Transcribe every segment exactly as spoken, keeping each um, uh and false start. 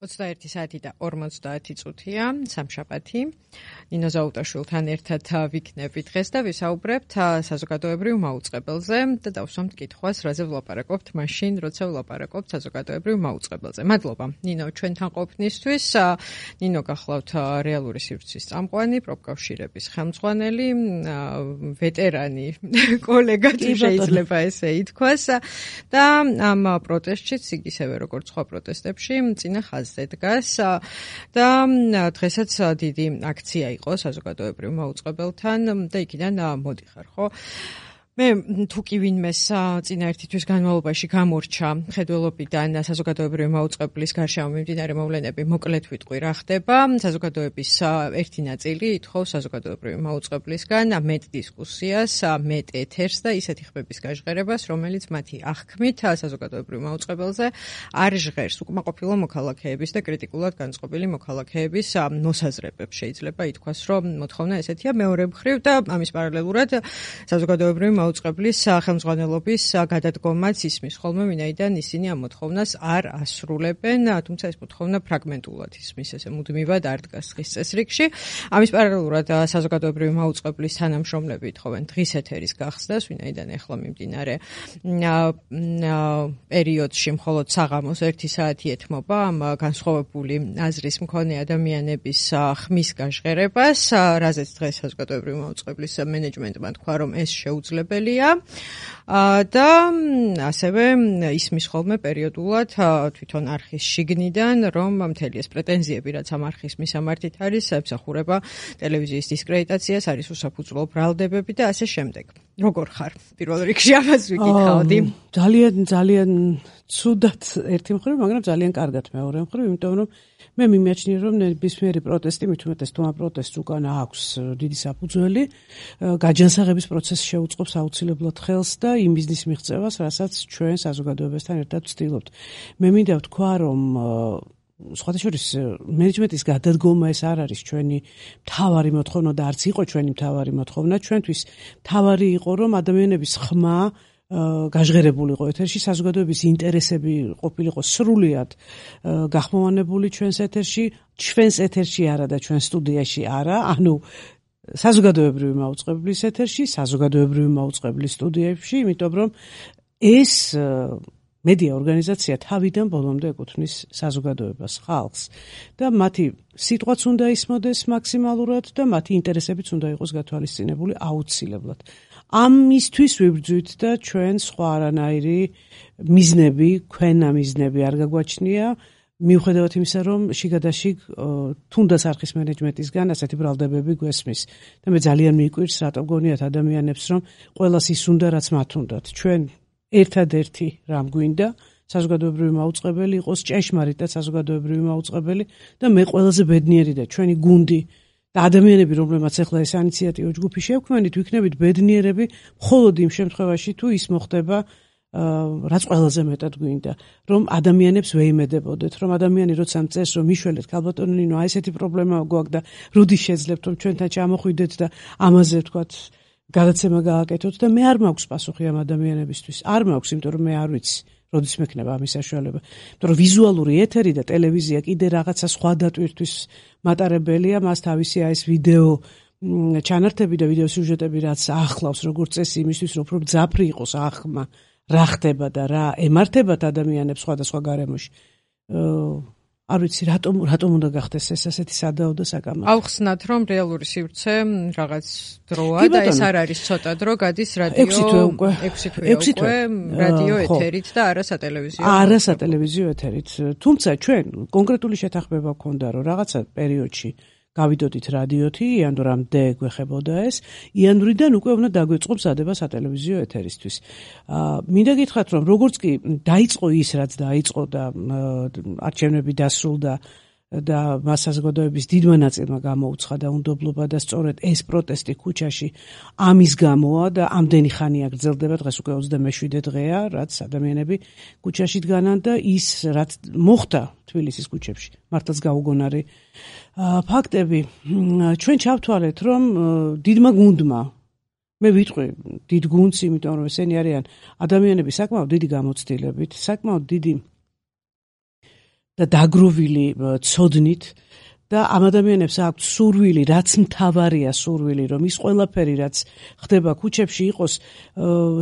ოცდაერთი საათი და ორმოცდაათი წუთია, სამშაბათი. ნინო ზაუტაშვილთან ერთად ვიქნებით დღეს და ვისაუბრებთ საზოგადოებრივ მაუწყებელზე და დავსვამთ კითხვას, რაზე ვლაპარაკობთ მაშინ, როცა ვლაპარაკობთ საზოგადოებრივ მაუწყებელზე. მადლობა, ნინო, ჩვენთან ყოფნისთვის. ნინო გახლავთ რეალური სივრცის წამყვანი, პროფკავშირების ხელმძღვანელი, ვეტერანი კოლეგა, შეიძლება ესე ითქვას და ამ პროტესტშიც, ისევე როგორც სხვა პროტესტებში, წინა ხაზზე დგას და დღესაც დიდი აქცია იყო საზოგადოებრივ მაუწყებელთან და იქიდან მოდიხარ, ხო? მე თუ კი ვინმეს წინა ერთი თვის განმავლობაში გამორჩა ხედველობიდან საზოგადოებრივი მაუწყებლის გარშემო მიმდინარე მოვლენები, მოკლედ ვიტყვი რა ხდება. საზოგადოების ერთი ნაწილი ითხოვს საზოგადოებრივი მაუწყებლისგან მეტ დისკუსიას, მეტ ეთერს და ისეთი ხმების გაჟღერებას, რომელიც მათი აღქმით საზოგადოებრივ მაუწყებელზე არ ჟღერს უკმაყოფილო მოქალაქეების და კრიტიკულად განწყობილი მოქალაქეების მოსაზრებებს. შეიძლება ითქვას, რომ მოთხოვნა ესეთია. მეორე მხრივ და ამის პარალელურად საზოგადოებრივი მაუწყებლის ხელმძღვანელობის გადადგომაც ისმის ხოლმე, ვინაიდან ისინი ამ მოთხოვნას არ ასრულებენ, თუმცა ეს მოთხოვნა ფრაგმენტულად ისმის, ესე მუდმივად არ დგას დღის წესრიგში. ამის პარალელურად საზოგადოებრივი მაუწყებლის თანამშრომლები ითხოვენ დღის ეთერის გახსნას, ვინაიდან ეხლა მიმდინარე პერიოდში მხოლოდ საღამოს ერთი საათი ეთმობა ამ განსხვავებული აზრის მქონე ადამიანების ხმის გაჟღერებას, რაზეც დღეს საზოგადოებრივი მაუწყებლის მენეჯმენტმა თქვა, რომ ეს შეუძლია და ასევე ისმის ხოლმე პერიოდულად თვითონ არხის შიგნიდან, რომ მთელი ეს პრეტენზიები, რაც ამ არხის მისამართით არის, ემსახურება ტელევიზიის დისკრედიტაციას, არის უსაფუძვლო ბრალდებები და ასე შემდეგ. როგორ ხარ? პირველ რიგში ამას ვიკითხავდი. ძალიან ძალიან ცუდად ერთი მხრივ, მაგრამ ძალიან კარგად მეორე მხრივ, იმიტომ რომ მე მიმაჩნია, რომ ნებისმიერი პროტესტი, მით უმეტეს თუ ამ პროტესტს უკან აქვს დიდი საფუძველი, გაჯანსაღების პროცესს შეუწყობს აუცილებლად ხელს და იმ ბიზნეს მიღწევას, რასაც ჩვენ საზოგადოებასთან ერთად ვცდილობთ. მე მინდა ვთქვა, რომ სხვათა შორის მენეჯმენტის გადადგომა ეს არ არის ჩვენი მთავარი მოთხოვნა და არც იყო ჩვენი მთავარი მოთხოვნა. ჩვენთვის მთავარი იყო, რომ ადამიანების ხმა გაჟღერებულიყო ეთერში, საზოგადოების ინტერესები ყოფილიყო სრულიად გახმოვანებული ჩვენს ეთერში, ჩვენს ეთერში არა და ჩვენ სტუდიაში არა, ანუ საზოგადოებრივი მაუწყებლის ეთერში, საზოგადოებრივი მაუწყებლის სტუდიებში, იმიტომ რომ ეს მედია ორგანიზაცია თავიდან ბოლომდე ეკუთვნის საზოგადოებას, ხალხს და მათი სიტყვაც უნდა ისმოდეს მაქსიმალურად და მათი ინტერესებიც უნდა იყოს გათვალისწინებული აუცილებლად. ამისთვის ვიბრძვით და ჩვენ სხვა არანაირი მიზნები, ქვენა მიზნები არ გაგვაჩნია, მიუხედავად იმისა, რომ შიგადაშიგ თუნდაც არხის მენეჯმენტისგან ასეთი ბრალდებები გვესმის. და მე ძალიან მიკვირს, რატო გონიათ ადამიანებს, რომ ყველას ის უნდა, რაც მათ უნდათ. ჩვენ ერთადერთი რამ გვინდა, საზოგადოებრივი მაუწყებელი იყოს, ჭეშმარიტად საზოგადოებრივი მაუწყებელი და მე ყველაზე ბედნიერი და ჩვენი გუნდი და ადამიანები, რომლებმაც ახლა ეს ინიციატივა ჯგუფი შევქმნით, ვიქნებით ბედნიერები მხოლოდ იმ შემთხვევაში, თუ ის მოხდება, რაც ყველაზე მეტად გვინდა, რომ ადამიანებს ვეიმედებოდეთ, რომ ადამიანი როცა მწეს, რომ მიშველეთ, ქალბატონო ნინო, აი ესეთი პრობლემა გვაქვს და როდი შეძლებთ, რომ ჩვენთან ჩამოხვიდეთ და ამაზე ვთქვათ გადაცემა გააკეთოთ და მე არ მაქვს პასუხი ამ ადამიანებისთვის. არ მაქვს, იმიტომ რომ მე არ ვიცი, როდის მექნება ამის საშუალება. იმიტომ რომ ვიზუალური ეთერი და ტელევიზია კიდე რაღაცა სხვა დატვირთვის მატარებელია, მას თავისი აი ეს ვიდეო ჩანართები და ვიდეო სიუჟეტები, რაც ახლავს როგორც წესი იმისთვის, რომ უფრო მძაფრი იყოს აღქმა, რა ხდება და რა ემართებათ ადამიანებს სხვადასხვა გარემოში. არ ვიცი, რატომ რატომ უნდა გახდეს ეს ასეთი სადაო და საკამათო. ავხსნათ, რომ რეალური სივრცე რაღაც დროა და ეს არ არის ცოტა დრო, გადის რადიო ექვსი თვე უკვე ექვსი თვე რადიო ეთერით და არა სატელევიზიო. არა სატელევიზიო ეთერით. თუმცა ჩვენ კონკრეტული შეთანხმება გვქონდა, რომ რაღაცა პერიოდში გავიდოდით რადიოთი, იანვრამდე გვეხებოდა ეს, იანვრიდან უკვე უნდა დაგვეწყო მზადება სატელევიზიო ეთერისთვის. მინდა გითხრათ, რომ როგორც კი დაიწყო ის, რაც დაიწყო და არჩევნები დასრულდა და მას საზოგადოების დიდმა ნაწილმა გამოუცხადა და უნდობლობა და სწორედ ეს პროტესტი ქუჩაში ამის გამოა და ამდენი ხანია გრძელდება, დღეს უკვე ოცდამეშვიდე დღეა, რაც ადამიანები ქუჩაში დგანან და ის რაც მოხდა თბილისის ქუჩებში, მართლაც გაუგონარი ფაქტები. ჩვენ ჩავთვალეთ, რომ დიდმა გუნდმა, მე ვიტყვი დიდ გუნდს, იმიტომ რომ ესენი არიან ადამიანები საკმაოდ დიდი გამოცდილებით, საკმაოდ დიდი და დაგროვილი ცოდნით და ამ ადამიანებს აქვს სურვილი, რაც მთავარია სურვილი, რომ ის ყველაფერი, რაც ხდება ქუჩებში, იყოს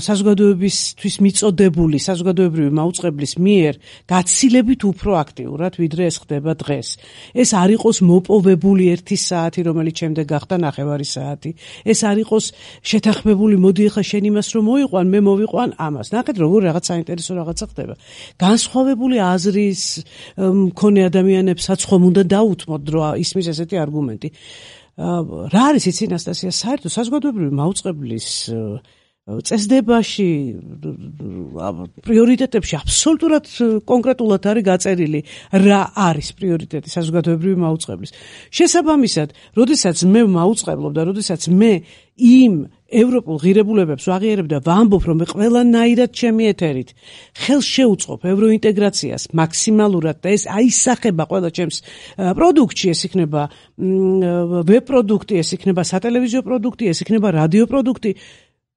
საზოგადოებისთვის მიწოდებული, საზოგადოებრივი მაუწყებლის მიერ გაცილებით უფრო აქტიურად, ვიდრე ეს ხდება დღეს. ეს არ იყოს მოპოვებული ერთი საათი, რომელიც შემდეგ გახდა ნახევარი საათი. ეს არ იყოს შეთანხმებული, მოდი ახლა შენ იმას რომ მოიყვან, მე მოვიყვან ამას. ნახეთ, როგორ რაღაც საინტერესო რაღაცა ხდება. განსხვავებული აზრის მქონე ადამიანებსაც ხომ უნდა დაუთმოთ, ისმის ესეთი არგუმენტი. რა არის იცი ნასტასია, საერთოდ საზოგადოებრივი მაუწყებლის წესდებაში, პრიორიტეტებში აბსოლუტურად კონკრეტულად არის გაწერილი, რა არის პრიორიტეტი საზოგადოებრივი მაუწყებლის. შესაბამისად, როდესაც მე მაუწყებლობ და როდესაც მე იმ ევროპულ ღირებულებებს ვაღიარებ და ვამბობ, რომ მე ყველანაირად ჩემი ეთერით ხელს შეუწყობ ევროინტეგრაციას მაქსიმალურად და ეს აისახება ყველა ჩემს პროდუქტში, ეს იქნება ვებ პროდუქტი, ეს იქნება სატელევიზიო პროდუქტი, ეს იქნება რადიო პროდუქტი,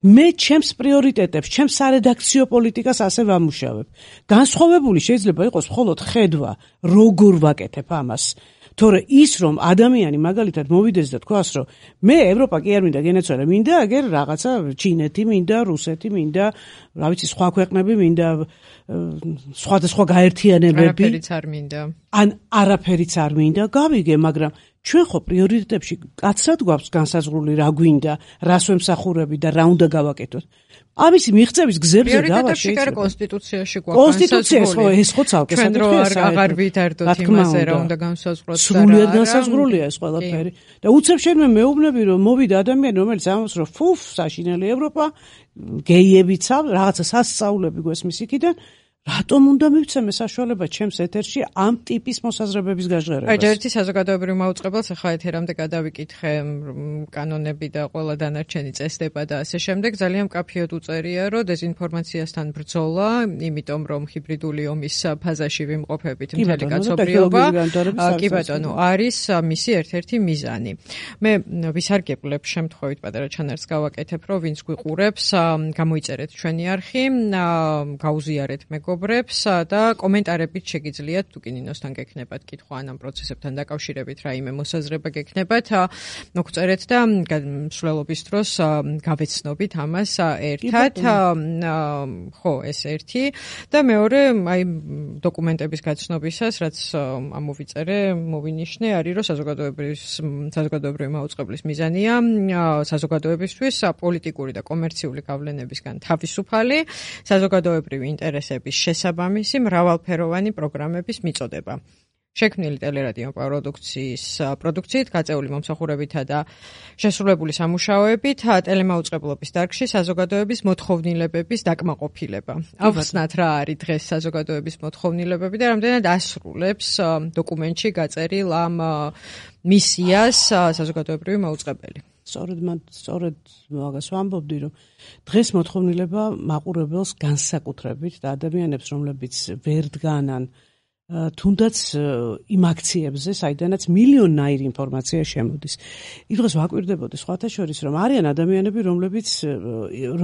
მე ჩემს პრიორიტეტებს, ჩემს სარედაქციო პოლიტიკას ასე ვამუშავებ. განსხვავებული შეიძლება იყოს მხოლოდ ხედვა, როგორ ვაკეთებ ამას. თორე ის რომ ადამიანი მაგალითად მოვიდეს და თქვას რომ მე ევროპა კი არ მინდა გენეცვალე, მინდა აგერ რაღაცა ჩინეთი, მინდა რუსეთი, მინდა რა ვიცი სხვა ქვეყნები, მინდა სხვადასხვა გაერთიანებები, არაფერიც არ მინდა. ან არაფერიც არ მინდა, გავიგე, მაგრამ ჩვენ ხო პრიორიტეტებში კაცრად გვაქვს განსაზღვრული რა გვინდა, რას ვემსახურები და რა უნდა გავაკეთოთ. ამის მიღწევის გზებზე დავა შეიძლება. კონსტიტუციაში გვაქვს კონსტიტუციაში ხო ეს ხო ცალკე საკითხია. ჩვენ აღარ ვითარდოთ იმაზე, რა უნდა განსაზღვროთ და რა. სრულიად განსაზღვრულია ეს ყველაფერი. და უცებ შენმე მეუბნები რომ მოვიდა ადამიანი, რომელიც ამბობს რომ ფუფ, საშინელი ევროპა, გეიებიცა, რაღაცა სასწაულები გვესმის იქიდან. რატომ უნდა მივცემე საშუალება ჩემს ეთერში ამ ტიპის მოსაზრებების გაჟღერებას? აი, ერთი საზოგადოებრივ მაუწყებელს ახლა ეთერამდე გადავიკითხე კანონები და ყველა დანარჩენი წესდება და ასე შემდეგ. ძალიან მკაფიოდ უწერია, რომ დეზინფორმაციასთან ბრძოლა, იმიტომ რომ ჰიბრიდული ომის ფაზაში ვიმყოფებით მთელი კაცობრიობა, კი ბატონო, არის მისი ერთ-ერთი მიზანი. მე ვისარგებლებ შემთხვევით პატარა ჩანართს გავაკეთებ, რომ ვინც გვიყურებს, გამოიწერეთ ჩვენი არხი, გაუზიარეთ მეგობრებს და კომენტარებით შეგიძლიათ თუ კი ნინოსთან გექნებათ კითხვა ან ამ პროცესებთან დაკავშირებით რაიმე მოსაზრება გექნებათ, მოგწერეთ და მსვლელობის დროს გავეცნობით ამას ერთად. ხო, ეს ერთი და მეორე, აი დოკუმენტების გაცნობისას, რაც ამოვიწერე, მოვინიშნე, არის რომ საზოგადოებრივი მაუწყებლის მიზანია საზოგადოებისთვის პოლიტიკური და კომერციული გავლენებისგან თავისუფალი საზოგადოებრივი ინტერესების შესაბამისი მრავალფეროვანი პროგრამების მიწოდება. შექმნილი ტელერადიო პროდუქციის პროდუქციით, გაწეული მომსახურებითა და შესრულებული სამუშაოებით, ტელემაუწყებლობის დარგში საზოგადოების მოთხოვნილებების დაკმაყოფილება. ავხსნათ რა არის დღეს საზოგადოების მოთხოვნილებები და რამდენად ასრულებს დოკუმენტში გაწერილ ამ მისიას საზოგადოებრივი მაუწყებელი. სწორედ მან სწორედ მაგას ვამბობდი, რომ დღეს მოთხოვნილება მაყურებელს განსაკუთრებით და ადამიანებს, რომლებიც ვერ დგანან თუნდაც იმ აქციებზე, საიდანაც მილიონნაირი ინფორმაცია შემოდის. იმ დღეს ვაკვირდებოდი სხვათა შორის, რომ არიან ადამიანები, რომლებიც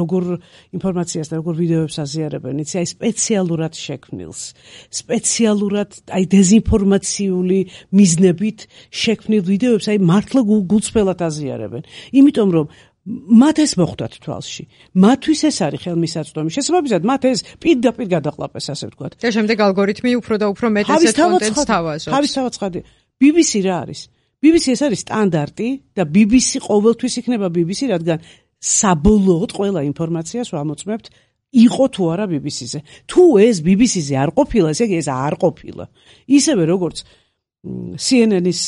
როგორ ინფორმაციას და როგორ ვიდეოებს აზიარებენ, იცი, აი სპეციალურად შექმნილს, სპეციალურად აი დეზინფორმაციული მიზნებით შექმნილ ვიდეოებს, აი მართლა გულწრფელად აზიარებენ. იმიტომ რომ მათ ეს მოხვდათ თვალში. მათთვის ეს არის ხელმისაწვდომი. შესაბამისად, მათ ეს პირდაპირ გადაყლაპეს, ასე ვთქვათ. და შემდეგ ალგორითმი უფრო და უფრო მეტ ესეთ კონტენტს თავაზობს. თავისთავად ცხადია. ბი ბი სი რა არის? ბი ბი სი ეს არის სტანდარტი და ბი ბი სი ყოველთვის იქნება ბი ბი სი, რადგან საბოლოოდ ყველა ინფორმაციას ვამოწმებთ იყო თუ არა ბი ბი სიზე. თუ ეს ბი ბი სიზე არ ყოფილა, ესე იგი ეს არ ყოფილა. ისევე როგორც სი ენ ენის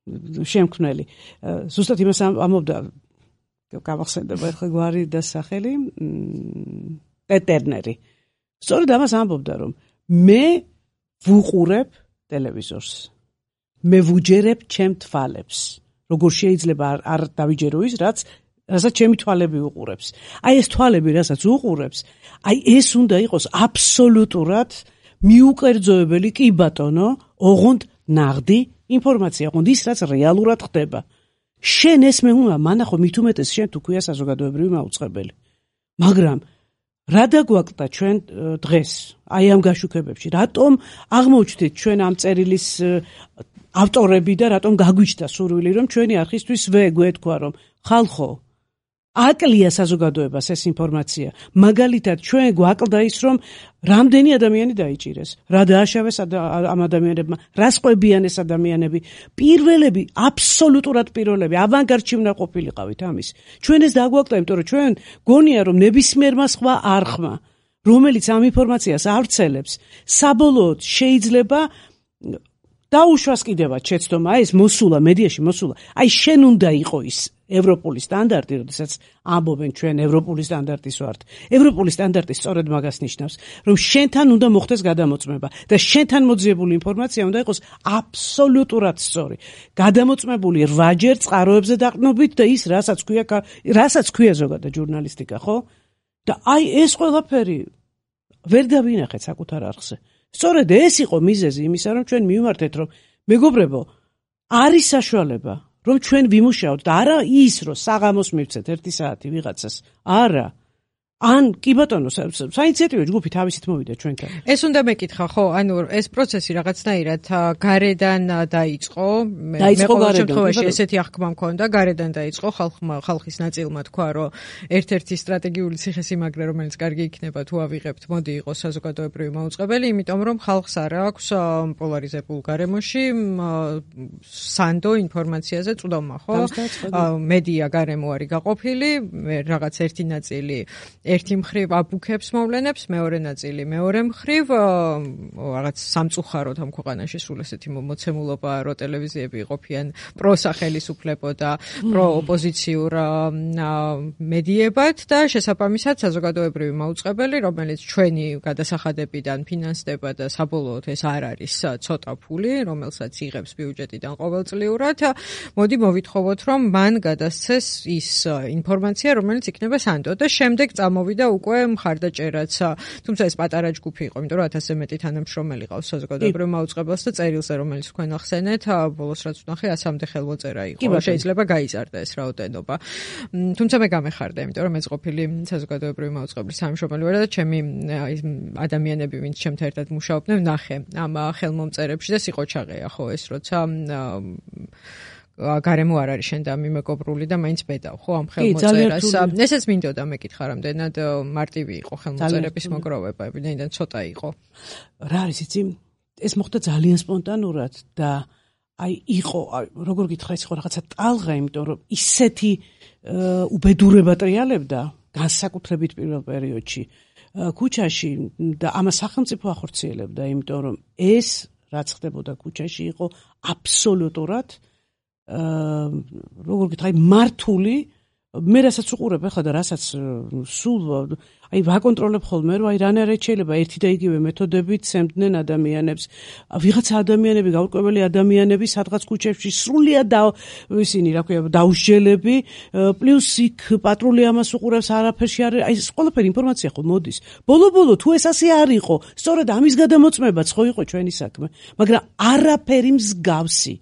შემქმნელი. ზუსტად იმას ამბობდა, გამახსენდება ახლა გვარი და სახელი, პეტერნერი. სწორედ ამას ამბობდა, რომ მე ვუყურებ ტელევიზორს. მე ვუჯერებ ჩემ თვალებს. როგორ შეიძლება არ დავიჯერო ის, რაც რასაც ჩემი თვალები უყურებს. აი ეს თვალები, რასაც უყურებს, აი ეს უნდა იყოს აბსოლუტურად მიუკერძოებელი, კი ბატონო, ოღონდ ნაღდი ინფორმაცია, ოღონდ ის, რაც რეალურად ხდება. შენ ეს მე უნდა მანახო მით უმეტეს შენ თუ ქვია საზოგადოებრივი მაუწყებელი. მაგრამ რა დაგვაკლდა ჩვენ დღეს აი ამ გაშუქებებში? რატომ აღმოჩნდით ჩვენ ამ წერილის ავტორები და რატომ გაგვიჩნდა სურვილი რომ ჩვენი არხისთვის ვეგვეთქვა რომ ხალხო აკლია საზოგადოებას ეს ინფორმაცია. მაგალითად ჩვენ გვაკლდა ის რომ რამდენი ადამიანი დაიჭირეს, რა დააშავეს ამ ადამიანებმა, რა სყვებიან ეს ადამიანები. პირველები, აბსოლუტურად პირველები, ავანგარდში უნდა ყოფილიყავით ამის. ჩვენ ეს დაგვაკლდა, იმიტომ რომ ჩვენ გონია რომ ნებისმიერმა სხვა არხმა, რომელიც ამ ინფორმაციას ავრცელებს, საბოლოოდ შეიძლება დაუშვას კიდევაც შეცდომა, ეს მოსულა, მედიაში მოსულა. აი შენ უნდა იყო ის ევროპული სტანდარტი, როდესაც ამბობენ ჩვენ ევროპული სტანდარტის ვართ. ევროპული სტანდარტი სწორედ მაგას ნიშნავს, რომ შენთან უნდა მოხდეს გადამოწმება და შენთან მოძიებული ინფორმაცია უნდა იყოს აბსოლუტურად სწორი. გადამოწმებული რვაჯერ წყაროებზე დაყრდნობით და ის რასაც ქვია, რასაც ქვია ზოგადად ჟურნალისტიკა, ხო? და აი ეს ყველაფერი ვერ დავინახეთ საკუთარ არხზე. სწორედ ეს იყო მიზეზი იმისა, რომ ჩვენ მივმართეთ, რომ მეგობრებო, არის საშუალება, რომ ჩვენ ვიმუშაოთ და არა ის, რომ საღამოს მივცეთ ერთი საათი ვიღაცას. არა. ან კი ბატონო, საინიციატივო ჯგუფი თავისით მოვიდა ჩვენთან. ეს უნდა მეკითხა, ხო? ანუ ეს პროცესი რაღაცნაირად გარედან დაიწყო. მე ყოველ შემთხვევაში ესეთი აღქმა მქონდა, გარედან დაიწყო, ხალხმა, ხალხის ნაწილმა თქვა, რომ ერთ-ერთი სტრატეგიული ციხესიმაგრე, რომელიც კარგი იქნება თუ ავიღებთ, მოდი იყოს საზოგადოებრივი მაუწყებელი, იმიტომ რომ ხალხს არ აქვს პოლარიზებულ გარემოში სანდო ინფორმაციაზე წვდომა, ხო? მედია გარემო არის გაყოფილი, რაღაც ერთი ნაწილი ერთი მხრივ აბუქებს მოვლენებს, მეორე ნაწილი მეორე მხრივ რაღაც სამწუხაროდ ამ ქვეყანაში სულ ესეთი მოცემულობა, რომ ტელევიზიები იყოფიან პროსახელისუფლებო და პროოპოზიციურ მედიებად და შესაბამისად საზოგადოებრივი მაუწყებელი, რომელიც ჩვენი გადასახადებიდან ფინანსდება და საბოლოოდ ეს არ არის ცოტა ფული, რომელსაც იღებს ბიუჯეტიდან ყოველწლიურად, მოდი მოვითხოვოთ, რომ მან გადასცეს ის ინფორმაცია, რომელიც იქნება სანდო და შემდეგ მოვიდა უკვე მხარდაჭერაც. თუმცა ეს პატარა ჯგუფი იყო, იმიტომ რომ ათასზე მეტი თანამშრომელი ყავს საზოგადოებრივ მაუწყებელს და წერილზე, რომელიც თქვენ ახსენეთ, ბოლოს რაც ვნახე, ასამდე ხელმოწერა იყო. შეიძლება გაიზარდა ეს რაოდენობა. თუმცა მე გამეხარდა, იმიტომ რომ მეც ყოფილი საზოგადოებრივი მაუწყებლის თანამშრომელი ვარ და ჩემი ადამიანები, ვინც ჩემთან ერთად მუშაობდნენ, ვნახე ამ ხელმომწერებში და სიყოჩაღეა, ხო, ეს როცა გარემო არ არის შენ და მიმეგობრული და მაინც ბედავ, ხო, ამ ხელმოწერას. ესეც მინდოდა მეკითხა, რამდენად მარტივი იყო ხელმოწერების მოგროვება, ვინაიდან ცოტა იყო. რა არის იცი? ეს მოხდა ძალიან სპონტანურად და აი იყო, როგორ გითხრა, ის იყო რაღაცა ტალღა, იმიტომ რომ ისეთი უბედურება ტრიალებდა განსაკუთრებით პირველ პერიოდში ქუჩაში და ამას სახელმწიფო ახორციელებდა, იმიტომ რომ ეს რაც ხდებოდა ქუჩაში იყო აბსოლუტურად როგორ გითხრა, მართული, მე რასაც უყურებ ახლა და რასაც სულ აი ვაკონტროლებ ხოლმე, რომ აი რანაირად შეიძლება ერთი და იგივე მეთოდებით სემდნენ ადამიანებს. ვიღაცა ადამიანები, გაურკვეველი ადამიანები სადღაც ქუჩებში სრულიად და ისინი, რა ქვია, დაუსჯელები, პლუს იქ პატრული ამას უყურებს, არაფერში არ აი ეს ყველაფერი ინფორმაცია ხო მოდის. ბოლო-ბოლო თუ ეს ასე არ იყო, სწორედ ამის გადამოწმებაც ხო იყო ჩვენი საქმე, მაგრამ არაფერი მსგავსი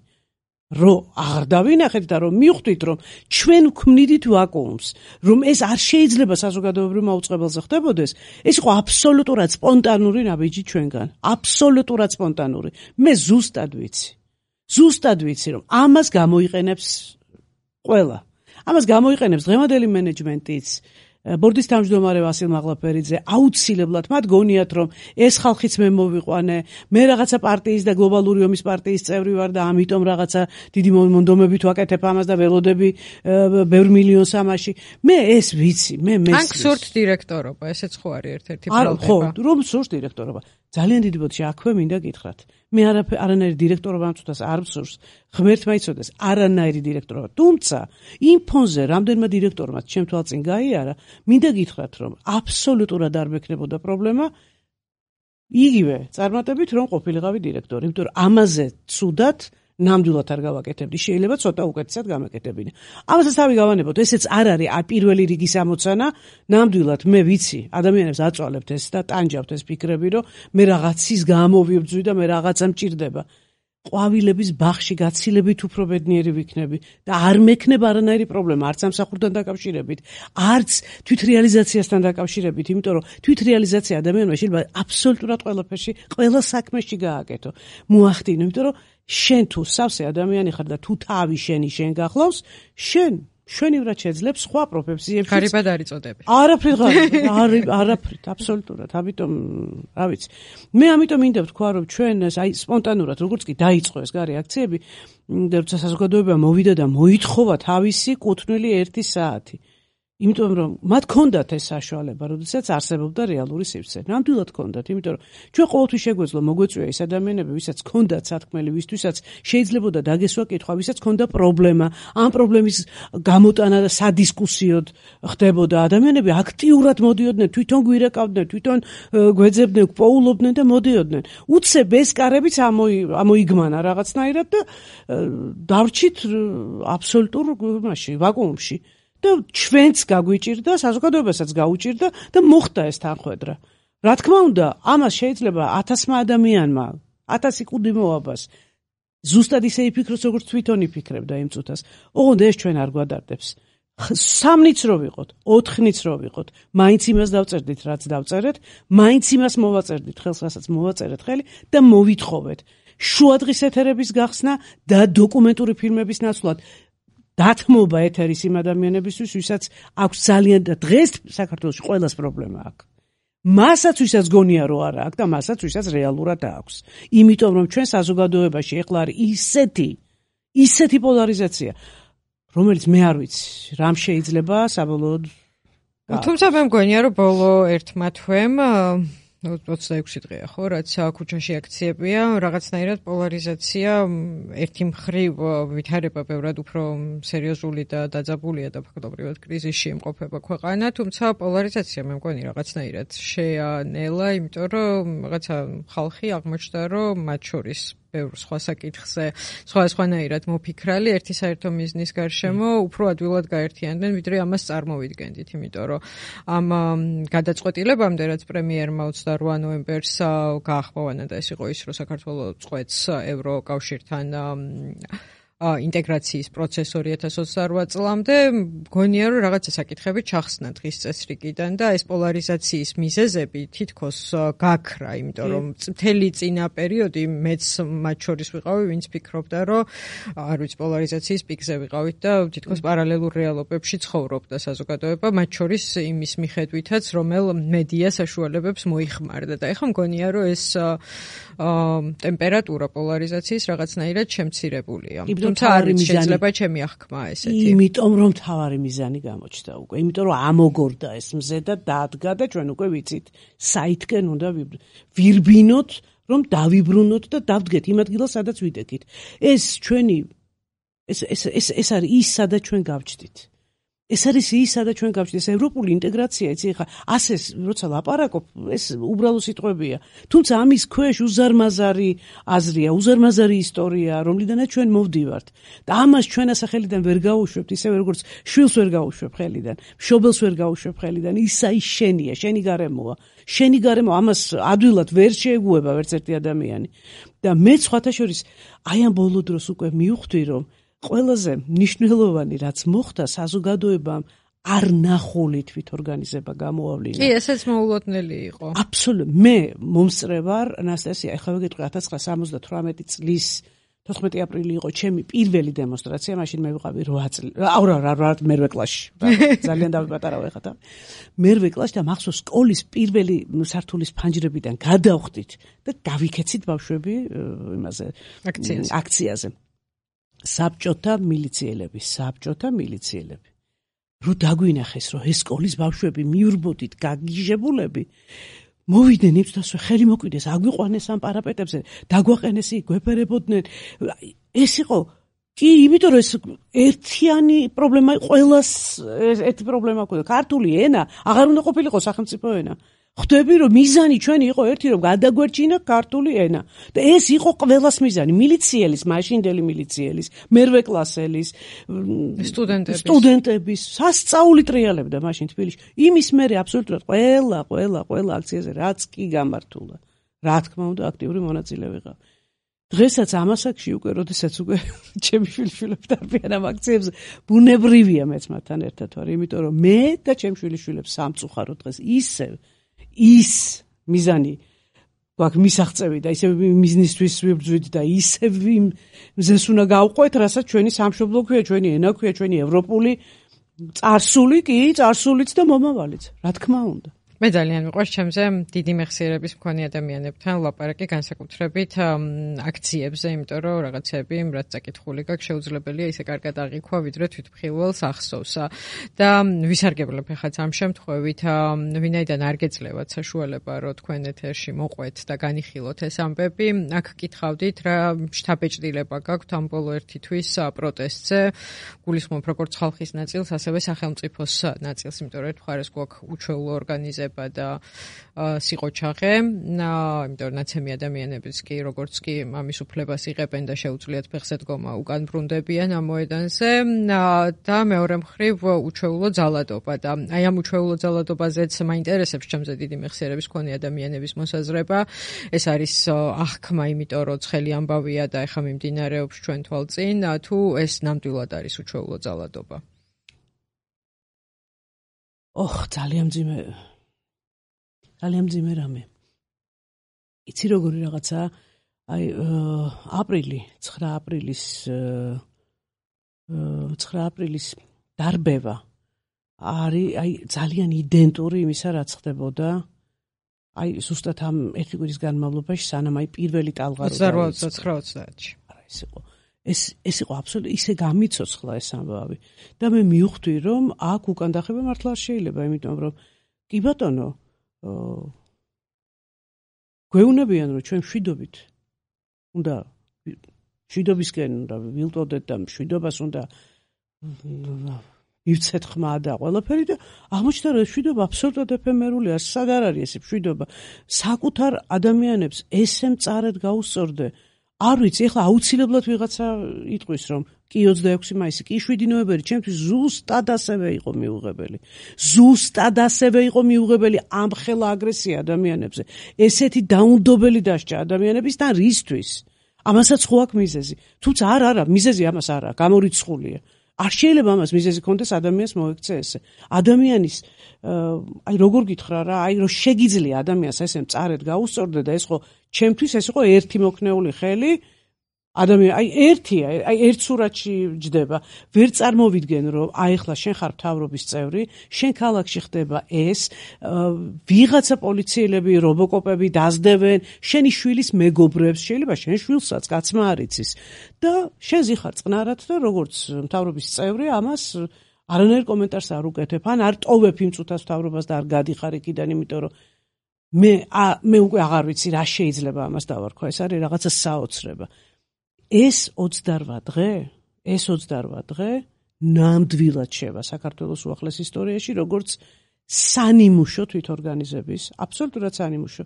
რომ აღარ დავინახეთ და რომ მივხვდით, რომ ჩვენ ვქმნიდით ვაკუუმს, რომ ეს არ შეიძლება საზოგადოებრივ მაუწყებელზე ხდებოდეს, ეს იყო აბსოლუტურად სპონტანური ნაბიჯი ჩვენგან. აბსოლუტურად სპონტანური. მე ზუსტად ვიცი. ზუსტად ვიცი, რომ ამას გამოიყენებს ყველა. ამას გამოიყენებს დღევანდელი მენეჯმენტიც, ბორდის თავმჯდომარე ვასილ მაღლაფერიძე, აუცილებლად მათ გონიათ, რომ ეს ხალხიც მე მოვიყვანე, მე რაღაცა პარტიის და გლობალური ომის პარტიის წევრი ვარ და ამიტომ რაღაცა დიდი მონდომებით ვაკეთებ ამას და ველოდები ბევრ მილიონს ამაში. მე ეს ვიცი, მე მესმის. ან გსურთ დირექტორობა, ესეც ხო არის ერთ-ერთი პრობლემა. ხო, რომ გსურთ დირექტორობა. ძალიან დიდი ბოდში აქვე მინდა გითხრათ. მე არანაირი დირექტორობა ამწუთას არ მსურს, ღმერთმა იცოდეს, არანაირი დირექტორობა. თუმცა იმ ფონზე რამდენმა დირექტორმა ჩემ თვალწინ გაიარა, მინდა გითხრათ, რომ აბსოლუტურად არ მექნებოდა პრობლემა იგივე წარმატებით რომ ყოფილიყავი დირექტორი, იმიტომ რომ ამაზე ცუდად ნამდვილად არ გავაკეთებდი, შეიძლება ცოტა უკეთესად გამეკეთებინე. ამასაც თავი გავანებოთ, ესეც არ არის პირველი რიგის ამოცანა, ნამდვილად მე ვიცი, ადამიანებს აწვალებთ ეს და ტანჯავთ ეს ფიქრები, რომ მე რაღაცის გამოვიბძვი და მე რაღაცა მჭირდება. ყვავილების ბაღში გაცილებით უფრო ბედნიერი ვიქნები და არ მექნება არანაირი პრობლემა არც სამსახურთან დაკავშირებით, არც თვითრეალიზაციასთან დაკავშირებით, იმიტომ რომ თვითრეალიზაცია ადამიანმა შეიძლება აბსოლუტურად ყველაფერში, ყველა საქმეში გააკეთო. მოახდინო, იმიტომ რომ შენ თუ სავსე ადამიანი ხარ და თუ თავი შენი შენ გახლავს, შენ შვენივრად შეძლებს სხვა პროფესიებში. ღარიბად არ იწოდები. არაფრით ღარიბ, არაფრით, აბსოლუტურად. ამიტომ, რა ვიცი. მე ამიტომ მინდა ვთქვა, რომ ჩვენ აი სპონტანურად როგორც კი დაიწყო ეს გარე აქციები, და როცა საზოგადოება მოვიდა და მოითხოვა თავისი კუთვნილი ერთი საათი. იმიტომ რომ მათ ჰქონდათ ეს საშუალება, როდესაც არსებობდა რეალური სივრცე. ნამდვილად ჰქონდათ, იმიტომ რომ ჩვენ ყოველთვის შეგვეძლო მოგვეწვია ის ადამიანები, ვისაც ჰქონდათ სათქმელი, ვისთვისაც შეიძლებოდა დაგესვა კითხვა, ვისაც ჰქონდა პრობლემა, ამ პრობლემის გამოტანა და სადისკუსიოდ ხდებოდა. ადამიანები აქტიურად მოდიოდნენ, თვითონ გვირეკავდნენ, თვითონ გვეძებდნენ, გვპოულობდნენ და მოდიოდნენ. უცებ ეს კარებიც ამოიგმანა რაღაცნაირად და დავრჩით აბსოლუტურ მასში, ვაკუუმში. და ჩვენც გაგვიჭირდა, საზოგადოებასაც გაუჭირდა და მოხდა ეს თანხwebdriver. რა თქმა უნდა, ამას შეიძლება ათასმა ადამიანმა, ათასი კუდი მოაბას ზუსტად ისე იფიქროს, როგორც თვითონ იფიქრებდა იმ წუთას. ოღონდ ეს ჩვენ არ გვადარდებს. სამნიც რო ვიყოთ, ოთხნიც რო ვიყოთ, მაინც იმას დავწერდით, რაც დავწერეთ, მაინც იმას მოვაწერდით ხელს, რასაც მოვაწერეთ ხელი და მოვითხოვეთ. შუადღის ეთერების გახსნა და დოკუმენტური ფილმების ნაცვლად დათმობა ეთერის იმ ადამიანებისთვის, ვისაც აქვს ძალიან და დღეს საქართველოში ყველას პრობლემა აქვს. მასაც ვისაც გონია რომ არა აქვს და მასაც ვისაც რეალურად აქვს. იმიტომ რომ ჩვენ საზოგადოებაში ეხლა არის ისეთი, ისეთი პოლარიზაცია, რომელიც მე არ ვიცი, რამ შეიძლება საბოლოოდ. თუმცა მე მგონია რომ ბოლო ერთმა თვემ ოცდაექვსი დღეა ხო, რაც ქუჩაში აქციებია, რაღაცნაირად პოლარიზაცია ერთი მხრივ ვითარება ბევრად უფრო სერიოზული და დაძაბულია და ფაქტობრივად კრიზისში იმყოფება ქვეყანა, თუმცა პოლარიზაცია მე მგონი რაღაცნაირად შეანელა, იმიტომ რომ რაღაცა ხალხი აღმოჩნდა, რომ მათ შორის ბევრ სხვა საკითხზე სხვადასხვანაირად მოფიქრალი ერთი საერთო მიზნის გარშემო უფრო ადვილად გაერთიანდნენ, ვიდრე ამას წარმოვიდგენდით, იმიტომ რომ ამ გადაწყვეტილებამდე, რაც პრემიერმა ოცდარვა ნოემბერს გაახმოვანა და ეს იყო ის, რომ საქართველოს წყვეტს ევროკავშირთან ინტეგრაციის პროცეს ორი ათას ოცდარვა წლამდე, მგონია რომ რაღაცა საკითხები ჩახსნა დღის წესრიგიდან და ეს პოლარიზაციის მიზეზები თითქოს გაქრა, იმიტომ რომ მთელი წინა პერიოდი მეც მათ შორის ვიყავი, ვინც ფიქრობდა, რომ არ ვიცი, პოლარიზაციის პიკზე ვიყავით და თითქოს პარალელურ რეალობებში ცხოვრობდა საზოგადოება, მათ შორის იმის მიხედვითაც, რომელ მედია საშუალებებს მოიხმარდა და ეხლა მგონია რომ ეს ტემპერატურა პოლარიზაციის რაღაცნაირად შემცირებულია. თუმცა არ ვიცი, შეიძლება ჩემი აღქმა ესეთი. იმიტომ რომ თავარი მიზანი გამოჩნდა უკვე, იმიტომ რომ ამოგორდა ეს მზე და დადგა და ჩვენ უკვე ვიცით, საითკენ უნდა ვირბინოთ, რომ დავიბრუნოთ და დავდგეთ იმ ადგილას, სადაც ვიდექით. ეს ჩვენი ეს ეს ეს ეს არის ის, სადაც ჩვენ გავჩდით. ეს არის ის, სადაც ჩვენ გავჩდით, ეს ევროპული ინტეგრაცია, იცი ხა, ასე როცა ლაპარაკობ, ეს უბრალო სიტყვებია. თუმცა ამის ქვეშ უზარმაზარი აზრია, უზარმაზარი ისტორია, რომლიდანაც ჩვენ მოვდივართ. და ამას ჩვენ ასახელიდან ვერ გავუშვებთ, ისე როგორც შვილს ვერ გავუშვებ ხელიდან, მშობელს ვერ გავუშვებ ხელიდან, ისა ის შენია, შენი გარემოა. შენი გარემო ამას ადვილად ვერ შეეგუება ვერც ერთი ადამიანი. და მე სხვათა შორის აი ამ ბოლო დროს უკვე მივხვდი, რომ ყველაზე მნიშვნელოვანი რაც მოხდა საზოგადოებამ არ ნახული თვითორგანიზება გამოავლინა. კი, ესეც მოულოდნელი იყო. აბსოლუტურად. მე მომსწრე ვარ, ანასტასია, ახლა ვიგეთყვი ათას ცხრაასა სამოცდათვრამეტი წლის თოთხმეტი აპრილი იყო ჩემი პირველი დემონსტრაცია, მაშინ მე ვიყავი რვა წელი. აუ რა რა მერვე კლასში. ძალიან დავიპატარავ ეხლა. მერვე კლასში და მახსოვს სკოლის პირველი სართულის ფანჯრებიდან გადავხდით და გავიქეცით ბავშვები იმაზე აქციაზე. საბჭოთა მილიციელები, საბჭოთა მილიციელები. რო დაგვინახეს, რომ ეს სკოლის ბავშვები მიურბოდით გაგიჟებულები, მოვიდნენ იმ წუთას, ხელი მოკვიდეს, აგვიყვანეს ამ პარაპეტებზე, დაგვაყენეს იქ, გვეფერებოდნენ. ეს იყო კი, იმიტომ რომ ეს ერთიანი პრობლემა, ყველას ერთი პრობლემა ჰქონდა. ქართული ენა აღარ უნდა ყოფილიყო სახელმწიფო ენა. ხვდები რომ მიზანი ჩვენი იყო ერთი, რომ გადაგვერჩინა ქართული ენა. და ეს იყო ყველას მიზანი, მილიციელის, მაშინდელი მილიციელის, მერვე კლასელის, სტუდენტების, სტუდენტების, სასწაული ტრიალებდა მაშინ თბილისში. იმის მერე აბსოლუტურად ყველა, ყველა, ყველა აქციაზე რაც კი გამართულა. რა თქმა უნდა, აქტიური მონაწილე ვიყავ. დღესაც ამასაკში უკვე, როდესაც უკვე ჩემი შვილიშვილები დარბიან ამ აქციებზე, ბუნებრივია მეც მათთან ერთად ვარ, იმიტომ რომ მე და ჩემი შვილიშვილებს სამწუხაროდ დღეს ისევ ის მიზანი გვაქვს მისაღწევი და ისევ მიზნისთვის ვიბრძვით და ისევ მზეს უნდა გავყვეთ, რასაც ჩვენი სამშობლო ქვია, ჩვენი ენა ქვია, ჩვენი ევროპული წარსული კი, წარსულიც და მომავალიც, რა თქმა უნდა. მე ძალიან მიყვარს ჩემზე დიდი მეხსიერების მქონე ადამიანებთან ლაპარაკი განსაკუთრებით აქციებზე, იმიტომ რომ რაღაცები რაც წაკითხული გაქვს შეუძლებელია ისე კარგად აღიქვა, ვიდრე თვითმხილველს ახსოვსა. და ვისარგებლებ ახაც ამ შემთხვევით, ვინაიდან არ გეძლევათ საშუალება, რომ თქვენ ეთერში მოყვეთ და განიხილოთ ეს ამბები, აქ კითხავდით რა შთაბეჭდილება გაქვთ ამ ბოლო ერთი თვის პროტესტზე, გულისხმობ როგორც ხალხის ნაწილს, ასევე სახელმწიფოს ნაწილს, იმიტომ რომ ერთ მხარეს გვაქვს უჩვეულო ორგანიზება და სიყოჩაღე, იმიტომ რომ ნაცემი ადამიანებიც კი როგორც კი ამის უფლებას იღებენ და შეუძლიათ ფეხზე დგომა უკან ბრუნდებიან ამ მოედანზე და მეორე მხრივ უჩვეულო ძალადობა და აი ამ უჩვეულო ძალადობაზეც მაინტერესებს ჩემზე დიდი მეხსიერების მქონე ადამიანების მოსაზრება. ეს არის აღქმა, იმიტომ რომ ცხელი ამბავია და ეხა მიმდინარეობს ჩვენ თვალწინ, თუ ეს ნამდვილად არის უჩვეულო ძალადობა. ოხ, ძალიან მძიმე ძალიან მძიმე რამე. იცი როგორი რაღაცა, აი აპრილი, ცხრა აპრილის ცხრა აპრილის დარბევა არის აი ძალიან იდენტური იმისა, რაც ხდებოდა აი ზუსტად ამ ერთი კვირის განმავლობაში, სანამ აი პირველი ტალღა ოცდაოთხ ოცდაათში. არა, ეს იყო ეს ეს იყო აბსოლუტურად ისე გამიცოცხლა ეს ამბავი და მე მივხვდი რომ აქ უკან დახევა მართლა არ შეიძლება, იმიტომ რომ კი ბატონო გვეუნებიან რომ ჩვენ მშვიდობით უნდა მშვიდობისკენ უნდა ვილტოდეთ და მშვიდობას უნდა მივცეთ ხმა და ყველაფერი და აღმოჩნდა რომ მშვიდობა აბსოლუტურად ეფემერული არის. სად არ არის ეს მშვიდობა? საკუთარ ადამიანებს ესე მწარედ გაუსწორდე. არ ვიცი, ეხლა აუცილებლად ვიღაცა იტყვის რომ კი ოცდაექვსი მაისი, კი შვიდი ნოემბერი ჩემთვის ზუსტად ასევე იყო მიუღებელი. ზუსტად ასევე იყო მიუღებელი ამ ხელა აგრესია ადამიანებზე. ესეთი დაუნდობელი დასჭა ადამიანებისთან რისთვის? ამასაც ხო აქვს მიზეზი. თუმცა არ არა, მიზეზი ამას არა, გამორიცხულია. არ შეიძლება ამას მიზეზი კონდეს ადამიანს მოექცე ესე. ადამიანის აი როგორ გითხრა რა, აი რომ შეგიძლია ადამიანს ესე მწარედ გაუსწორდე და ეს ხო ჩემთვის ეს იყო ერთი მოქნეული ხელი. ადამიანი აი ერთია, აი ერთ სურათში ჯდება. ვერ წარმოვიდგენ რომ აი ახლა შენ ხარ მთავრობის წევრი, შენ ქალაქში ხდება ეს, ვიღაცა პოლიციელები, რობოკოპები დაძდევენ შენი შვილის მეგობრებს, შეიძლება შენ შვილსაც კაცმა არ იცის და შენ ზიხარ წყნარად და როგორც მთავრობის წევრი ამას არანაირ კომენტარს არ უკეთებ, ან არ ტოვებ იმ წუთას მთავრობას და არ გადიხარ იქიდან, იმიტომ რომ მე მე უკვე აღარ ვიცი რა შეიძლება ამას დავარქვა, ეს არის რაღაცა საოცრება. ეს ოცდარვა დღე, ეს ოცდარვა დღე ნამდვილად შევა საქართველოს უახლეს ისტორიაში, როგორც სანიმუშო თვითორგანიზების, აბსოლუტურად სანიმუშო.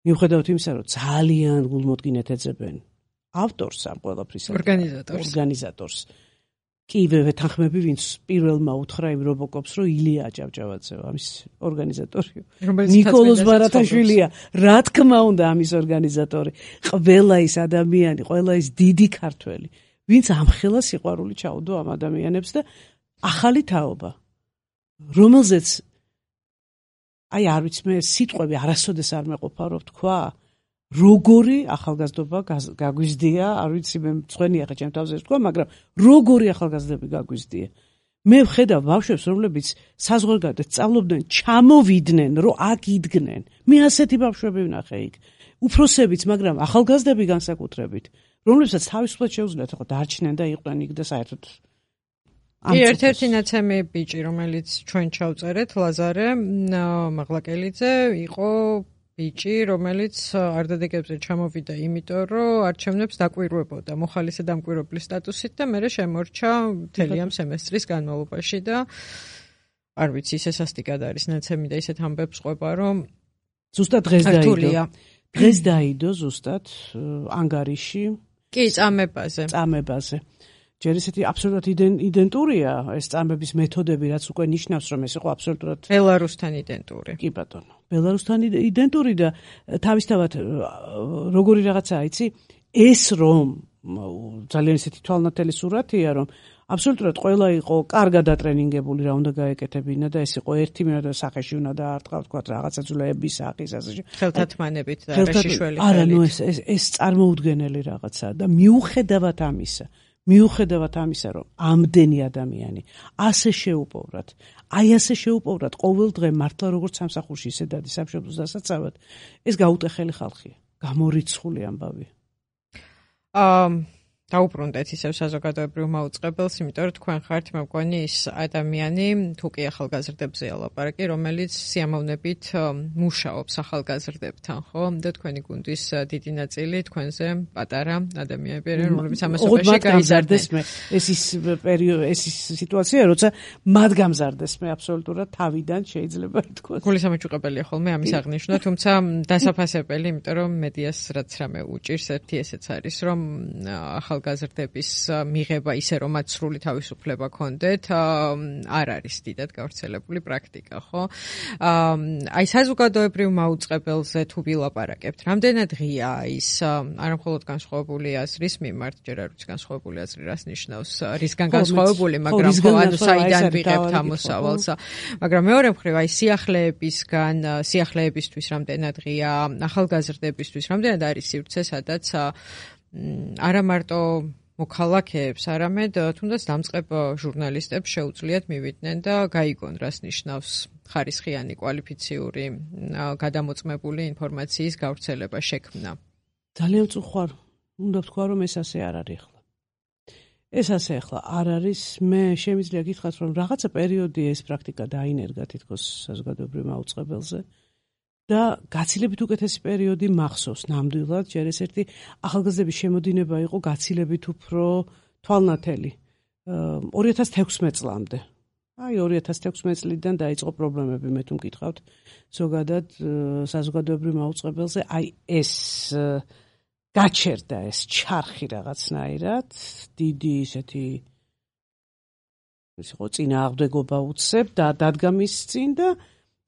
მიუხედავად იმისა, რომ ძალიან გულმოდგინედ ეძებენ ავტორს ამ ყველაფრის, ორგანიზატორს. ორგანიზატორს. კი ვეთანხმები, ვინც პირველმა უთხრა იმ რობოკოპს, რომ ილია აჭავჭავაძე ამის ორგანიზატორი. ნიკოლოზ ბარათაშვილია, რა თქმა უნდა ამის ორგანიზატორი. ყველა ის ადამიანი, ყველა ის დიდი ქართველი, ვინც ამხელა სიყვარული ჩაუდო ამ ადამიანებს და ახალი თაობა, რომელზეც აი არ ვიცი, მე სიტყვები არასოდეს არ მეყოფა რომ თქვა, როგორი ახალგაზრდობა გაგვიზდია, არ ვიცი მე მწვენია ხა ჩემ თავზე თქვა, მაგრამ როგორი ახალგაზრდები გაგვიზდია. მე ვხედავ ბავშვებს, რომლებიც საზღვარგარეთ სწავლობდნენ, ჩამოვიდნენ, რომ აქ იდგნენ. მე ასეთი ბავშვები ვნახე იქ. უფროსებიც, მაგრამ ახალგაზრდები განსაკუთრებით, რომლებსაც თავისუფლად შეუძლიათ ხო დარჩნენ და იყვნენ იქ და საერთოდ კი ერთ-ერთი ნაცემი ბიჭი, რომელიც ჩვენ ჩავწერეთ, ლაზარე მაღლაკელიძე, იყო ბიჭი, რომელიც არდადეგებზე ჩამოვიდა, იმიტომ რომ არჩევნებს დაკვირვებოდა მოხალისე დამკვირვებლის სტატუსით და მერე შემორჩა მთელი ამ სემესტრის განმავლობაში და არ ვიცი, ისე სასტიკად არის ნაცემი და ისეთ ამბებს ყვება, რომ ზუსტად დღეს დაიდო. დღეს დაიდო ზუსტად ანგარიში. კი, წამებაზე. წამებაზე. ჯერ ისეთი აბსოლუტურად იდენტურია ეს წამების მეთოდები, რაც უკვე ნიშნავს, რომ ეს იყო აბსოლუტურად ბელარუსთან იდენტური. კი ბატონო. ბელარუსთან იდენტური და თავისთავად როგორი რაღაცაა, იცი? ეს რომ ძალიან ისეთი თვალნათელი სურათია, რომ აბსოლუტურად ყველა იყო კარგად ატრენინგებული რა უნდა გაეკეთებინა და ეს იყო ერთი მინდა სახეში უნდა დაარტყა თქვა რაღაცა ძვლების სახის ასე ხელთათმანებით და რეშიშველი ხელით. არა, ნუ ეს ეს ეს წარმოუდგენელი რაღაცაა და მიუხედავად ამისა, მიუხედავად ამისა, რომ ამდენი ადამიანი ასე შეუპოვრად, აი ასე შეუპოვრად ყოველ დღე მართლა როგორც სამსახურში ისე დადის სამშობლოს დასაცავად, ეს გაუტეხელი ხალხია, გამორიცხული ამბავი. აა დაუბრუნდეთ ისევ საზოგადოებრივ მაუწყებელს, იმიტომ რომ თქვენ ხართ მე მგონი ის ადამიანი, თუ კი ახალგაზრდებზეა ლაპარაკი, რომელიც სიამოვნებით მუშაობს ახალგაზრდებთან, ხო? და თქვენი გუნდის დიდი ნაწილი თქვენზე პატარა ადამიანები არიან, რომლებიც ამ ასობაში გაიზარდეს. ეს ის პერიოდი, ეს ის სიტუაცია, როცა მათ გამზარდეს მე აბსოლუტურად თავიდან შეიძლება ითქვას. გულისამეჭუყებელია ხოლმე ამის აღნიშვნა, თუმცა დასაფასებელი, იმიტომ რომ მედიას რაც რამე უჭირს, ერთი ესეც არის, რომ ახალგაზრდების მიღება ისე რომ მათ სრული თავისუფლება ქონდეთ, არ არის დიდად გავრცელებული პრაქტიკა, ხო? აი საზოგადოებრივ მაუწყებელზე თუ ვილაპარაკებთ, რამდენად ღია ის არა მხოლოდ განსხვავებული აზრის მიმართ, ჯერ არ ვიცი განსხვავებული აზრი რას ნიშნავს, რისგან განსხვავებული, მაგრამ ხო ანუ საიდან ვიღებთ ამოსავალს. მაგრამ მეორე მხრივ აი სიახლეებისგან, სიახლეებისთვის რამდენად ღია, ახალგაზრდებისთვის რამდენად არის სივრცე, სადაც არა მარტო მოქალაქეებს, არამედ თუნდაც დამწყებ ჟურნალისტებს შეუძლიათ მივიდნენ და გაიგონ, რას ნიშნავს ხარისხიანი კვალიფიციური გადამოწმებული ინფორმაციის გავრცელება, შექმნა. ძალიან წუხარ, უნდა ვთქვა, რომ ეს ასე არ არის ახლა. ეს ასე ახლა არ არის, მე შემიძლია გითხრათ, რომ რაღაცა პერიოდი ეს პრაქტიკა დაინერგა თითქოს საზოგადოებრივ მაუწყებელზე. და გაცილებით უკეთესი პერიოდი მახსოვს ნამდვილად, ჯერ ეს ერთი ახალგაზრდების შემოდინება იყო გაცილებით უფრო თვალნათელი ორი ათას თექვსმეტ წლამდე. აი ორი ათას თექვსმეტ წლიდან დაიწყო პრობლემები, მე თუ მკითხავთ, ზოგადად საზოგადოებრივ მაუწყებელზე, აი ეს გაჩერდა ეს ჩარხი რაღაცნაირად, დიდი ისეთი ის იყო წინააღმდეგობა უცებ და დადგა მის წინ და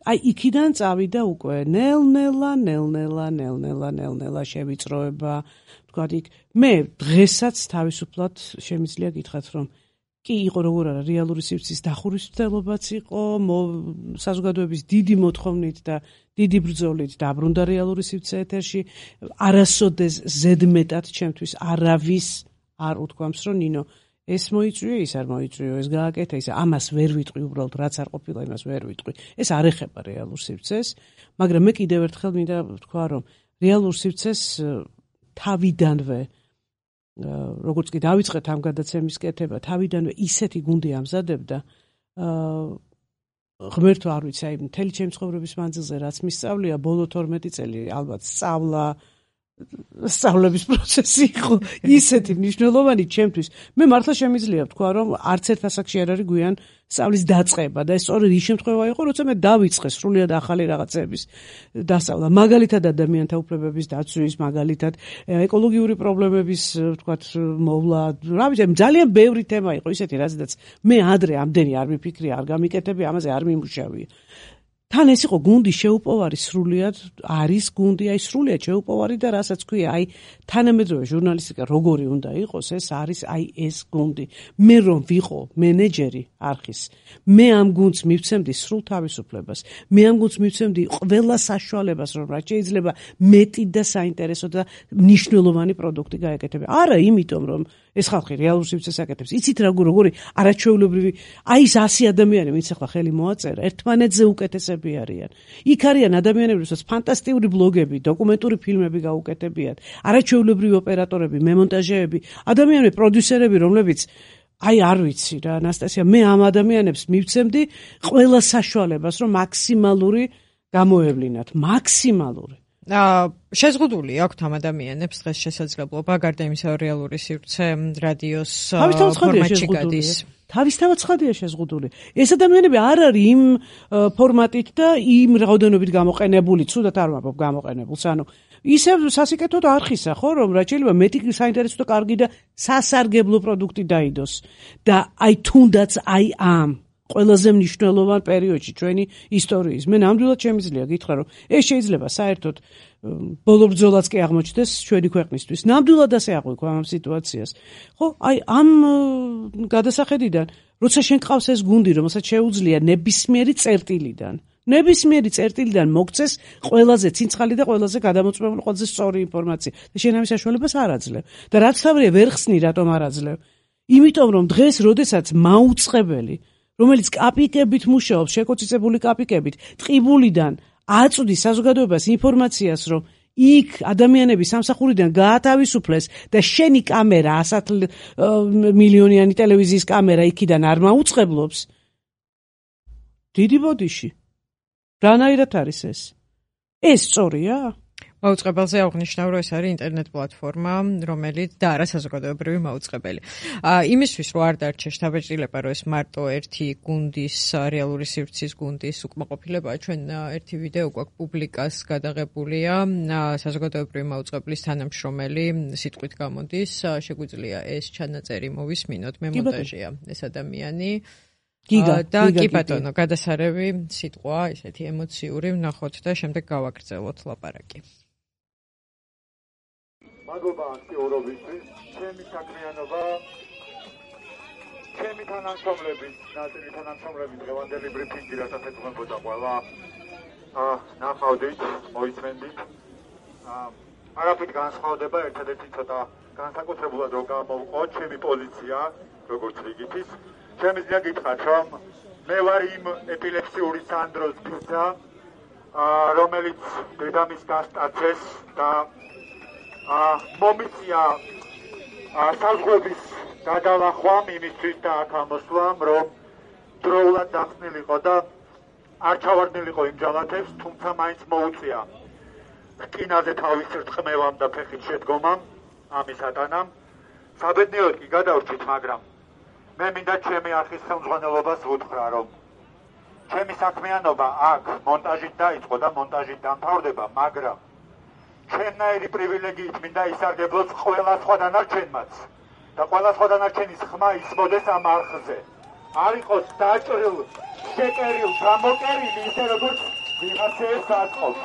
აი იქიდან წავიდა უკვე ნელ-ნელა, ნელ-ნელა, ნელ-ნელა, ნელ-ნელა შევიწროება, თქვათ იქ მე დღესაც თავისუფლად შემიძლია გითხრათ, რომ კი იყო როგორ არა რეალური სივრცის დახურისმცემლობაც იყო, საზოგადოების დიდი მოთხოვნით და დიდი ბრძოლით დაბრუნდა რეალური სივრცე ეთერში, არასოდეს ზედმეტად ჩემთვის არავის არ უთქვამს, რომ ნინო ეს მოიწვიო, ის არ მოიწვიო, ეს გააკეთა, ის ამას ვერ ვიტყვი, უბრალოდ რაც არ ყოფილა, იმას ვერ ვიტყვი. ეს არ ეხება რეალურ სივრცეს, მაგრამ მე კიდევ ერთხელ მინდა ვთქვა, რომ რეალურ სივრცეს თავიდანვე, როგორც კი დავიწყეთ ამ გადაცემის კეთება, თავიდანვე ისეთი გუნდი ამზადებდა, ღმერთო არ ვიცი, აი მთელი ჩემი ცხოვრების მანძილზე რაც მისწავლია, ბოლო თორმეტი წელი ალბათ სწავლა სწავლების პროცესი იყო ისეთი მნიშვნელოვანი ჩემთვის. მე მართლა შემიძლია ვთქვა, რომ არც ერთ ასაკში არ არის გვიან სწავლის დაწყება და ეს სწორედ ის შემთხვევა იყო, როცა მე დავიწყე სრულიად ახალი რაღაცების დასწავლა. მაგალითად ადამიანთა უფლებების დაცვის, მაგალითად ეკოლოგიური პრობლემების, ვთქვათ, მოვლა. რა ვიცი, ძალიან ბევრი თემა იყო ისეთი, რაზედაც მე ადრე ამდენი არ მიფიქრია, არ გამიკეთები, ამაზე არ მიმუშავია. თან ეს იყო გუნდი შეუპოვარი სრულიად, არის გუნდი, აი სრულიად შეუპოვარი და რასაც ქვია, აი თანამედროვე ჟურნალისტიკა როგორი უნდა იყოს, ეს არის აი ეს გუნდი. მე რომ ვიყო მენეჯერი არხის, მე ამ გუნდს მივცემდი სრულ თავისუფლებას, მე ამ გუნდს მივცემდი ყველა საშუალებას, რომ რაც შეიძლება მეტი და საინტერესო და მნიშვნელოვანი პროდუქტი გაეკეთებინა. არა იმიტომ, რომ ეს ხალხი რეალურ სივრცეს აკეთებს. იცით რა როგორი არაჩვეულებრივი, აი ეს ასი ადამიანი, ვინც ახლა ხელი მოაწერა, ერთმანეთზე უკეთესები არიან. იქ არიან ადამიანები, რომელსაც ფანტასტიკური ბლოგები, დოკუმენტური ფილმები გაუკეთებიათ, არაჩვეულებრივი ოპერატორები, მემონტაჟეები, ადამიანები, პროდიუსერები, რომლებიც აი არ ვიცი რა, ანასტასია, მე ამ ადამიანებს მივცემდი ყველა საშუალებას, რომ მაქსიმალური გამოევლინათ, მაქსიმალური. აა შეზღუდული აქვთ ამ ადამიანებს დღეს შესაძლებლობა გარდა იმისა რეალური სივრცე რადიოს ფორმატში გადის. თავისთავად ცხადია შეზღუდული. ეს ადამიანები არ არის იმ ფორმატით და იმ რაოდენობით გამოყენებული, ცუდად არ ვამბობ გამოყენებულს, ანუ ისე სასიკეთოდ არხისა, ხო, რომ რაც შეიძლება მეტი საინტერესო და კარგი და სასარგებლო პროდუქტი დაიდოს და აი თუნდაც აი ამ ყველაზე მნიშვნელოვან პერიოდში ჩვენი ისტორიის. მე ნამდვილად შემიძლია გითხრა, რომ ეს შეიძლება საერთოდ ბოლო ბრძოლაც კი აღმოჩნდეს ჩვენი ქვეყნისთვის. ნამდვილად ასე აღვიქვა ამ სიტუაციას. ხო, აი ამ გადასახედიდან, როცა შენ ყავს ეს გუნდი, რომელსაც შეუძლია ნებისმიერი წერტილიდან, ნებისმიერი წერტილიდან მოგცეს ყველაზე ცინცხალი და ყველაზე გადამოწმებული, ყველაზე სწორი ინფორმაცია. და შენ ამის საშუალებას არ აძლევ. და რაც თავია ვერ ხსნი, რატომ არ აძლევ? იმიტომ რომ დღეს, როდესაც მაუწყებელი, რომელიც კაპიკებით მუშაობს, შეკოწიწებული კაპიკებით, ტყიბულიდან აწვდის საზოგადოებას ინფორმაციას, რომ იქ ადამიანები სამსახურიდან გაათავისუფლეს და შენი კამერა, ასათ მილიონიანი ტელევიზიის კამერა იქიდან არ მაუწყებლობს. დიდი ბოდიში. რანაირად არის ეს? ეს სწორია? მაუწყებელზე აღნიშნავ, რომ ეს არის ინტერნეტ პლატფორმა, რომელიც და არა საზოგადოებრივი მაუწყებელი. იმისთვის, რომ არ დარჩეს შთაბეჭდილება, რომ ეს მარტო ერთი გუნდის, რეალური სივრცის გუნდის უკმაყოფილებაა, ჩვენ ერთი ვიდეო გვაქვს პუბლიკას გადაღებულია, საზოგადოებრივი მაუწყებლის თანამშრომელი სიტყვით გამოდის, შეგვიძლია ეს ჩანაწერი მოვისმინოთ, მე მონტაჟია ეს ადამიანი. გიგა და კი ბატონო, გადასარევი სიტყვა, ესეთი ემოციური ვნახოთ და შემდეგ გავაგრძელოთ ლაპარაკი. მადლობა აქტიურობისთვის, ჩემი საქმიანობა, ჩემი თანამშრომლების, ნაწილი თანამშრომლების დღევანდელი ბრიფინგი, რასაც ეთქვამოდა ყველა, ნახავდით, მოისმენდით. არაფრით განსხვავდება, ერთადერთი ცოტა განსაკუთრებულად რომ გამოვყო ჩემი პოზიცია, როგორც რიგითის. შემიძლია გითხრათ, რომ მე ვარ იმ ეპილეფსიური სანდროს ბიძა, რომელიც დედამის გასტაცეს და მომიწია საზღვრების გადალახვამ იმისთვის და აქ ამოსვლამ, რომ დროულად დახსნილიყო და არ ჩავარდნილიყო იმ ჯალათებს, თუმცა მაინც მოუწია რკინაზე თავის რწყმევამ და ფეხით შედგომამ, ამის ატანამ. საბედნიეროდ კი გადავრჩით, მაგრამ მე მინდა ჩემი არხის ხელმძღვანელობას ვუთხრა, რომ ჩემი საქმიანობა აქ მონტაჟით დაიწყო და მონტაჟით დამთავრდება, მაგრამ ჩემნაირი პრივილეგიით მინდა ისარგებლოს ყველა სხვა დანარჩენმაც და ყველა სხვა დანარჩენის ხმა ისმოდეს ამ არხზე. არ იყოს დაჭრილ, შეკერილ, გამოკერილი, ისე როგორც ვიღაცებს აწყობს.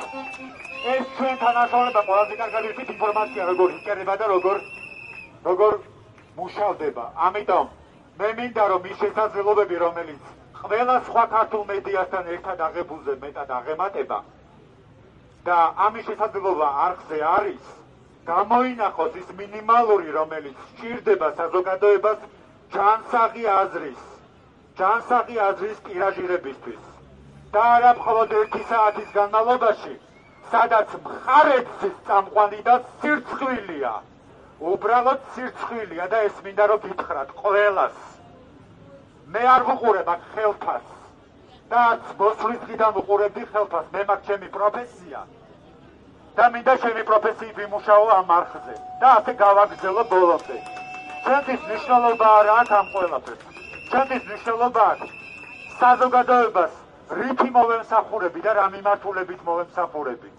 ეს ჩვენ თანაშრომლობა ყველაზე კარგად ვიცით ინფორმაცია როგორ იკერება და როგორ როგორ მუშავდება. ამიტომ მე მინდა რომ ის შესაძლებლობები, რომელიც ყველა სხვა ქართულ მედიასთან ერთად აღებულზე მეტად აღემატება და ამის შესაძლებლობა არხზე არის, გამოინახოს ის მინიმალური, რომელიც სჭირდება საზოგადოებას ჯანსაღი აზრის, ჯანსაღი აზრის ტირაჟირებისთვის. და არა მხოლოდ ერთი საათის განმავლობაში, სადაც მხარეც წამყვანი და სირცხვილია. უბრალოდ სირცხვილია და ეს მინდა რომ გითხრათ ყველას. მე არ ვუყურებ აქ ხელფას და არც მოსვლის დღიდან ვუყურებდი ხელფას, მე მაქვს ჩემი პროფესია და მინდა ჩემი პროფესიით ვიმუშაო ამ არხზე და ასე გავაგრძელო ბოლომდე. ჩვენთვის მნიშვნელობა არა აქვს ამ ყველაფერს. ჩვენთვის მნიშვნელობა აქვს საზოგადოებას რითი მოვემსახურები და რა მიმართულებით მოვემსახურები.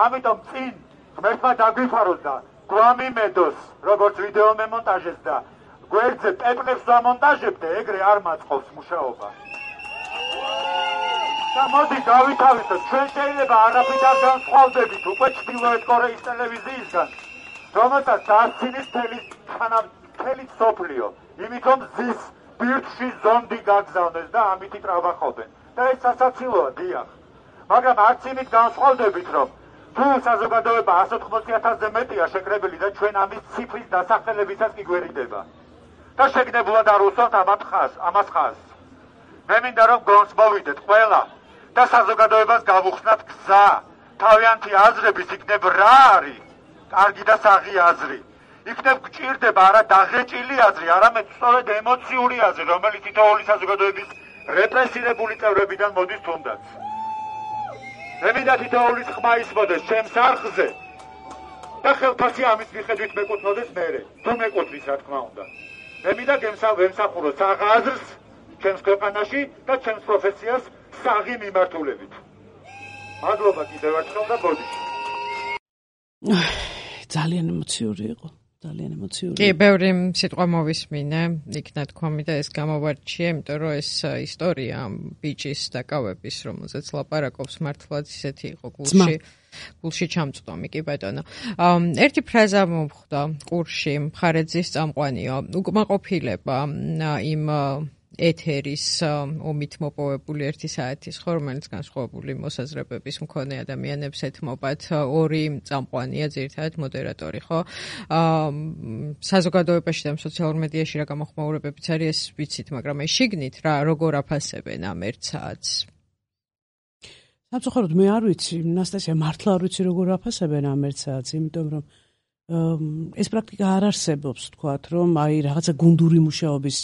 ამიტომ წინ ღმერთმა დაგვიფაროს და გვამიმედოს, როგორც ვიდეო მემონტაჟეს და გვერდზე პეპლებს ვამონტაჟებდე, ეგრე არ მაწყობს მუშაობა. და მოდი დავითავისოთ, ჩვენ შეიძლება არაფრით არ განსხვავდებით უკვე ჩრდილოეთ კორეის ტელევიზიისგან, რომელსაც დასცინის მთელი მსოფლიო, იმიტომ ზის ბირთვში ზონდი გაგზავნეს და ამითი ტრავახობენ. და ეს სასაცილოა, დიახ. მაგრამ არც იმით განსხვავდებით, რომ თუ საზოგადოება ას ოთხმოცი ათასზე მეტია შეკრებილი და ჩვენ ამის ციფრის დასახელებისას კი გვერიდება. და შეგნებულად არ უსვამთ ამათ ხაზს, ამას ხაზს. მე მინდა რომ გონს მოვიდეთ ყველა და საზოგადოებას გავუხსნათ გზა. თავიანთი აზრების იქნებ რა არის? კარგი და საღი აზრი. იქნებ გჭირდება არა დაღეჭილი აზრი, არამედ სწორედ ემოციური აზრი, რომელიც თითოეული საზოგადოების რეპრესირებული წევრებიდან მოდის თუნდაც. მე მინდა თითოეულის ხმა ისმოდეს ჩემს არხზე და ხელფასი ამის მიხედვით მეკუთვნოდეს მერე, თუ მეკუთვნის რა თქმა უნდა. მე მინდა ვემსახურო საღ აზრს ჩემს ქვეყანაში და ჩემს პროფესიას საღი მიმართულებით. მადლობა კიდევ ერთხელ და ბოდიში. ძალიან ემოციური იყო. ძალიან ემოციური. კი, ბევრი სიტყვა მოვისმინე, იქნა თქვამი და ეს გამოვარჩიე, იმიტომ რომ ეს ისტორია ბიჭის დაკავების, რომელზეც ლაპარაკობს, მართლაც ისეთი იყო გულში. გულში ჩამწვდომი, კი ბატონო. ერთი ფრაზა მომხვდა ყურში, მხარეძის წამყვანიო, უკმაყოფილება იმ ეთერის ომით მოპოვებული ერთი საათის ხო, რომელიც განსხვავებული მოსაზრებების მქონე ადამიანებს ეთმობათ, ორი წამყვანია, ძირითადად მოდერატორი, ხო? საზოგადოებაში და სოციალურ მედიაში რა გამოხმაურებებიც არის, ეს ვიცით, მაგრამ ეს შიგნით რა როგორ აფასებენ ამ ერთ საათს? სამწუხაროდ მე არ ვიცი, ნასტასია, მართლა არ ვიცი როგორ აფასებენ ამ ერთ საათს, იმიტომ რომ ეს პრაქტიკა არ არსებობს, თქვათ, რომ აი რაღაცა გუნდური მუშაობის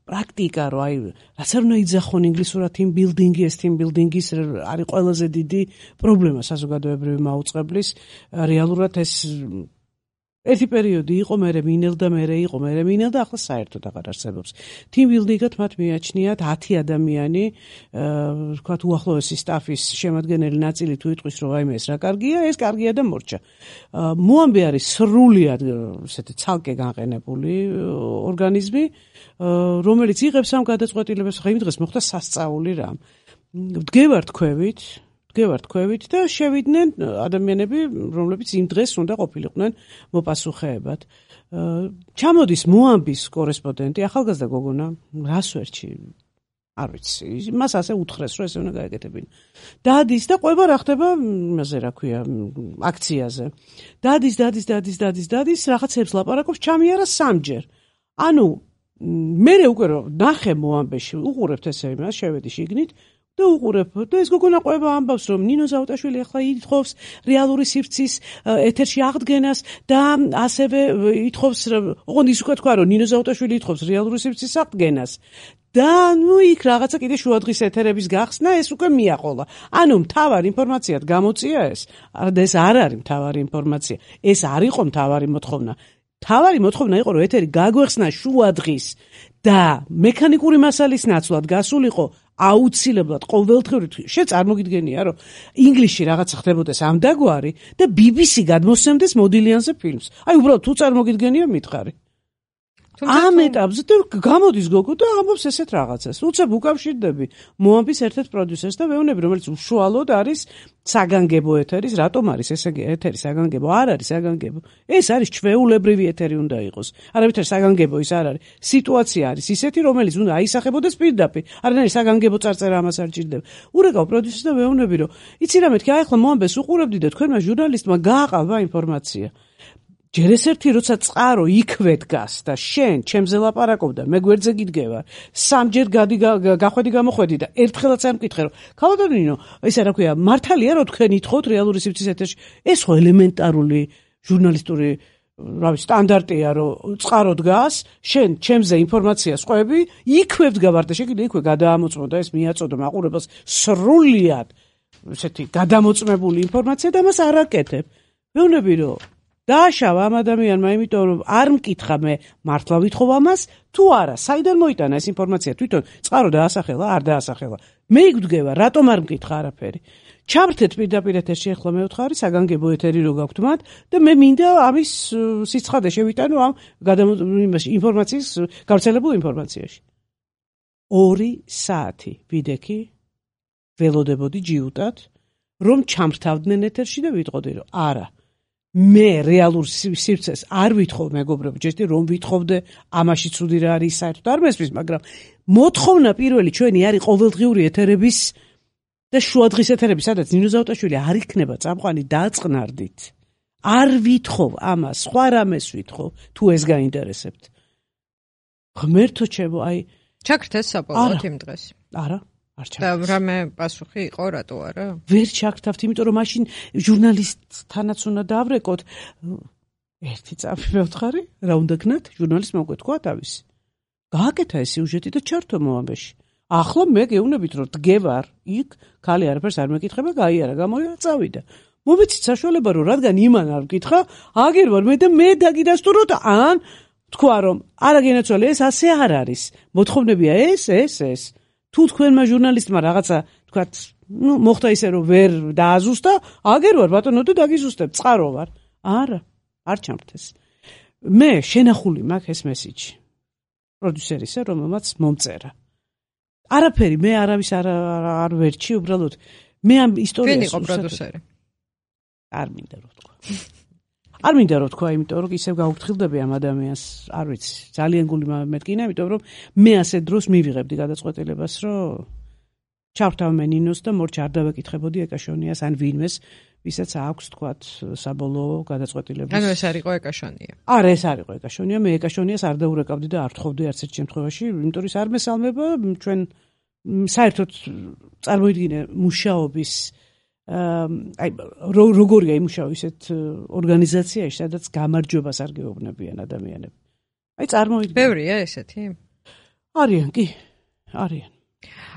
პრაქტიკა, რომ აი რაც არ უნდა იძახონ ინგლისურად team building-ი, ეს team building-ის არის ყველაზე დიდი პრობლემა საზოგადოებრივი მაუწყებლის. რეალურად ეს ერთი პერიოდი იყო, მერე მინელდა, მერე იყო, მერე მინელდა, ახლა საერთოდ აღარ არსებობს. team building-ად მათ მიაჩნიათ ათი ადამიანი, ვთქვათ, უახლოესი სტაფის შემადგენელი ნაწილი თუ იტყვის, რომ აი ეს რა კარგია, ეს კარგია და მორჩა. მოამბე არის სრულიად ესეთი ცალკე განყენებული ორგანიზმი, რომელიც იღებს ამ გადაწყვეტილებას, ხა იმ დღეს მოხდა სასწაული რამ. დგევართ ქვევით, დგევართ ქვევით და შევიდნენ ადამიანები, რომლებიც იმ დღეს უნდა ყოფილიყვნენ მოპასუხეებად. ჩამოდის მოამბის კორესპონდენტი, ახალგაზრდა გოგონა, რას ვერჩი, არ ვიცი, მას ასე უთხრეს, რომ ესე უნდა გაეკეთებინა. დადის და ყვება რა ხდება, იმაზე რა ქვია, აქციაზე. დადის, დადის, დადის, დადის, დადის, რაღაცებს ლაპარაკობს, ჩამიარა სამჯერ. ანუ მე უკვე რომ ნახე მოამბეში, უყურებთ ესე იმას, შევედი შიგნით და უყურებ და ეს გოგონა ყვება ამბავს, რომ ნინო ზაუტაშვილი ახლა ითხოვს რეალური სივრცის ეთერში აღდგენას და ასევე ითხოვს, ოღონდ ის უკვე თქვა, რომ ნინო ზაუტაშვილი ითხოვს რეალური სივრცის აღდგენას. და ნუ იქ რაღაცა კიდე შუადღის ეთერების გახსნა, ეს უკვე მიაყოლა. ანუ მთავარი ინფორმაციად გამოწია ეს. და ეს არ არის მთავარი ინფორმაცია. ეს არ იყო მთავარი მოთხოვნა. თავარი მოთხოვნა იყო, რომ ეთერი გაგვეხსნა შუადღის და მექანიკური მასალის ნაცვლად გასულიყო აუცილებლად ყოველდღიურად. შენ წარმოგიდგენია, რომ ინგლისში რაღაცა ხდებოდეს ამდაგვარი და ბი ბი სი გადმოსცემდეს მოდილიანზე ფილმს. აი უბრალოდ თუ წარმოგიდგენია მითხარი. ამ ეტაპზე და გამოდის გოგო და ამბობს ესეთ რაღაცას. უცებ უკავშირდები მოამბის ერთ-ერთ პროდიუსერს და ვეუბნები, რომელიც უშუალოდ არის საგანგებო ეთერის, რატომ არის ეს ეთერი საგანგებო? არ არის საგანგებო. ეს არის ჩვეულებრივი ეთერი უნდა იყოს. არავითარ საგანგებო ის არ არის. სიტუაცია არის ისეთი, რომელიც უნდა აისახებოდეს პირდაპირ. არანაირი საგანგებო წარწერა ამას არ ჭირდება. ურეკავ პროდიუსერს და ვეუბნები, რომ იცი რა მეთქი, აი ახლა მოამბეს უყურებდი და თქვენმა ჟურნალისტმა გააყალბა ინფორმაცია. ჯერ ეს ერთი როცა წყარო იქვე დგას და შენ ჩემზე ლაპარაკობ და მე გვერდზე გიდგევარ, სამჯერ გადი გახვედი გამოხვედი და ერთხელაც არ მკითხე, რომ ქალბატონინო, ესე რა ქვია, მართალია რომ თქვენ ითხოვთ რეალური სივრცის ეთერში? ეს ხო ელემენტარული ჟურნალისტური რავი სტანდარტია, რომ წყარო დგას, შენ ჩემზე ინფორმაციას ყვები, იქვე ვდგავარ და შეგიძლია იქვე გადაამოწმო და ეს მიაწოდო მაყურებელს სრულიად ესეთი გადამოწმებული ინფორმაცია და მას არ აკეთებ. ვეუბნები, რომ დააშავა ამ ადამიანმა, იმიტომ რომ არ მკითხა მე მართლა ვითხოვ ამას თუ არა, საიდან მოიტანა ეს ინფორმაცია, თვითონ წყარო დაასახელა, არ დაასახელა. მე იგდგევა, რატომ არ მკითხა არაფერი. ჩავრთეთ პირდაპირ ეთერში, ახლა მე ვთხარი საგანგებო ეთერი რო გაქვთ მათ და მე მინდა ამის სიცხადე შევიტანო ამ ინფორმაციის გავრცელებულ ინფორმაციაში. ორი საათი ვიდექი ველოდებოდი ჯიუტად, რომ ჩამრთავდნენ ეთერში და ვიტყოდი, რომ არა. მე რეალურ სივრცეს არ ვითხოვ, მეგობრებო, ჯერჯერობით რომ ვითხოვდე, ამაში ცუდი რა არის, საერთოდ არ მესმის, მაგრამ მოთხოვნა პირველი ჩვენი არის ყოველდღიური ეთერების და შუადღის ეთერების, სადაც ნინო ზაუტაშვილი არ იქნება წამყვანი, დააწყნარდით. არ ვითხოვ ამას, სხვა რამეს ვითხოვ, თუ ეს გაინტერესებთ. ღმერთო ჩემო, აი ჩაქრთეს საბოლოოდ იმ დღეს. არა არ ჩაქრთეს. და რამე პასუხი იყო, რატო არა? ვერ ჩაქრთავთ, იმიტომ რომ მაშინ ჟურნალისტთანაც უნდა დავრეკოთ. ერთი წამი მევთხარი, რა უნდა გნათ? ჟურნალისტმა უკვე თქვა თავისი. გააკეთა ეს სიუჟეტი და ჩართო მოამბეში. ახლა მე გეუბნებით, რომ დგევარ იქ, ქალი არაფერს არ მეკითხება, გაიარა, გამოიარა, წავიდა. მომეცით საშუალება, რომ რადგან იმან არ მკითხა, აგერ ვარ მე და მე დაგიდასტუროთ, ან თქვა, რომ არა გენაცვალე, ეს ასე არ არის. მოთხოვნებია ეს, ეს, ეს. თუ თქვენმა ჟურნალისტმა რაღაცა, თქვათ, ნუ მოხდა ისე, რომ ვერ დააზუსტა, აგერ ვარ ბატონო და დაგიზუსტებ, წყარო ვარ. არა, არ ჩამრთეს. მე შენახული მაქვს ეს მესიჯი პროდიუსერისა, რომელმაც მომწერა. არაფერი მე არავის არ არ ვერჩი, უბრალოდ მე ამ ისტორიას ვინ იყო პროდიუსერი? არ მინდა რომ ვთქვა. არ მინდა რომ ვთქვა, იმიტომ რომ ისევ გაუფრთხილდები ამ ადამიანს, არ ვიცი, ძალიან გული მეთქინა, იმიტომ რომ მე ასე დროს მივიღებდი გადაწყვეტილებას, რომ ჩავთავ მე ნინოს და მორჩ არ დავეკითხებოდი ეკაშონიას ან ვინმეს, ვისაც აქვს თქვათ საბოლოო გადაწყვეტილების. ანუ ეს არ იყო ეკაშონია. არა, ეს არ იყო ეკაშონია, მე ეკაშონიას არ დაურეკავდი და არ თხოვდი არც ერთ შემთხვევაში, იმიტომ რომ არ მესალმება ჩვენ საერთოდ წარმოიდგინე მუშაობის აი როგორია იმუშაო ისეთ ორგანიზაციაში, სადაც გამარჯვებას არ გეუბნებიან ადამიანები. აი წარმოიდგინე. ბევრია ესეთი? არიან, კი, არიან.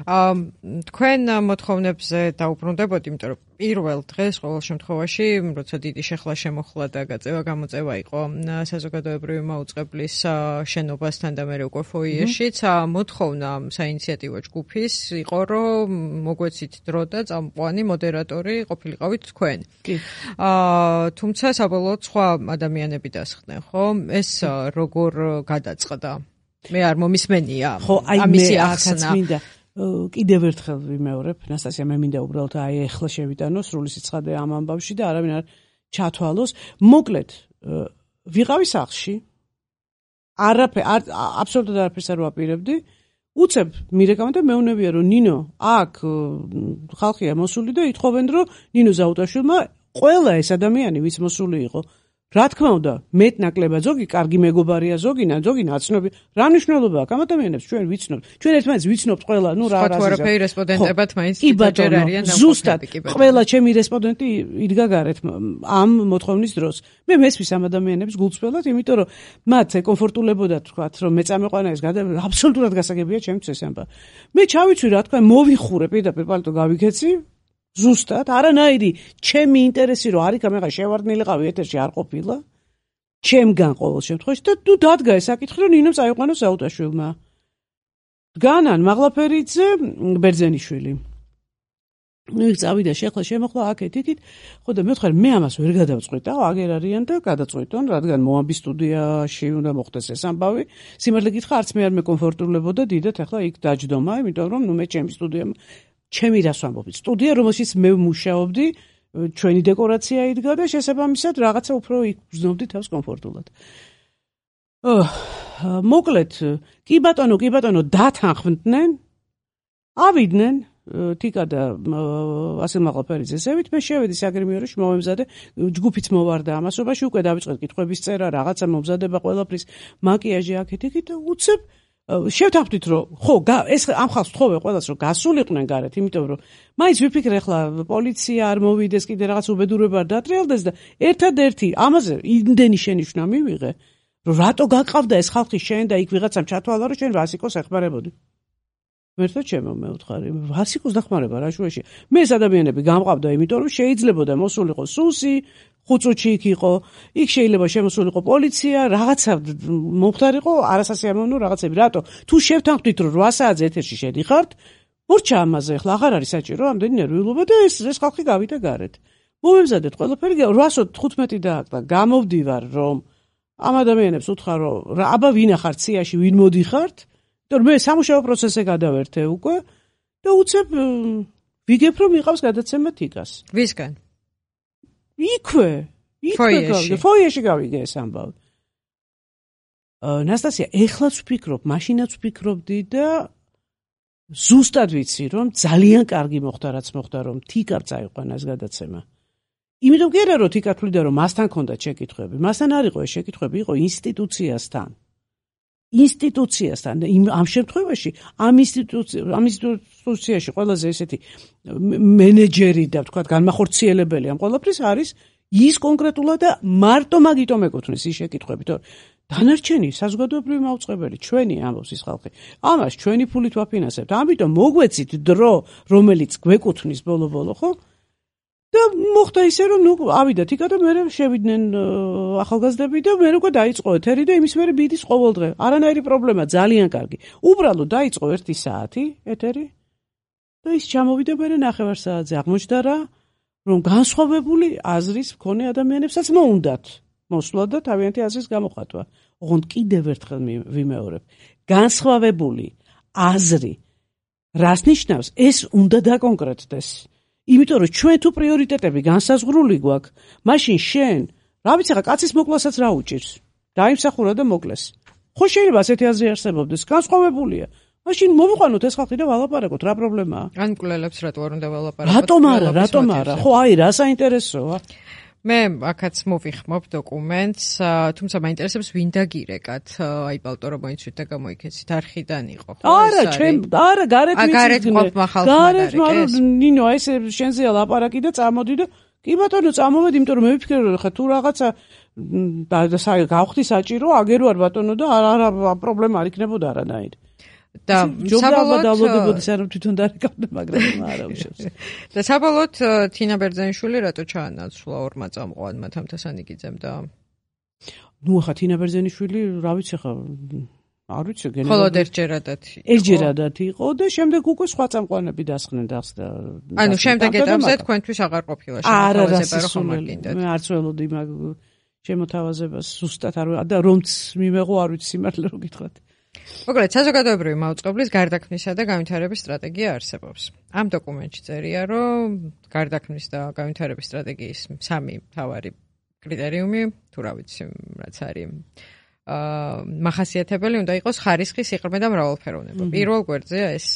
აა თქვენ მოთხოვნებზე დაუბრუნდებოდი, იმიტომ რომ პირველ დღეს ყოველ შემთხვევაში, როცა დიდი შეხლა შემოხლა და გაწევა გამოწევა იყო საზოგადოებრივი მაუწყებლის შენობასთან და მე უკვე ფოიეშიც, მოთხოვნა საინიციატივო ჯგუფის იყო, რომ მოგვეცით დრო და წამყვანი მოდერატორი ყოფილიყავით თქვენ. აა თუმცა საბოლოოდ სხვა ადამიანები დასხდნენ, ხო? ეს როგორ გადაწყდა? მე არ მომისმენია ამისი ახსნა. კიდევ ერთხელ ვიმეორებ, ნასტასია, მე მინდა უბრალოდ აი ეხლა შევიტანო სრული სიცხადე ამ ამბავში და არავინ არ ჩათვალოს. მოკლედ, ვიყავი სახლში. არაფერ აბსოლუტურად არაფერს არ ვაპირებდი. უცებ მირეკამა და მეუნებია, რომ ნინო, აქ ხალხია მოსული და ითხოვენ, რომ ნინო ზაუტაშვილმა ყველა ეს ადამიანი, ვიც მოსული იყო, რა თქმა უნდა, მეტნაკლებად ზოგი კარგი მეგობარია, ზოგი ზოგი ნაცნობი. რა მნიშვნელობა აქვს ამ ადამიანებს ჩვენ ვიცნობთ. ჩვენ ერთმანეთს ვიცნობთ ყველა, ნუ რა რა. სხვა რაფერი რესპონდენტებად მაინც ჯერ არიან დამოკიდებული. ზუსტად ყველა ჩემი რესპონდენტი იდგა გარეთ ამ მოთხოვნის დროს. მე მესმის ამ ადამიანებს გულწრფელად, იმიტომ რომ მათ ეკომფორტულებოდა თქვათ, რომ მე წამეყვანა ეს გადა აბსოლუტურად გასაგებია ჩემთვის ეს ამბავი. მე ჩავიცვი რა თქვა, მოვიხურე პირდაპირ პალტო გავიქეცი. ზუსტად, არანაირი ჩემი ინტერესი რო არის, გამეღა შევარდნილიყავი ეთერში არ ყოფილა. ჩემგან ყოველ შემთხვევაში და თუ დადგა ეს საკითხი, რომ ნინო წაიყვანოს საუტაშვილმა. დგანან მაღლაფერიძე, ბერძენიშვილი. ნუ წავიდა შეხლა შემოხლა აქეთ იქით, ხო და მე ვთქვი, მე ამას ვერ გადავწყვიტავ, აგერ არიან და გადაწყვიტონ, რადგან მოამბი სტუდიაში უნდა მოხდეს ეს ამბავი. სიმართლე გითხრა, არც მე არ მეკომფორტულებოდა დიდად, ახლა იქ დაჯდომა, იმიტომ რომ ნუ მე ჩემი სტუდია ჩემი რას ვამბობ, სტუდია, რომელშიც მე ვმუშაობდი, ჩვენი დეკორაცია იდგა და შესაბამისად რაღაცა უფრო იქ ვზნობდი თავს კომფორტულად. მოკლედ, კი ბატონო, კი ბატონო, დათანხმდნენ, ავიდნენ, თიკა და ასე მაღლაფერიძესევით, მე შევედი საგრიმიეროში, მომემზადე, ჯგუფიც მოვარდა ამასობაში, უკვე დავიწყეთ კითხვების წერა, რაღაცა მომზადება ყველაფრის, მაკიაჟი აქეთ იქით და უცებ შევთანხმდით, რომ ხო, ეს ამ ხალხს ვთხოვე ყველას, რომ გასულიყვნენ გარეთ, იმიტომ რომ მაინც ვიფიქრე, ახლა პოლიცია არ მოვიდეს, კიდე რაღაც უბედურება არ დატრიალდეს და ერთადერთი ამაზე იმდენი შენიშვნა მივიღე, რომ რატო გაკავდა ეს ხალხი შენ და იქ ვიღაცამ ჩათვალა, რომ შენ ვასიკოს ეხმარებოდი. მერტო ჩემო მე ვთხარი, ვასიკოს დახმარება რა შუაში. მე ეს ადამიანები გამყავდა, იმიტომ რომ შეიძლებოდა მოსულიყო სუსი, ხუწუჩი იქ იყო, იქ შეიძლება შემოსულიყო პოლიცია, რაღაცა მომხდარიყო, არასასიამოვნო რაღაცები. რატო? თუ შევთანხმდით, რომ რვა საათზე ეთერში შედიხართ, მორჩა ამაზე, ახლა აღარ არის საჭირო ამდენი ნერვიულობა და ეს ეს ხალხი გავიდა გარეთ. მომემზადეთ ყველაფერი, რვასო თხუთმეტი დააკდა. გამოვდივარ, რომ ამ ადამიანებს უთხრა, რომ აბა ვინა ხართ სიაში, ვინ მოდიხართ? იმიტომ მე სამუშაო პროცესზე გადავერთე უკვე და უცებ ვიგებ, რომ იყავს გადაცემა თიკას. ვისგან? იქვე, იქვე გავიგე, ფოიეში გავიგე ეს ამბავი. ნასტასია, ეხლაც ვფიქრობ, მაშინაც ვფიქრობდი და ზუსტად ვიცი, რომ ძალიან კარგი მოხდა, რაც მოხდა, რომ თიკამ წაიყვანა ეს გადაცემა. იმიტომ კი არა, რომ თიკა თვლიდა, რომ მასთან ჰქონდა შეკითხვები. მასთან არ იყო ეს შეკითხვები, იყო ინსტიტუციასთან. ინსტიტუციასთან ამ შემთხვევაში ამ ამ ინსტიტუციაში ყველაზე ესეთი მენეჯერი და თქვა განმახორციელებელი ამ ყველაფრის არის ის კონკრეტულად და მარტო მაგიტომ ეკუთვნის ის შეკითხვები, თორე დანარჩენი საზოგადოებრივი მაუწყებელი ჩვენი ამბობს ის ხალხი. ამას ჩვენი ფულით ვაფინანსებთ. ამიტომ მოგვეცით დრო, რომელიც გვეკუთვნის ბოლო-ბოლო, ხო? და მოხდა ისე, რომ ნუ ავიდა თიკა და მე შევიდნენ ახალგაზრდები და მე უკვე დაიწყო ეთერი და იმის მერე ბიდის ყოველდღე. არანაირი პრობლემა, ძალიან კარგი. უბრალოდ დაიწყო ერთი საათი ეთერი და ის ჩამოვიდა მე ნახევარ საათზე. აღმოჩნდა რა, რომ განსხვავებული აზრის მქონე ადამიანებსაც მოუნდათ მოსვლა და თავიანთი აზრის გამოხატვა. ოღონდ კიდევ ერთხელ ვიმეორებ. განსხვავებული აზრი რას ნიშნავს? ეს უნდა დაკონკრეტდეს. იმიტომ რომ ჩვენ თუ პრიორიტეტები განსაზღვრული გვაქვს, მაშინ შენ, რა ვიცი ხა, კაცის მოკლასაც რა უჭირს? დაიმსახურა და მოკლეს. ხო შეიძლება ასეთი აზრი არსებობდეს, განსხვავებულია. მაშინ მოვიყვანოთ ეს ხალხი და ვალაპარაკოთ, რა პრობლემაა? ან მკვლელებს რატო არ უნდა ვალაპარაკოთ? რატომ არა, რატომ არა? ხო, აი, რა საინტერესოა? მე აქაც მოვიხმობ დოკუმენტს, თუმცა მაინტერესებს ვინ დაგირეკათ, აი ბალტო რომ მოიცვით და გამოიქეცით, არხიდან იყო. არა, ჩვენ, არა, გარეთ ვიცით. გარეთ ყოფმა ხალხმა გარეთ, მაგრამ ნინო, აი ეს შენზეა ლაპარაკი და წამოდი და კი ბატონო, წამოვედი, იმიტომ რომ მე ვფიქრე რომ ხა თუ რაღაცა გავხდი საჭირო, აგერო არ ბატონო და არა პრობლემა არ იქნებოდა არანაირი. და საბოლოოდ დავლოდებოდეს არ თვითონ დარეკავდა, მაგრამ არა უშავს. და საბოლოოდ თინა ბერძენიშვილი რატო ჩაანაცვლა ორმა წამყვანმა თამთასანიგიძემ და ნუ ახლა თინა ბერძენიშვილი, რა ვიცი ხა, არ ვიცი გენერალი. მხოლოდ ერთჯერადად იყო. ერთჯერადად იყო და შემდეგ უკვე სხვა წამყვანები დასხნენ დასდა. ანუ შემდეგ ეტაპზე თქვენთვის აღარ ყოფილა შემოთავაზება რომ ხომ არ გინდათ. მე არც ველოდი მაგ შემოთავაზებას ზუსტად არ და რომც მიმეღო არ ვიცი სიმართლე რომ გითხრათ. მოკლედ, საზოგადოებრივი მაუწყებლის გარდაქმნისა და განვითარების სტრატეგია არსებობს. ამ დოკუმენტში წერია, რომ გარდაქმნის და განვითარების სტრატეგიის სამი მთავარი კრიტერიუმი, თუ რა ვიცი, რაც არის აა მახასიათებელი უნდა იყოს ხარისხი, სიყრმე და მრავალფეროვნება. პირველ გვერდზეა ეს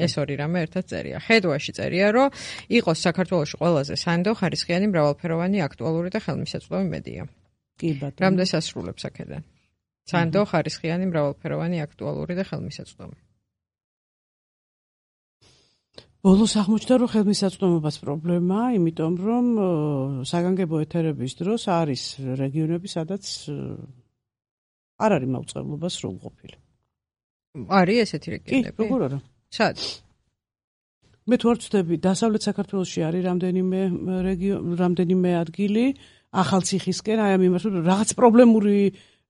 ეს ორი რამე ერთად წერია. ხედვაში წერია, რომ იყოს საქართველოში ყველაზე სანდო ხარისხიანი მრავალფეროვანი აქტუალური და ხელმისაწვდომი მედია. კი ბატონო. რამდენ სასრულებს აქედან? სანდო ხარისხიანი მრავალფეროვანი აქტუალური და ხელმისაწვდომი. ბოლოს აღმოჩნდა რომ ხელმისაწვდომობას პრობლემაა, იმიტომ რომ საგანგებო ეთერების დროს არის რეგიონები, სადაც არ არის მაუწყებლობა სრულყოფილი. არის ესეთი რეგიონები? კი, როგორ არა? სად? მე თუ არ ვცდები, დასავლეთ საქართველოში არის რამდენიმე რეგიო, რამდენიმე ადგილი ახალციხისკენ, აი ამ იმას რაღაც პრობლემური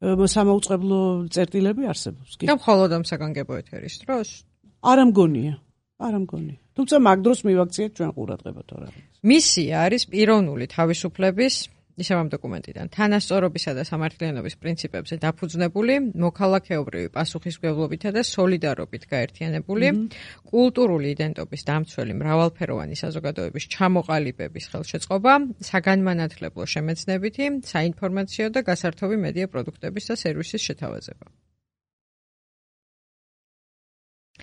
სამაუწყებლო წერტილები არსებობს. და მხოლოდ ამ საგანგებო ეთერის დროს? არ ამგონია, არ ამგონია. თუმცა მაგ დროს მივაქციეთ ჩვენ ყურადღებათ რა. მისია არის პიროვნული თავისუფლების, ისევ ამ დოკუმენტიდან, თანასწორობისა და სამართლიანობის პრინციპებზე დაფუძნებული, მოქალაქეობრივი პასუხისმგებლობითა და სოლიდარობით გაერთიანებული, კულტურული იდენტობის დამცველი მრავალფეროვანი საზოგადოების ჩამოყალიბების ხელშეწყობა, საგანმანათლებლო შემეცნებითი, საინფორმაციო და გასართობი მედია პროდუქტების და სერვისის შეთავაზება.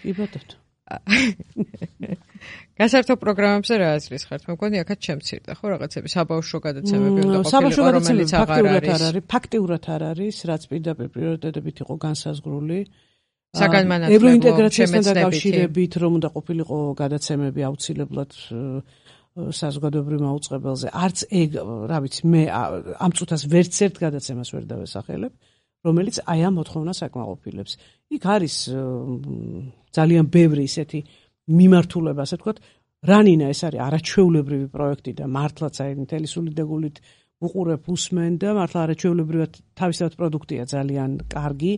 კი ბატონო. გასართობ პროგრამებზე რა აზრის ხართ? მე მგონი აქაც შემცირდა, ხო, რაღაცები საბავშვო გადაცემები უნდა ყოფილიყო, რომელიც აღარ არის. ფაქტიურად არ არის, რაც პირდაპირ პრიორიტეტებით იყო განსაზღვრული. საგანმანათლებლო ევროინტეგრაციასთან დაკავშირებით რომ უნდა ყოფილიყო გადაცემები აუცილებლად საზოგადოებრივ მაუწყებელზე. არც ეგ, რა ვიცი, მე ამ წუთას ვერც ერთ გადაცემას ვერ დავესახელებ, რომელიც აი ამ მოთხოვნას აკმაყოფილებს. იქ არის ძალიან ბევრი ისეთი მიმართულება, ასე ვთქვათ, რანინა ეს არის არაჩვეულებრივი პროექტი და მართლაც აი მთელი სული დეგულით უყურებ, უსმენ და მართლა არაჩვეულებრივად თავისთავად პროდუქტია ძალიან კარგი,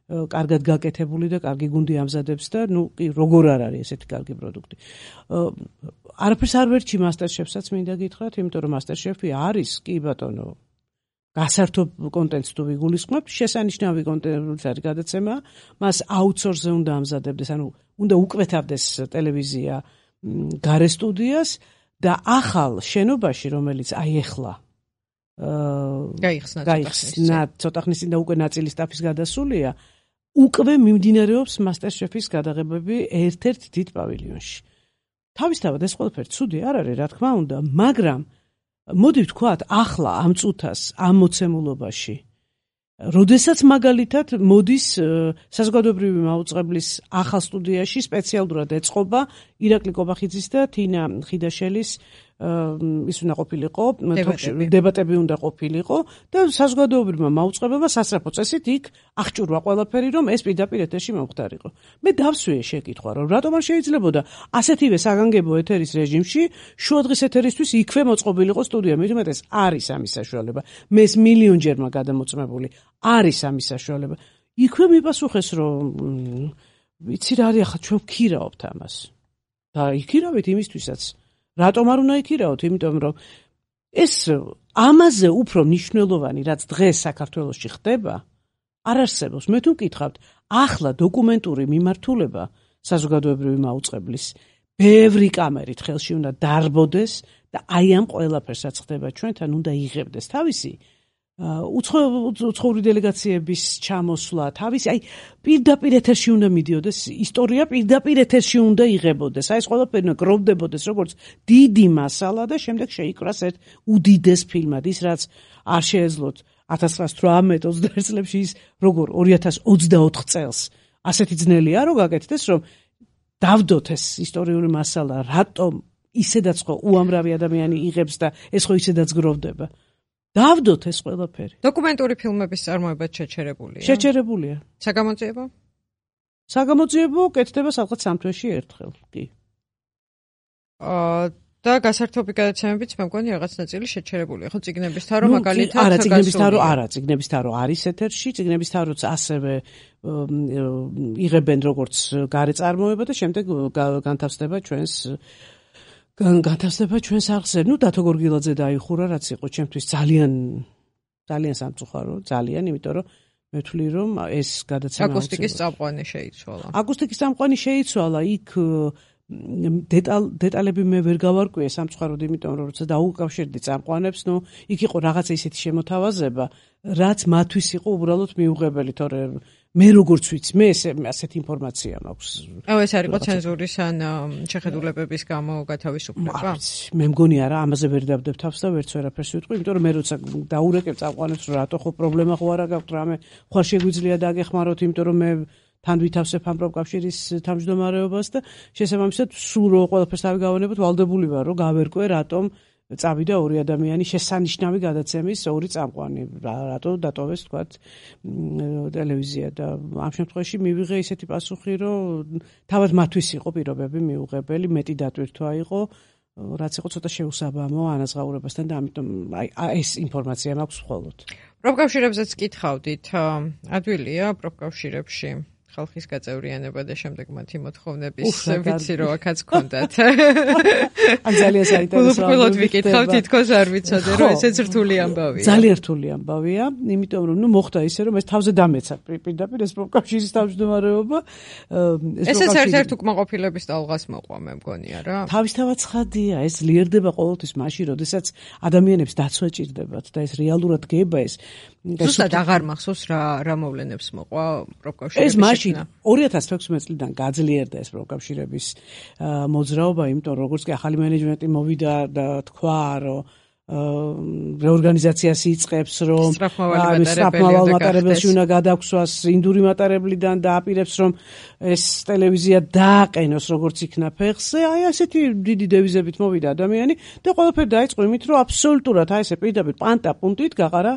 კარგად გაკეთებული და კარგი გუნდი ამზადებს და ნუ კი როგორ არ არის ესეთი კარგი პროდუქტი. არაფერს არ ვერჩი მასტერშეფსაც მინდა გითხრათ, იმიტომ რომ მასტერშეფი არის, კი ბატონო, გასართობ კონტენტს თუ ვიგულისხმებთ, შესანიშნავი კონტენტი არის გადაცემა, მას აუთსორსზე უნდა ამზადებდეს, ანუ უნდა უკვეთავდეს ტელევიზია გარე სტუდიას და ახალ შენობაში, რომელიც აი ეხლა გაიხსნა გაიხსნა ცოტა ხნის წინ და უკვე ნაწილი სტაფის გადასულია, უკვე მიმდინარეობს მასტერშეფის გადაღებები ერთ-ერთ დიდ პავილიონში. თავისთავად ეს ყველაფერი ცუდი არ არის, რა თქმა უნდა, მაგრამ მოდი ვთქვათ, ახლა ამ წუთას, ამ მოცემულობაში, როდესაც მაგალითად მოდის საზოგადოებრივი მაუწყებლის ახალ სტუდიაში სპეციალურად ეწყობა ირაკლი კობახიძის და თინა ხიდაშელის ის უნდა ყოფილიყო, დებატები უნდა ყოფილიყო და საზოგადოებრივმა მაუწყებელმა სასწრაფო წესით იქ აღჭურვა ყველაფერი, რომ ეს პირდაპირ ეთერში მომხდარიყო. მე დავსვიე შეკითხვა, რომ რატომ არ შეიძლებოდა ასეთივე საგანგებო ეთერის რეჟიმში შუადღის ეთერისთვის იქვე მოწყობილიყო სტუდია, მით უმეტეს არის ამის საშუალება. მე ეს მილიონჯერმა გადამოწმებული, არის ამის საშუალება. იქვე მიპასუხეს, რომ ვიცი რა არის ახლა ჩვენ ვქირავთ ამას. და იქირავით იმისთვისაც რატომ არ უნდა იქირავოთ? იმიტომ რომ ეს ამაზე უფრო მნიშვნელოვანი, რაც დღეს საქართველოში ხდება, არ არსებობს. მე თუ მკითხავთ, ახლა დოკუმენტური მიმართულება საზოგადოებრივი მაუწყებლის ბევრი კამერით ხელში უნდა დარბოდეს და აი ამ ყველაფერსაც ხდება ჩვენთან უნდა იღებდეს თავისი უცხოური დელეგაციების ჩამოსვლა, თავისი აი პირდაპირ ეთერში უნდა მიდიოდეს, ისტორია პირდაპირ ეთერში უნდა იღებოდეს. აი ეს ყველაფერი გროვდებოდეს როგორც დიდი მასალა და შემდეგ შეიკრას ერთ უდიდეს ფილმად, ის რაც არ შეეძლოთ ათას ცხრაას თვრამეტ ოცდაერთ წლებში ის როგორ ორი ათას ოცდაოთხ წელს ასეთი ძნელია რომ გაკეთდეს რომ დავდოთ ეს ისტორიული მასალა, რატომ ისედაც ხო უამრავი ადამიანი იღებს და ეს ხო ისედაც გროვდება. დავდოთ ეს ყველაფერი. დოკუმენტური ფილმების წარმოება შეჩერებულია. შეჩერებულია. საგამოძიებო? საგამოძიებო კეთდება სადღაც სამ თვეში ერთხელ, კი. აა და გასართობი გადაცემებიც მე მგონი რაღაც ნაწილი შეჩერებულია. ხო, წიგნების თავრო მაგალითად არა, წიგნების თავრო არა, წიგნების თავრო არის ეთერში, წიგნების თავროც ასევე იღებენ როგორც გარე წარმოება და შემდეგ განთავსდება ჩვენს განთავსდება ჩვენს არხზე. ნუ დათო გორგილაძე დაიხურა, რაც იყო ჩემთვის ძალიან ძალიან სამწუხარო, ძალიან, იმიტომ რომ მე ვთვლი რომ ეს გადაცემა აკუსტიკის წამყვანი შეიცვალა. აკუსტიკის წამყვანი შეიცვალა, იქ დეტალ დეტალები მე ვერ გავარკვიე სამწუხაროდ, იმიტომ რომ როცა დაუკავშირდი წამყვანებს, ნუ იქ იყო რაღაცა ისეთი შემოთავაზება, რაც მათთვის იყო უბრალოდ მიუღებელი, თორემ მე როგორც ვიცი, მე ესე ასეთ ინფორმაცია მაქვს. აუ ეს არის ცენზურის ან შეხედულებების გამო გათავისუფლება? მე მგონი არა, ამაზე ვერ დავდებ თავს და ვერც ვერაფერს ვიტყვი, იმიტომ რომ მე როცა დაურეკებ წამყვანებს, რომ რატო ხო პრობლემა ხო არა გაქვთ, რამე ხوار შეგვიძლია დაგეხმაროთ, იმიტომ რომ მე თან ვითავსებ ამ პროფკავშირის თავმჯდომარეობას და შესაბამისად სულ რო ყველაფერს არ გავანებოთ, ვალდებული ვარ, რომ გავერკვე, რატომ წავიდა ორი ადამიანი შესანიშნავი გადაცემის ორი წამყვანი, რატო დატოვეს თქვათ ტელევიზია და ამ შემთხვევაში მივიღე ისეთი პასუხი, რომ თავად მათთვის იყო პირობები მიუღებელი, მეტი დატვირთვა იყო, რაც იყო ცოტა შეუსაბამო ანაზღაურებასთან და ამიტომ აი ეს ინფორმაცია მაქვს მხოლოდ. პროფკავშირებზეც კითხავდით, ადვილია პროფკავშირებში ხალხის გაწევრიანება და შემდეგ მათი მოთხოვნების ვიცი რომ აქაც გქონდათ. ან ძალიან საინტერესოა. უბრალოდ ვიკითხავ, თითქოს არ ვიცოდე რომ ესეც რთული ამბავია. ძალიან რთული ამბავია, იმიტომ რომ ნუ მოხდა ისე რომ ეს თავზე დამეცა პირდაპირ ეს პროფკავშირის თავმჯდომარეობა. ესეც ერთ-ერთ უკმაყოფილების ტალღას მოყვა, მე მგონია რა. თავისთავად ცხადია, ეს ძლიერდება ყოველთვის მაშინ, როდესაც ადამიანებს დაცვა ჭირდებათ და ეს რეალურად გება ეს ზუსტად აღარ მახსოვს რა რა მოვლენებს მოყვა პროფკავშირების. ეს მაშინ ორი ათას თექვსმეტ წლიდან გაძლიერდა ეს პროფკავშირების მოძრაობა, იმიტომ რომ როგორც კი ახალი მენეჯმენტი მოვიდა და თქვა, რომ რეორგანიზაციას იწყებს, რომ სწრაფმავალ მატარებელში უნდა გადაგვსვას ინდური მატარებლიდან და აპირებს, რომ ეს ტელევიზია დააყენოს როგორც იქნა ფეხზე. აი ასეთი დიდი დევიზებით მოვიდა ადამიანი და ყველაფერი დაიწყო იმით, რომ აბსოლუტურად აი ესე პირდაპირ პანტა პუნქტით გაყარა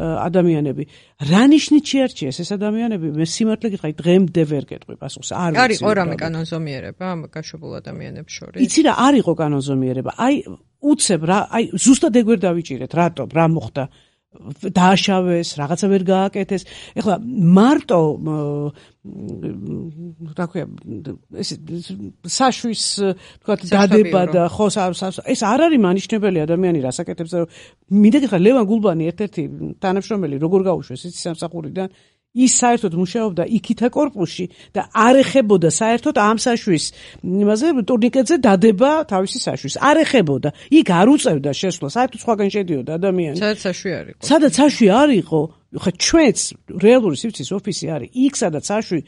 ადამიანები. რა ნიშნით შეარჩიეს ეს ადამიანები? მე სიმართლე გითხრა, დღემდე ვერ გეტყვი პასუხს. არ ვიცი. არის ორამე კანონზომიერება ამ გაშვებულ ადამიანებს შორის? იცი რა, არ იყო კანონზომიერება. აი უცებ რა, აი ზუსტად ეგ ვერ დავიჭირეთ, რატომ, რა მოხდა? დააშავეს, რაღაცა ვერ გააკეთეს. ეხლა მარტო რა ქვია, ეს საშვის თქვათ დადება და ხო ეს არ არის მანიშნებელი ადამიანი რასაკეთებს და მინდა გითხრა ლევან გულბანი ერთ-ერთი თანამშრომელი როგორ გაუშვეს იცი სამსახურიდან ის საერთოდ მუშაობდა იქითა კორპუსში და არ ეხებოდა საერთოდ ამ საშვის იმაზე ტურნიკეტზე დადება თავისი საშვის არ ეხებოდა იქ არ უწევდა შესვლა საერთოდ სხვაგან შედიოდა ადამიანი სადაც საშვი არ იყო სადაც საშვი არ იყო ხა ჩვენც რეალური სივრცის ოფისი არის იქ სადაც საშვი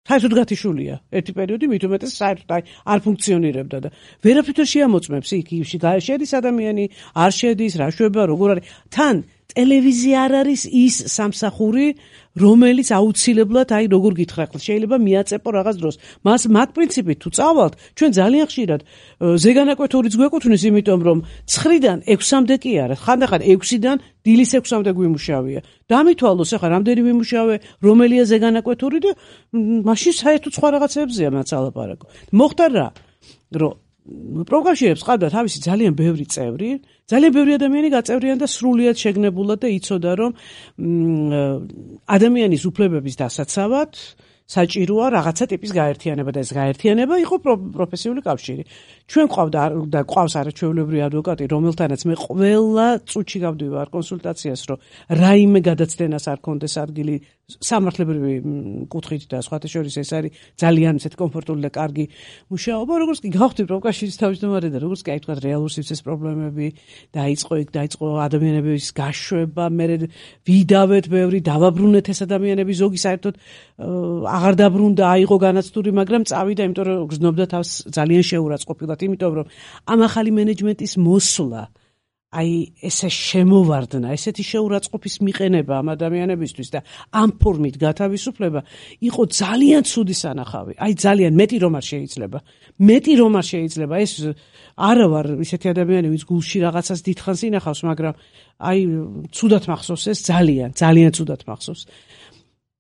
საერთოდ გათიშულია ერთი პერიოდი მით უმეტეს საერთოდ არ ფუნქციონირებდა და ვერაფერ შეამოწმებს იქ ში შედის ადამიანი არ შედის რა შვება როგორ არის თან ტელევიზია არ არის ის სამსახური რომელიც აუცილებლად აი როგორ გითხრა ხო შეიძლება მიაწეპო რაღაც დროს მას მათ პრინციპით თუ წავალთ ჩვენ ძალიან ხშირად ზეგანაკვეთურიც გვეკუთვნის იმიტომ რომ ცხრიდან ექვსამდე კი არა ხანდახან ექვსიდან დილის ექვსამდე გვიმუშავია დამითვალოს ახლა რამდენი ვიმუშავე რომელია ზეგანაკვეთური და მაშინ საერთოდ სხვა რაღაცებზეა მათ ალაპარაკო მოხდა რა რომ პროფკავშირებს ყავდა თავისი ძალიან ბევრი წევრი, ძალიან ბევრი ადამიანი გაწევრიან და სრულიად შეგნებულად და იცოდა რომ ადამიანის უფლებების დასაცავად საჭიროა რაღაცა ტიპის გაერთიანება და ეს გაერთიანება იყო პროფესიული კავშირი. ჩვენ ყავდა და ყავს არაჩვეულებრივი ადვოკატი, რომელთანაც მე ყველა წუთში გავდივარ კონსულტაციას, რომ რაიმე გადაცდენას არ კონდეს ადგილი სამართლებრივი კუთხით და სხვათა შორის ეს არის ძალიან ისეთ კომფორტული და კარგი მუშაობა, როგორც კი გავხდი პროფკავშირის თავმჯდომარე და როგორც კი აი თქვა რეალურ სივრცეს პრობლემები დაიწყო იქ დაიწყო ადამიანების გაშვება, მე ვიდავეთ ბევრი დავაბრუნეთ ეს ადამიანები ზოგი საერთოდ აღარ დაბრუნდა, აიღო განაცდური, მაგრამ წავიდა, იმიტომ რომ გრძნობდა თავს ძალიან შეურაცხყოფილად, იმიტომ რომ ამ ახალი მენეჯმენტის მოსვლა, აი ესე შემოვარდნა, ესეთი შეურაცხყოფის მიყენება ამ ადამიანებისთვის და ამ ფორმით გათავისუფლება იყო ძალიან ცუდი სანახავი. აი ძალიან მეტი რომ არ შეიძლება. მეტი რომ არ შეიძლება. ეს არა ვარ ისეთი ადამიანი, ვინც გულში რაღაცას დიდხანს ინახავს, მაგრამ აი ცუდად მახსოვს ეს ძალიან, ძალიან ცუდად მახსოვს.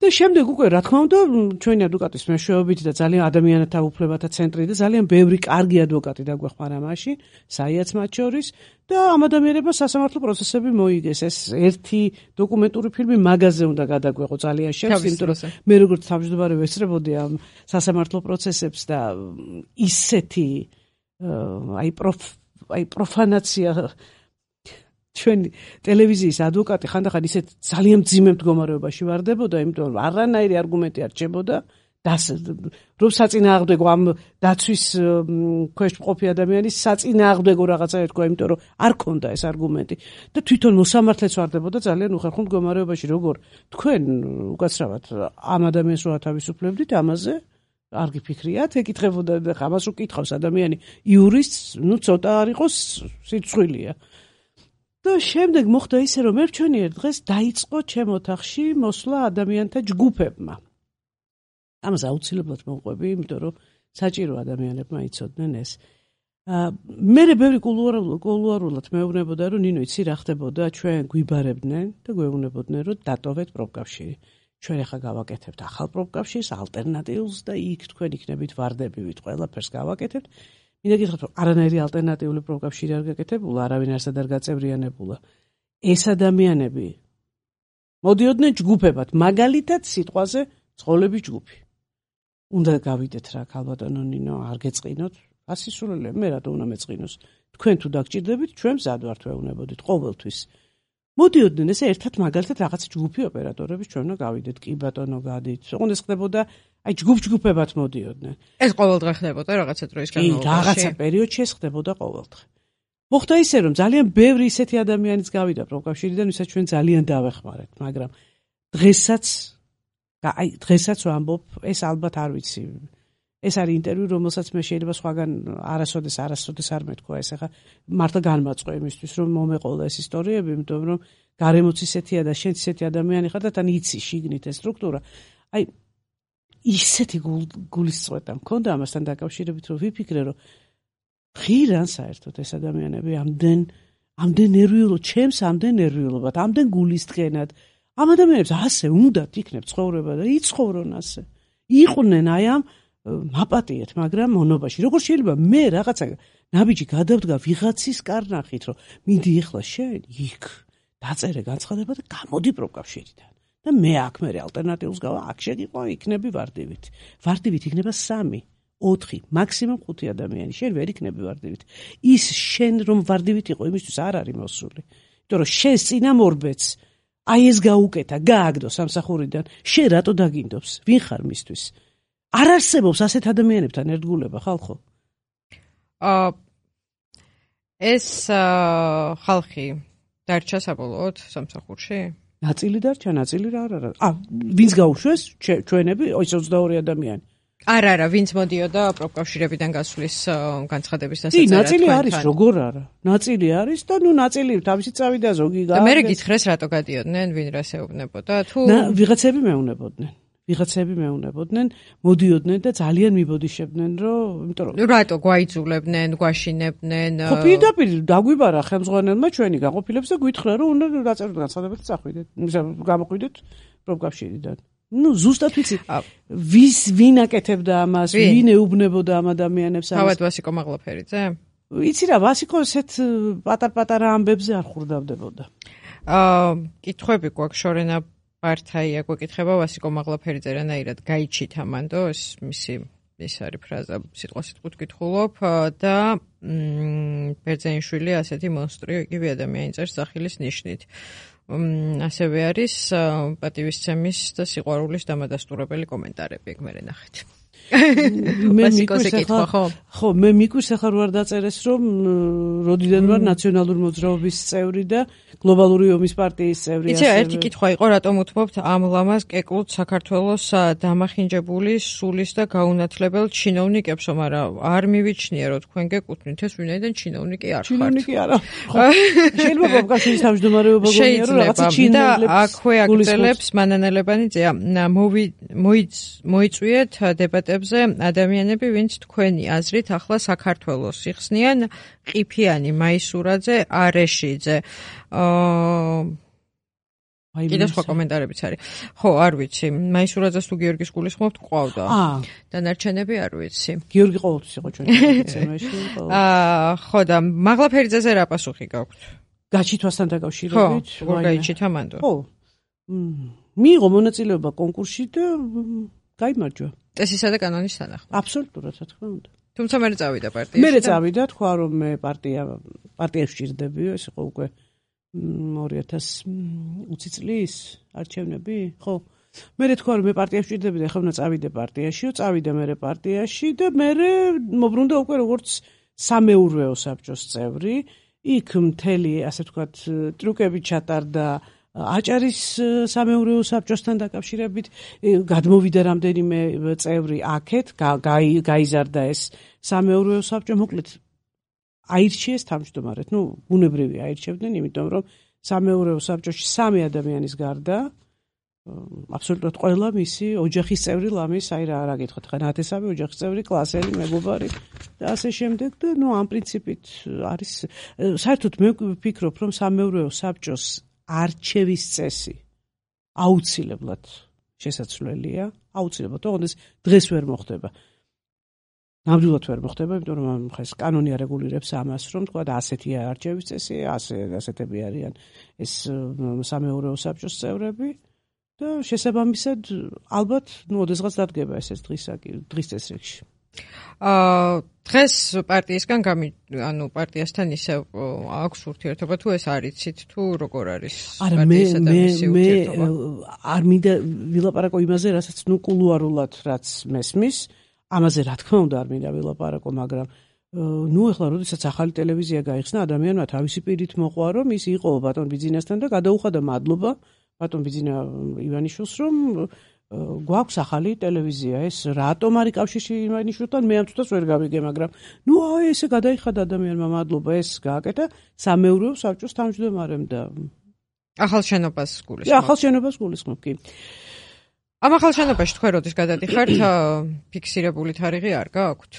და შემდეგ უკვე რა თქმა უნდა ჩვენი ადვოკატის მეშვეობით და ძალიან ადამიანთა უფლებათა ცენტრი და ძალიან ბევრი კარგი ადვოკატი დაგვეხმარა მაშინ, საიაც მათ შორის და ამ ადამიანებმა სასამართლო პროცესები მოიგეს. ეს ერთი დოკუმენტური ფილმი მაგაზე უნდა გადაგვეღო ძალიან შევს, იმიტომ რომ მე როგორც თავმჯდომარე ვესწრებოდი ამ სასამართლო პროცესებს და ისეთი აი პროფ აი პროფანაცია ჩვენი ტელევიზიის ადვოკატი ხანდახან ისეთ ძალიან მძიმე მდგომარეობაში ვარდებოდა, იმიტომ რომ არანაირი არგუმენტი არ რჩებოდა და რომ საწინააღმდეგო ამ დაცვის ქვეშ მყოფი ადამიანის საწინააღმდეგო რაღაცა ეთქვა, იმიტომ რომ არ ქონდა ეს არგუმენტი და თვითონ მოსამართლეც ვარდებოდა ძალიან უხერხულ მდგომარეობაში, როგორ თქვენ უკაცრავად ამ ადამიანს რო ათავისუფლებდით, ამაზე არ გიფიქრიათ, ეკითხებოდა და ამას უკითხავს ადამიანი იურისტს, ნუ ცოტა არ იყოს სიცხვილია. და შემდეგ მოხდა ისე, რომ მე ვჩვენიერ დღეს დაიწყო ჩემ ოთახში მოსვლა ადამიანთა ჯგუფებმა. ამას აუცილებლად მოვყვები, იმიტომ რომ საჭირო ადამიანებმა იცოდნენ ეს. მე ბევრი კულუარულად მეუბნებოდა, რომ ნინო იცი რა ხდებოდა, ჩვენ გვიბარებდნენ და გვეუბნებოდნენ, რომ დატოვეთ პროფკავშირი. ჩვენ ახლა გავაკეთებთ ახალ პროფკავშირს, ალტერნატიულს და იქ თქვენ იქნებით ვარდებივით, ყველაფერს გავაკეთებთ. მინდა გითხრათ, რომ არანაირი ალტერნატიული პროფკავშირი არ გაკეთებულა, არავინ არსად არ გაწევრიანებულა. ეს ადამიანები მოდიოდნენ ჯგუფებად, მაგალითად სიტყვაზე ცხოველების ჯგუფი. უნდა გავიდეთ რა, ქალბატონო ნინო, არ გეწყინოთ, ასისულელე, მე რატო უნდა მეწყინოს? თქვენ თუ დაგჭირდებით, ჩვენ მზად ვართ ვეუბნებოდით ყოველთვის. მოდიოდნენ ესე ერთად მაგალითად რაღაც ჯგუფი ოპერატორების ჩვენ უნდა გავიდეთ, კი ბატონო გადით. ოღონდ ეს ხდებოდა აი ჯგუფ-ჯგუფებად მოდიოდნენ. ეს ყოველდღე ხდებოდა რაღაცა დროის განმავლობაში. რაღაცა პერიოდში ეს ხდებოდა ყოველდღე. მოხდა ისე, რომ ძალიან ბევრი ისეთი ადამიანიც გავიდა პროფკავშირიდან, ვისაც ჩვენ ძალიან დავეხმარეთ, მაგრამ დღესაც აი დღესაც ვამბობ, ეს ალბათ არ ვიცი. ეს არის ინტერვიუ, რომელსაც მე შეიძლება სხვაგან არასოდეს არასოდეს არ მეთქვა, ეს ახლა მართლა განმაწყო იმისთვის, რომ მომეყოლა ეს ისტორიები, იმიტომ რომ გარემოც ისეთია და შენც ისეთი ადამიანი ხარ და თან იცი შიგნით ეს სტრუქტურა. აი ისეთი გულისწვეტა მქონდა ამასთან დაკავშირებით, რომ ვიფიქრე, რომ ღირან საერთოდ ეს ადამიანები ამდენ ამდენ ნერვიულობ, ჩემს ამდენ ნერვიულობად, ამდენ გულისწყენად. ამ ადამიანებს ასე უნდათ იქნებ ცხოვრება და იცხოვრონ ასე. იყვნენ აი ამ მაპატიეთ, მაგრამ მონობაში. როგორ შეიძლება მე რაღაცა ნაბიჯი გადავდგა ვიღაცის კარნახით, რომ მინდი ეხლა შენ იქ დაწერე განცხადება და გამოდი პროფკავშირიდან. და მე აქ მე ალტერნატიულს გავა, აქ შეგიყო, იქნები ვარდივით. ვარდივით იქნება სამი, ოთხი, მაქსიმუმ ხუთი ადამიანი. შენ ვერ იქნები ვარდივით. ის შენ რომ ვარდივით იყო, იმისთვის არ არის მოსული. იმიტომ რომ შენ წინამორბედს აი ეს გაუკეთა, გააგდო სამსახურიდან, შენ რატო დაგინდობს? ვინ ხარ მისთვის? არ არსებობს ასეთ ადამიანებთან ერთგულება, ხალხო? აა ეს ხალხი დარჩა საბოლოოდ სამსახურში? ნაწილი დარჩა, ნაწილი რა არა. ა ვინც გაუშვეს? ჩვენები, ის ოცდაორი ადამიანი. არა, არა, ვინც მოდიოდა პროფკავშირებიდან გასვლის განცხადების დასაწერად. კი, ნაწილი არის, როგორ არა. ნაწილი არის და ნუ ნაწილი თავისი წავიდა ზოგი გააგდეს. და მე გითხრეს რატო გადიოდნენ, ვინ რას ეუბნებოდა? თუ ვიღაცები მეუნებოდნენ. ვიღაცები მეუნებოდნენ, მოდიოდნენ და ძალიან მიბოდიშებდნენ, რომ, იმიტომ რომ რატო გვაიძულებდნენ, გვაშინებდნენ? ხო, პირდაპირ დაგვიბარა ხელმძღვანელმა ჩვენი გაყოფილებს და გვითხრა, რომ უნდა დაწეროთ განცხადება და წახვიდეთ, გამოყვიდეთ პროფკავშირიდან. ნუ ზუსტად ვიცი, ვის ვინ აკეთებდა ამას, ვინ ეუბნებოდა ამ ადამიანებს ამას. თავად ვასიკო მაღლაფერიძე? იცი რა, ვასიკო ესეთ პატარ-პატარა ამბებზე არ ხურდავდებოდა. აა, კითხვები გვაქვს შორენა პარტია გვეკითხება ვასიკო მაღლაფერიძე რანაირად გაიჩით ამანდო ეს მისი ეს არის ფრაზა სიტყვა სიტყვით გითხულობ და ბერძენიშვილი ასეთი მონსტრი იგივე ადამიანი წერს სახილის ნიშნით ასევე არის პატივისცემის და სიყვარულის დამადასტურებელი კომენტარები ეგ მე ნახეთ მე მიკითხა ხო ხო მე მიკითხა ხარ ვარ დაწერეს რომ როდიდან ვარ ნაციონალური მოძრაობის წევრი და გლობალური ომის პარტიის წევრი ასე იცი ერთი კითხვა იყო რატომ უთმობთ ამ ლამაზ კეკლუთ საქართველოს დამახინჯებული სულის და გაუნათლებელ ჩინოვნიკებს მაგრამ არ მივიჩნია რომ თქვენ გეკუთვნით ეს ვინაიდან ჩინოვნიკი არ ხართ ჩინოვნიკი არა შეიძლება ბაბკაშვილის თავმჯდომარეობა გონია რომ რაღაცა ჩინოვნიკებს და აქვე აგრძელებს მანანელებანიძე მოიწვიეთ დებატებზე ადამიანები ვინც თქვენი აზრით ახლა საქართველოს იხსნიან ყიფიანი მაისურაძე არეშიძე აა კიდე სხვა კომენტარებიც არის ხო არ ვიცი მაისურაძეს თუ გიორგის გულისხმობთ ყავდა დანარჩენები არ ვიცი გიორგი ყოველთვის იყო ჩვენი ცემაში აა ხო და მაღლაფერიძეზე რა პასუხი გაქვთ გაჩითვასთან დაკავშირებით ხო როგორ გაიჩით ამანდო ხო მიიღო მონაწილეობა კონკურსში და გაიმარჯვა წესისა და კანონის თანახმად აბსოლუტურად რა თქმა უნდა თუმცა მე წავიდა პარტიაში მე წავიდა თქვა რომ მე პარტია პარტიაში ვჭირდებიო ეს იყო უკვე ორი ათას ოცი წლის არჩევნები ხო მე თქვა რომ მე პარტიაში ვჭირდებიო და ახლა უნდა წავიდე პარტიაშიო წავიდა მე პარტიაში და მე მოbrunდა უკვე როგორც სამეურვეო საბჭოს წევრი იქ მთელი ასე ვთქვათ ტრუკები ჩატარდა აჭარის სამეურვეო საბჭოსთან დაკავშირებით გადმოვიდა რამდენიმე წევრი აქეთ გაიზარდა ეს სამეურვეო საბჭო მოკლედ აირჩიეს თავმჯდომარედ ნუ ბუნებრივი აირჩევდნენ იმიტომ რომ სამეურვეო საბჭოში სამი ადამიანის გარდა აბსოლუტურად ყველა მისი ოჯახის წევრი ლამის აი რა რა გითხოთ ხა ნათესავი ოჯახის წევრი კლასელი მეგობარი და ასე შემდეგ და ნუ ამ პრინციპით არის საერთოდ მე ვფიქრობ რომ სამეურვეო საბჭოს არჩევის წესი აუცილებლად შესაძლებელია აუცილებლად თორემ ეს დღეს ვერ მოხდება ნამდვილად ვერ მოხდება იმიტომ რომ ხა ეს კანონი არეგულირებს ამას რომ თქვა და ასეთია არჩევის წესი ასე ასეთები არიან ეს სამეურვეო საბჭოს წევრები და შესაბამისად ალბათ ნუ ოდესღაც დადგება ეს დღის დღის წესრიგში აა დღეს პარტიისგან გამი ანუ პარტიასთან ისე აქვს ურთიერთობა თუ ეს არიცით თუ როგორ არის პარტიისა და მისი ურთიერთობა არ მინდა ვილაპარაკო იმაზე რასაც ნუ კულუარულად რაც მესმის ამაზე რა თქმა უნდა არ მინდა ვილაპარაკო მაგრამ ნუ ეხლა როდესაც ახალი ტელევიზია გაიხსნა ადამიანმა თავისი პირით მოყვა რომ ის იყო ბატონ ბიძინასთან და გადაუხადა მადლობა ბატონ ბიძინა ივანიშვილს რომ გვაქვს ახალი ტელევიზია ეს რატომ არის კავშირში ივანიშვილთან მე ამ თვითონ ვერ გავიგე მაგრამ ნუ აი ესე გადაიხადა ადამიანმა მადლობა ეს გააკეთა სამეურვეო საბჭოს თავმჯდომარემ და ახალ შენობას გულისხმობ ახალ შენობას გულისხმობ კი ამ ახალ შენობაში თქვენ როდის გადადიხართ ფიქსირებული თარიღი არ გააქვთ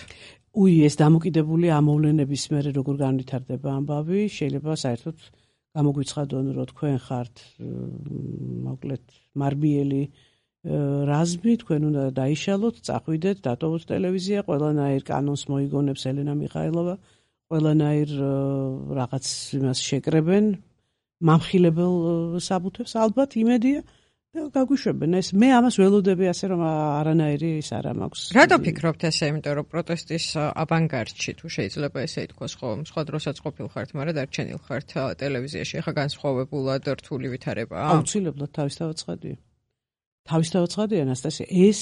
უი ეს დამოკიდებული ამოვლენების მერე როგორ განვითარდება ამბავი შეიძლება საერთოდ გამოგვიცხადონ რომ თქვენ ხართ მოკლედ მარბიელი რაზმი თქვენ უნდა დაიშალოთ, წახვიდეთ, დატოვოთ ტელევიზია, ყველანაირ კანონს მოიგონებს ელენა მიხაილოვა, ყველანაირ რაღაც იმას შეკრებენ, მამხილებელ საბუთებს, ალბათ იმედია და გაგვიშვებენ. ეს მე ამას ველოდები ასე რომ არანაირი ის არ მაქვს. რატო ფიქრობთ ესე, იმიტომ რომ პროტესტის ავანგარდში თუ შეიძლება ესე ითქვას, ხო, სხვა დროსაც ყოფილ ხართ, მაგრამ დარჩენილ ხართ ტელევიზიაში, ახლა განსხვავებულად რთული ვითარებაა. აუცილებლად თავისთავად ცხადია. თავისთავად ცხადია ანასტასია ეს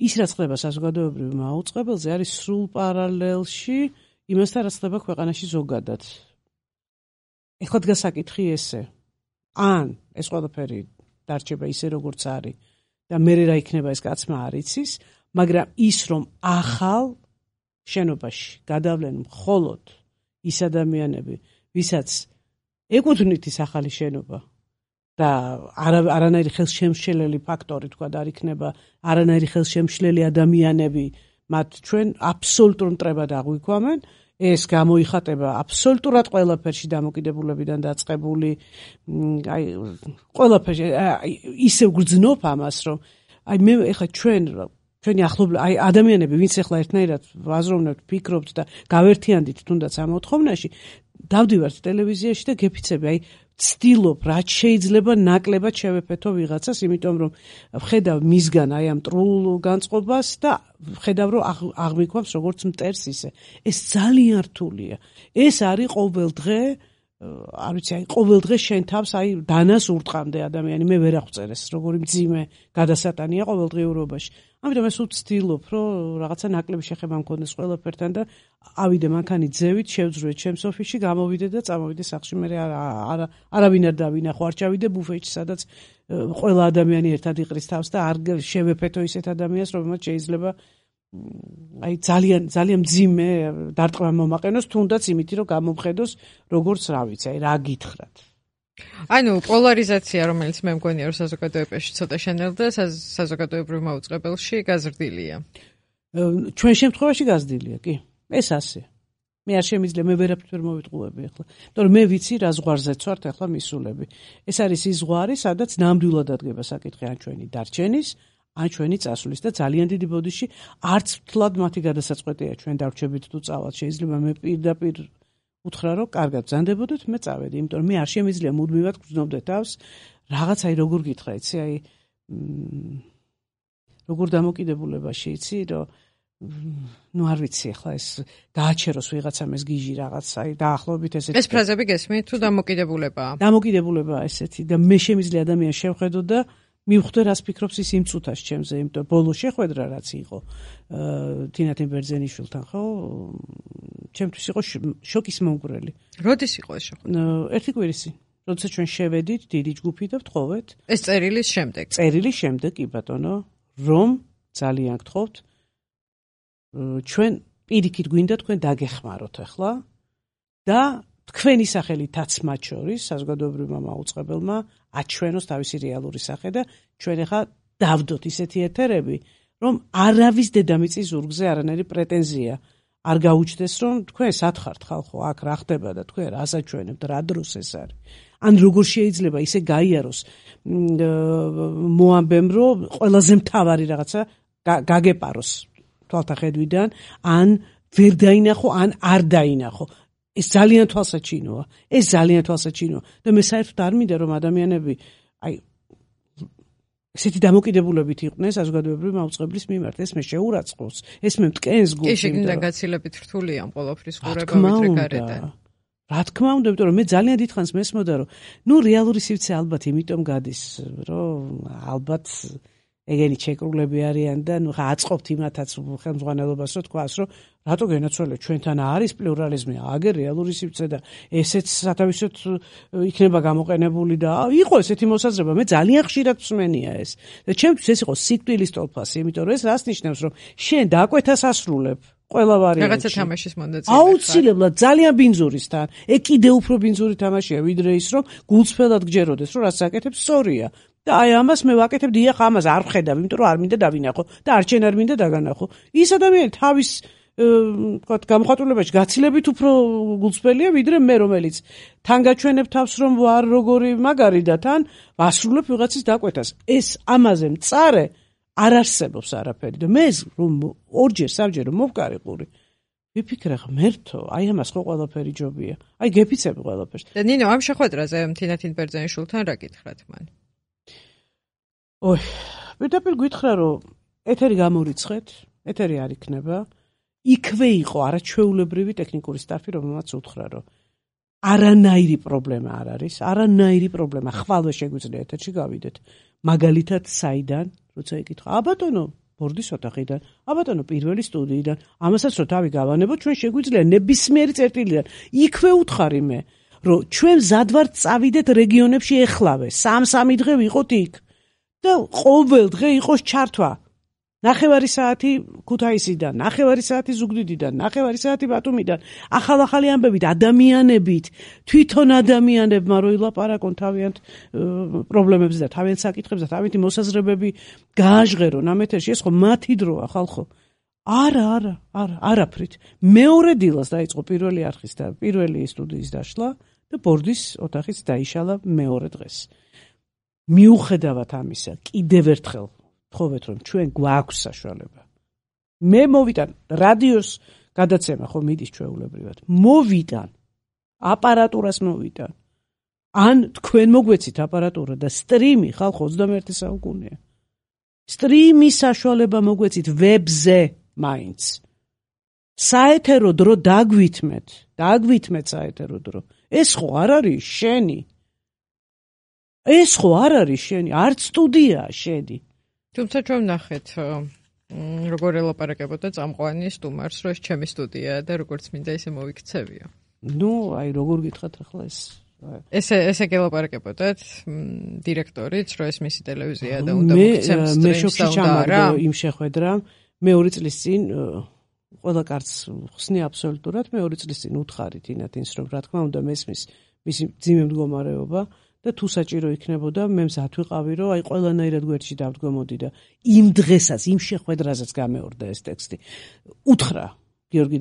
ის რაც ხდება საზოგადოებრივ მაუწყებელზე არის სრულ პარალელში იმასთან რაც ხდება ქვეყანაში ზოგადად. ეხლა დგას საკითხი ესე ან ეს ყველაფერი დარჩება ისე როგორც არის და მე რა იქნება ეს კაცმა არ იცის, მაგრამ ის რომ ახალ შენობაში გადავლენ მხოლოდ ის ადამიანები, ვისაც ეკუთვნით ის ახალი შენობა და არანაირი ხელშემშლელი ფაქტორი თქვა და არ იქნება არანაირი ხელშემშლელი ადამიანები მათ ჩვენ აბსოლუტურ მტრებად აღვიქვამენ ეს გამოიხატება აბსოლუტურად ყველაფერში დამოკიდებულებიდან დაწყებული აი ყველაფერში ისე გრძნობ ამას რომ აი მე ეხლა ჩვენ ჩვენი ახლობლები აი ადამიანები ვინც ეხლა ერთნაირად ვაზროვნებთ ფიქრობთ და გავერთიანდით თუნდაც ამ მოთხოვნაში დავდივართ ტელევიზიაში და გეფიცები აი ვცდილობ რაც შეიძლება ნაკლებად შევეფეთო ვიღაცას, იმიტომ რომ ვხედავ მისგან აი ამ მტრულ განწყობას და ვხედავ რომ აღმიქვამს როგორც მტერს ისე. ეს ძალიან რთულია. ეს არის ყოველ დღე, არ ვიცი, აი ყოველ დღე შენ თავს აი დანას ურტყამდე ადამიანი, მე ვერ აღვწერეს, როგორი მძიმე გადასატანია ყოველდღიურობაში. ამიტომ ეს ვცდილობ, რომ რაღაცა ნაკლები შეხება მქონდეს ყველაფერთან და ავიდე მანქანით ძევით, შევძრუეთ ჩემს ოფისში, გამოვიდე და წამოვიდე სახლში, მე არა არავინ არ დავინახო, არ ჩავიდე ბუფეტში, სადაც ყველა ადამიანი ერთად იყრის თავს და არ შევეფეთო ისეთ ადამიანს, რომელმაც შეიძლება აი ძალიან ძალიან მძიმე დარტყმა მომაყენოს, თუნდაც იმითი რომ გამომხედოს როგორც რა ვიცი, აი რა გითხრათ. ანუ პოლარიზაცია, რომელიც მე მგონია რომ საზოგადოებაში ცოტა შენელდა, საზოგადოებრივ მაუწყებელში გაზრდილია. ჩვენ შემთხვევაში გაზრდილია, კი. ეს ასე. მე არ შემიძლია, მე ვერაფერს ვერ მოვიტყუები ახლა. იმიტომ რომ მე ვიცი რა ზღვარზეც ვართ ახლა მისულები. ეს არის ის ზღვარი, სადაც ნამდვილად ადგება საკითხი ან ჩვენი დარჩენის, ან ჩვენი წასვლის და ძალიან დიდი ბოდიში არც ვთლად მათი გადასაწყვეტია ჩვენ დარჩებით თუ წავალთ. შეიძლება მე პირდაპირ უთხრა რომ კარგად ბრძანდებოდეთ, მე წავედი, იმიტომ რომ მე არ შემიძლია მუდმივად გრძნობდე თავს რაღაც აი როგორ გითხრა, იცი, აი როგორ დამოკიდებულებაში, იცი, რომ ნუ არ ვიცი ახლა ეს გააჩეროს ვიღაცამ ეს გიჟი რაღაც, აი დაახლოებით ესეთი. ეს ფრაზები გესმით თუ დამოკიდებულებაა? დამოკიდებულებაა ესეთი და მე შემიძლია ადამიანს შევხედო და მივხვდე რას ფიქრობს ის იმ წუთას ჩემზე, იმიტომ ბოლო შეხვედრა რაც იყო თინათინ ბერძენიშვილთან, ხო? ჩემთვის იყო შოკის მომგვრელი. როდის იყო ეს შეხვედრა? ერთი კვირის წინ. როდესაც ჩვენ შევედით დიდი ჯგუფი და ვთხოვეთ. ეს წერილის შემდეგ. წერილის შემდეგ, კი ბატონო, რომ ძალიან გთხოვთ ჩვენ პირიქით გვინდა თქვენ დაგეხმაროთ ახლა და თქვენი სახელითაც მათ შორის საზოგადოებრივმა მაუწყებელმა აჩვენოს თავისი რეალური სახე და ჩვენ ახლა დავდოთ ისეთი ეთერები, რომ არავის დედამიწის ზურგზე არანაირი პრეტენზია არ გაუჩნდეს, რომ თქვენ სათხართ ხალხო, აქ რა ხდება და თქვენ რას აჩვენებთ, რა დროს ეს არის. ან როგორ შეიძლება ისე გაიაროს მოამბემ, რომ ყველაზე მთავარი რაღაცა გაგეპაროს თვალთახედვიდან, ან ვერ დაინახო, ან არ დაინახო. ეს ძალიან თვალსაჩინოა. ეს ძალიან თვალსაჩინოა. და მე საერთოდ არ მინდა რომ ადამიანები აი ესეთი დამოკიდებულებით იყვნენ საზოგადოებრივი მაუწყებლის მიმართ. ეს მე შეურაცხყოფს, ეს მე მტკენს გულს. კი, შეგინდა გაცილებით რთულია ამ ყოველფრის ყურება ვიდრე გარედან. რა თქმა უნდა, იმიტომ რომ მე ძალიან დიდხანს მესმოდა რომ ნუ რეალური სივრცე ალბათ იმიტომ გადის, რომ ალბათ ეგენი ჩეკრულები არიან და ნუ ხა აწყობთ იმათაც ხელმძღვანელობას რომ თქვას რომ რატო გენაცვალე ჩვენთან არის პლურალიზმი, აგერ რეალური სივრცე და ესეც სათავისოდ იქნება გამოყენებული და იყო ესეთი მოსაზრება, მე ძალიან ხშირად მსმენია ეს. და ჩემთვის ეს იყო სიკვდილის ტოლფასი, იმიტომ რომ ეს რას ნიშნავს, რომ შენ დააკვეთას ასრულებ ყველა ვარიანტში. რაღაცა თამაშის მონაწილე. აუცილებლად ძალიან ბინძურისთან. ეგ კიდე უფრო ბინძური თამაშია ვიდრე ის რომ გულწრფელად გჯეროდეს, რომ რაც აკეთებ სწორია. და აი ამას მე ვაკეთებ, დიახ, ამას არ ვხედავ, იმიტომ რომ არ მინდა დავინახო და არჩენ არ მინდა დაგანახო. ის ადამიანი თავის ვთქვათ გამოხატულებაში გაცილებით უფრო გულწრფელია ვიდრე მე, რომელიც თან გაჩვენებ თავს რომ ვარ როგორი მაგარი და თან ვასრულებ ვიღაცის დაკვეთას. ეს ამაზე მწარე არ არსებობს არაფერი და მე რომ ორჯერ სამჯერ მოვკარიყური ვიფიქრე ღმერთო, აი ამას ხო ყველაფერი ჯობია. აი გეფიცები ყველაფერს. და ნინო, ამ შეხვედრაზე თინათინ ბერძენიშვილთან რა გითხრათ მან? ოი, პირდაპირ გითხრა რომ ეთერი გამორიცხეთ, ეთერი არ იქნება. იქვე იყო არაჩვეულებრივი ტექნიკური სტაფი, რომელმაც უთხრა რომ არანაირი პრობლემა არ არის, არანაირი პრობლემა, ხვალვე შეგვიძლია ეთერში გავიდეთ. მაგალითად საიდან, როცა ეკითხა, ა ბატონო, ბორდის ოთახიდან, ა ბატონო, პირველი სტუდიიდან, ამასაც რო თავი გავანებოთ, ჩვენ შეგვიძლია ნებისმიერი წერტილიდან. იქვე უთხარი მე, რომ ჩვენ მზად ვართ წავიდეთ რეგიონებში ეხლავე, სამ-სამი დღე ვიყოთ იქ. და ყოველ დღე იყოს ჩართვა. ნახევარი საათი ქუთაისიდან, ნახევარი საათი ზუგდიდიდან, ნახევარი საათი ბათუმიდან, ახალ-ახალი ამბებით, ადამიანებით, თვითონ ადამიანებმა რო ილაპარაკონ თავიანთ პრობლემებზე და თავიანთ საკითხებზე და თავიანთი მოსაზრებები გააჟღერონ ამ ეთერში, ეს ხო მათი დროა, ხალხო. არა, არა, არა, არაფრით. მეორე დილას დაიწყო პირველი არხის და პირველი სტუდიის დაშლა და ბორდის ოთახიც დაიშალა მეორე დღეს. მიუხედავად ამისა, კიდევ ერთხელ ვთხოვეთ, რომ ჩვენ გვაქვს საშუალება. მე მოვიტან რადიოს გადაცემა, ხო მიდის ჩვეულებრივად. მოვიტან აპარატურას მოვიტან. ან თქვენ მოგვეცით აპარატურა და სტრიმი ხალხო ოცდამეერთე საუკუნეა. სტრიმის საშუალება მოგვეცით ვებზე მაინც. საეთერო დრო დაგვითმეთ, დაგვითმეთ საეთერო დრო. ეს ხო არ არის შენი. ეს ხო არ არის შენი, არც სტუდია შენი. თუმცა ჩვენ ნახეთ როგორ ელაპარაკებოდა წამყვანი სტუმარს, რომ ეს ჩემი სტუდიაა და როგორც მინდა ისე მოვიქცევიო. ნუ, აი როგორ გითხრათ ახლა ეს ესე ესე გელაპარაკებოდათ დირექტორიც, რომ ეს მისი ტელევიზია და უნდა მოგცემს სტრიმს. მე შოქში ჩამაგდო იმ შეხვედრამ, მე ორი წლის წინ ყველა კარტს ხსნი აბსოლუტურად, მე ორი წლის წინ უთხარით ინათინს, რომ რა თქმა უნდა მესმის მისი ძიმე მდგომარეობა და თუ საჭირო იქნებოდა, მე მზად ვიყავი, რომ აი ყველანაირად გვერდში დავდგომოდი და იმ დღესაც, იმ შეხვედრაზეც გამეორდა ეს ტექსტი. უთხრა გიორგი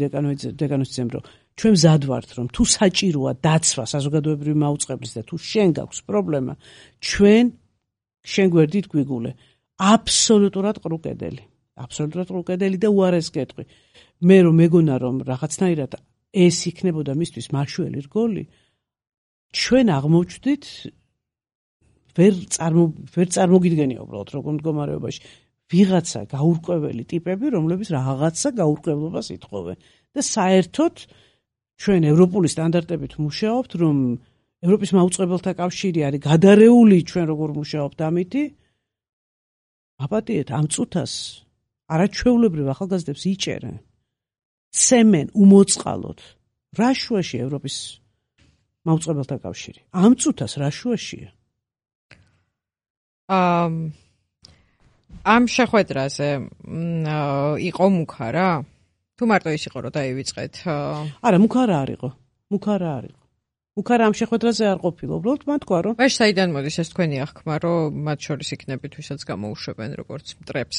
დეკანოძემ, რომ ჩვენ მზად ვართ, რომ თუ საჭიროა დაცვა საზოგადოებრივი მაუწყებლის და თუ შენ გაქვს პრობლემა, ჩვენ შენ გვერდით გვიგულე. აბსოლუტურად ყრუკედელი. აბსოლუტურად ყრუკედელი და უარეს კეტყვი. მე რომ მეგონა რომ რაღაცნაირად ეს იქნებოდა მისთვის მაშველი რგოლი, ჩვენ აღმოჩნდით ვერ წარმო ვერ წარმოგიდგენია უბრალოდ როგორ მდგომარეობაში ვიღაცა გაურკვეველი ტიპები, რომლებიც რაღაცა გაურკვევლობას ითხოვენ და საერთოდ ჩვენ ევროპული სტანდარტებით მუშაობთ, რომ ევროპის მაუწყებელთა კავშირი არის გადარეული ჩვენ როგორ მუშაობთ ამითი. აპატიეთ ამ წუთას არაჩვეულებრივ ახალგაზრდებს იჭერენ. ცემენ უმოწყალოდ. რა შუაში ევროპის მაუწყებელთა კავშირი? ამ წუთას რა შუაშია? ამ ამ შეხვედრაზე იყო მუქა რა? თუ მარტო ის იყო რომ დაივიწყეთ? არა, მუქა რა არისო. მუქა რა არისო. მუქა რა ამ შეხვედრაზე არ ყოფილა, უბრალოდ მან თქვა რომ მაშ საიდან მოდის ეს თქვენი აღქმა, რომ მათ შორის იქნებით ვისაც გამოუშვებენ როგორც მტრებს?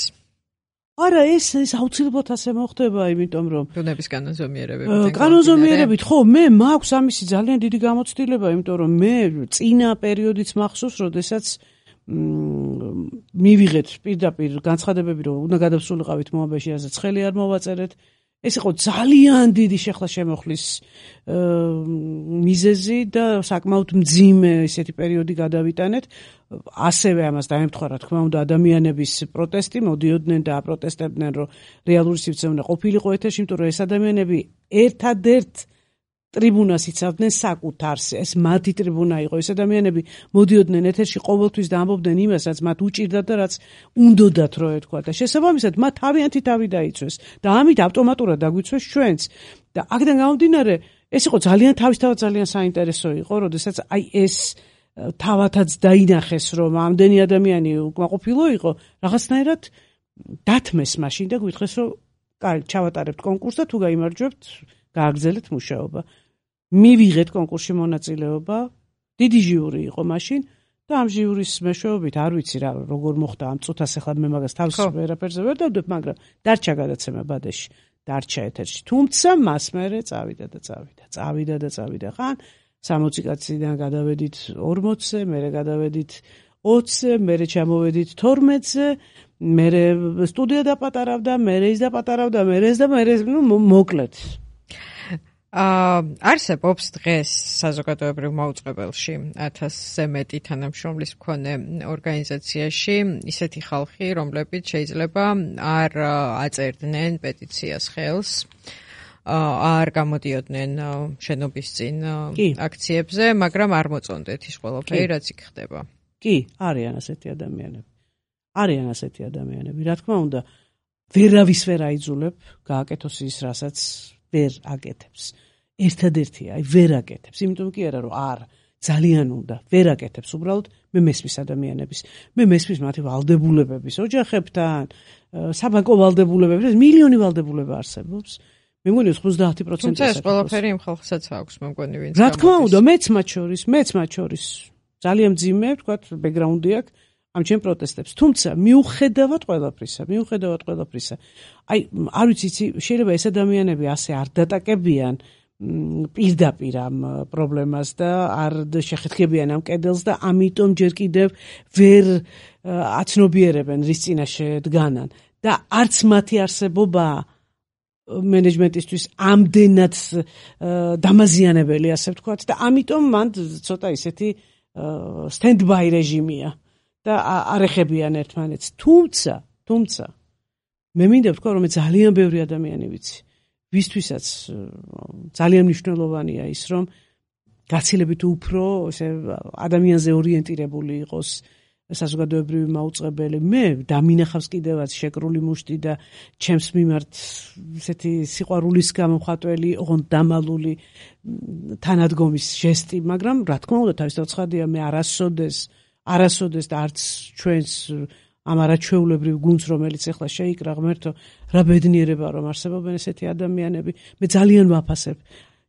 არა, ეს ეს აუცილებლად ასე მოხდება, იმიტომ რომ ბუნების კანონზომიერებებით. კანონზომიერებით, ხო, მე მაქვს ამისი ძალიან დიდი გამოცდილება, იმიტომ რომ მე წინა პერიოდიც მახსოვს, როდესაც მივიღეთ პირდაპირ განცხადებები, რომ უნდა გადავსულიყავით მოაბეში, ასე ცხელი არ მოვაწერეთ. ეს იყო ძალიან დიდი შეხლა შემოხლის მიზეზი და საკმაოდ მძიმე ისეთი პერიოდი გადავიტანეთ. ასევე ამას დაემთხვა, რა თქმა უნდა, ადამიანების პროტესტი, მოდიოდნენ და აპროტესტებდნენ, რომ რეალური სივრცე უნდა ყოფილიყო ეთერში, იმიტომ რომ ეს ადამიანები ერთადერთ ტრიბუნას იცავდნენ საკუთარს, ეს მათი ტრიბუნა იყო. ეს ადამიანები მოდიოდნენ ეთერში ყოველთვის და ამბობდნენ იმას, რაც მათ უჭირდათ და რაც უნდოდათ რომ ეთქვა და შესაბამისად მათ თავიანთი თავი დაიცვეს და ამით ავტომატურად დაგვიცვეს ჩვენც. და აქედან გამომდინარე, ეს იყო ძალიან თავისთავად ძალიან საინტერესო იყო, როდესაც აი ეს თავათაც დაინახეს, რომ ამდენი ადამიანი უკმაყოფილო იყო, რაღაცნაირად დათმეს მაშინ და გვითხრეს, რომ კაი, ჩავატარებთ კონკურსს და თუ გაიმარჯვებთ, გააგრძელეთ მუშაობა. მივიღეთ კონკურსში მონაწილეობა, დიდი ჟიური იყო მაშინ და ამ ჟიურის მეშვეობით არ ვიცი რა როგორ მოხდა ამ წუთას, ახლა მე მაგას თავს ვერაფერზე ვერ დავდებ, მაგრამ დარჩა გადაცემა ბადეში, დარჩა ეთერში. თუმცა მას მერე წავიდა და წავიდა, წავიდა და წავიდა. ხან სამოცი კაციდან გადავედით ორმოცზე, მერე გადავედით ოცზე, მერე ჩამოვედით თორმეტზე, მერე სტუდია დაპატარავდა, მერე ის დაპატარავდა, მერე ეს და მერე ნუ მოკლედ. აა არსებობს დღეს საზოგადოებრივ მაუწყებელში ათასზე მეტი თანამშრომლის მქონე ორგანიზაციაში ისეთი ხალხი, რომლებიც შეიძლება არ აწერდნენ პეტიციას ხელს, არ გამოდიოდნენ შენობის წინ აქციებზე, მაგრამ არ მოწონდეთ ის ყველაფერი, რაც იქ ხდება. კი, არიან ასეთი ადამიანები. არიან ასეთი ადამიანები. რა თქმა უნდა, ვერავის ვერ აიძულებ გააკეთოს ის, რასაც ვერ აკეთებს. ერთადერთია, აი ვერ აკეთებს. იმიტომ კი არა, რომ არ ძალიან უნდა, ვერ აკეთებს უბრალოდ მე მესმის ადამიანების. მე მესმის მათი ვალდებულებების, ოჯახებთან, საბანკო ვალდებულებების, მილიონი ვალდებულება არსებობს. მე მგონი ოცდაათი პროცენტი თუმცა ეს ყველაფერი იმ ხალხსაც აქვს, მე მგონი ვინც რა თქმა უნდა, მეც მათ შორის, მეც მათ შორის ძალიან მძიმე, ვთქვათ, ბექგრაუნდი აქვს ამ ჩემ პროტესტებს. თუმცა მიუხედავად ყველაფრისა, მიუხედავად ყველაფრისა, აი, არ ვიცი, შეიძლება ეს ადამიანები ასე არ დატაკებიან პირდაპირ ამ პრობლემას და არ შეხეთქებიან ამ კედელს და ამიტომ ჯერ კიდევ ვერ აცნობიერებენ რის წინაშე დგანან და არც მათი არსებობა მენეჯმენტისთვის ამდენად დამაზიანებელი, ასე ვთქვათ, და ამიტომ მან ცოტა ისეთი stand-by რეჟიმია და არ ეხებიან ერთმანეთს. თუმცა, თუმცა მე მინდა ვთქვა, რომ ძალიან ბევრი ადამიანი ვიცი, ვისთვისაც ძალიან მნიშვნელოვანია ის, რომ გაცილებით უფრო ესე ადამიანზე ორიენტირებული იყოს საზოგადოებრივი მაუწყებელი. მე დამინახავს კიდევაც შეკრული მუშტი და ჩემს მიმართ ესეთი სიყვარულის გამოხატველი, ოღონდ დამალული თანადგომის ჟესტი, მაგრამ რა თქმა უნდა თავისთავად ცხადია, მე არასოდეს არასოდეს და არც ჩვენს ამ არაჩვეულებრივ გუნდს, რომელიც ახლა შეიკრა ღმერთო, რა ბედნიერება რომ არსებობენ ესეთი ადამიანები. მე ძალიან ვაფასებ.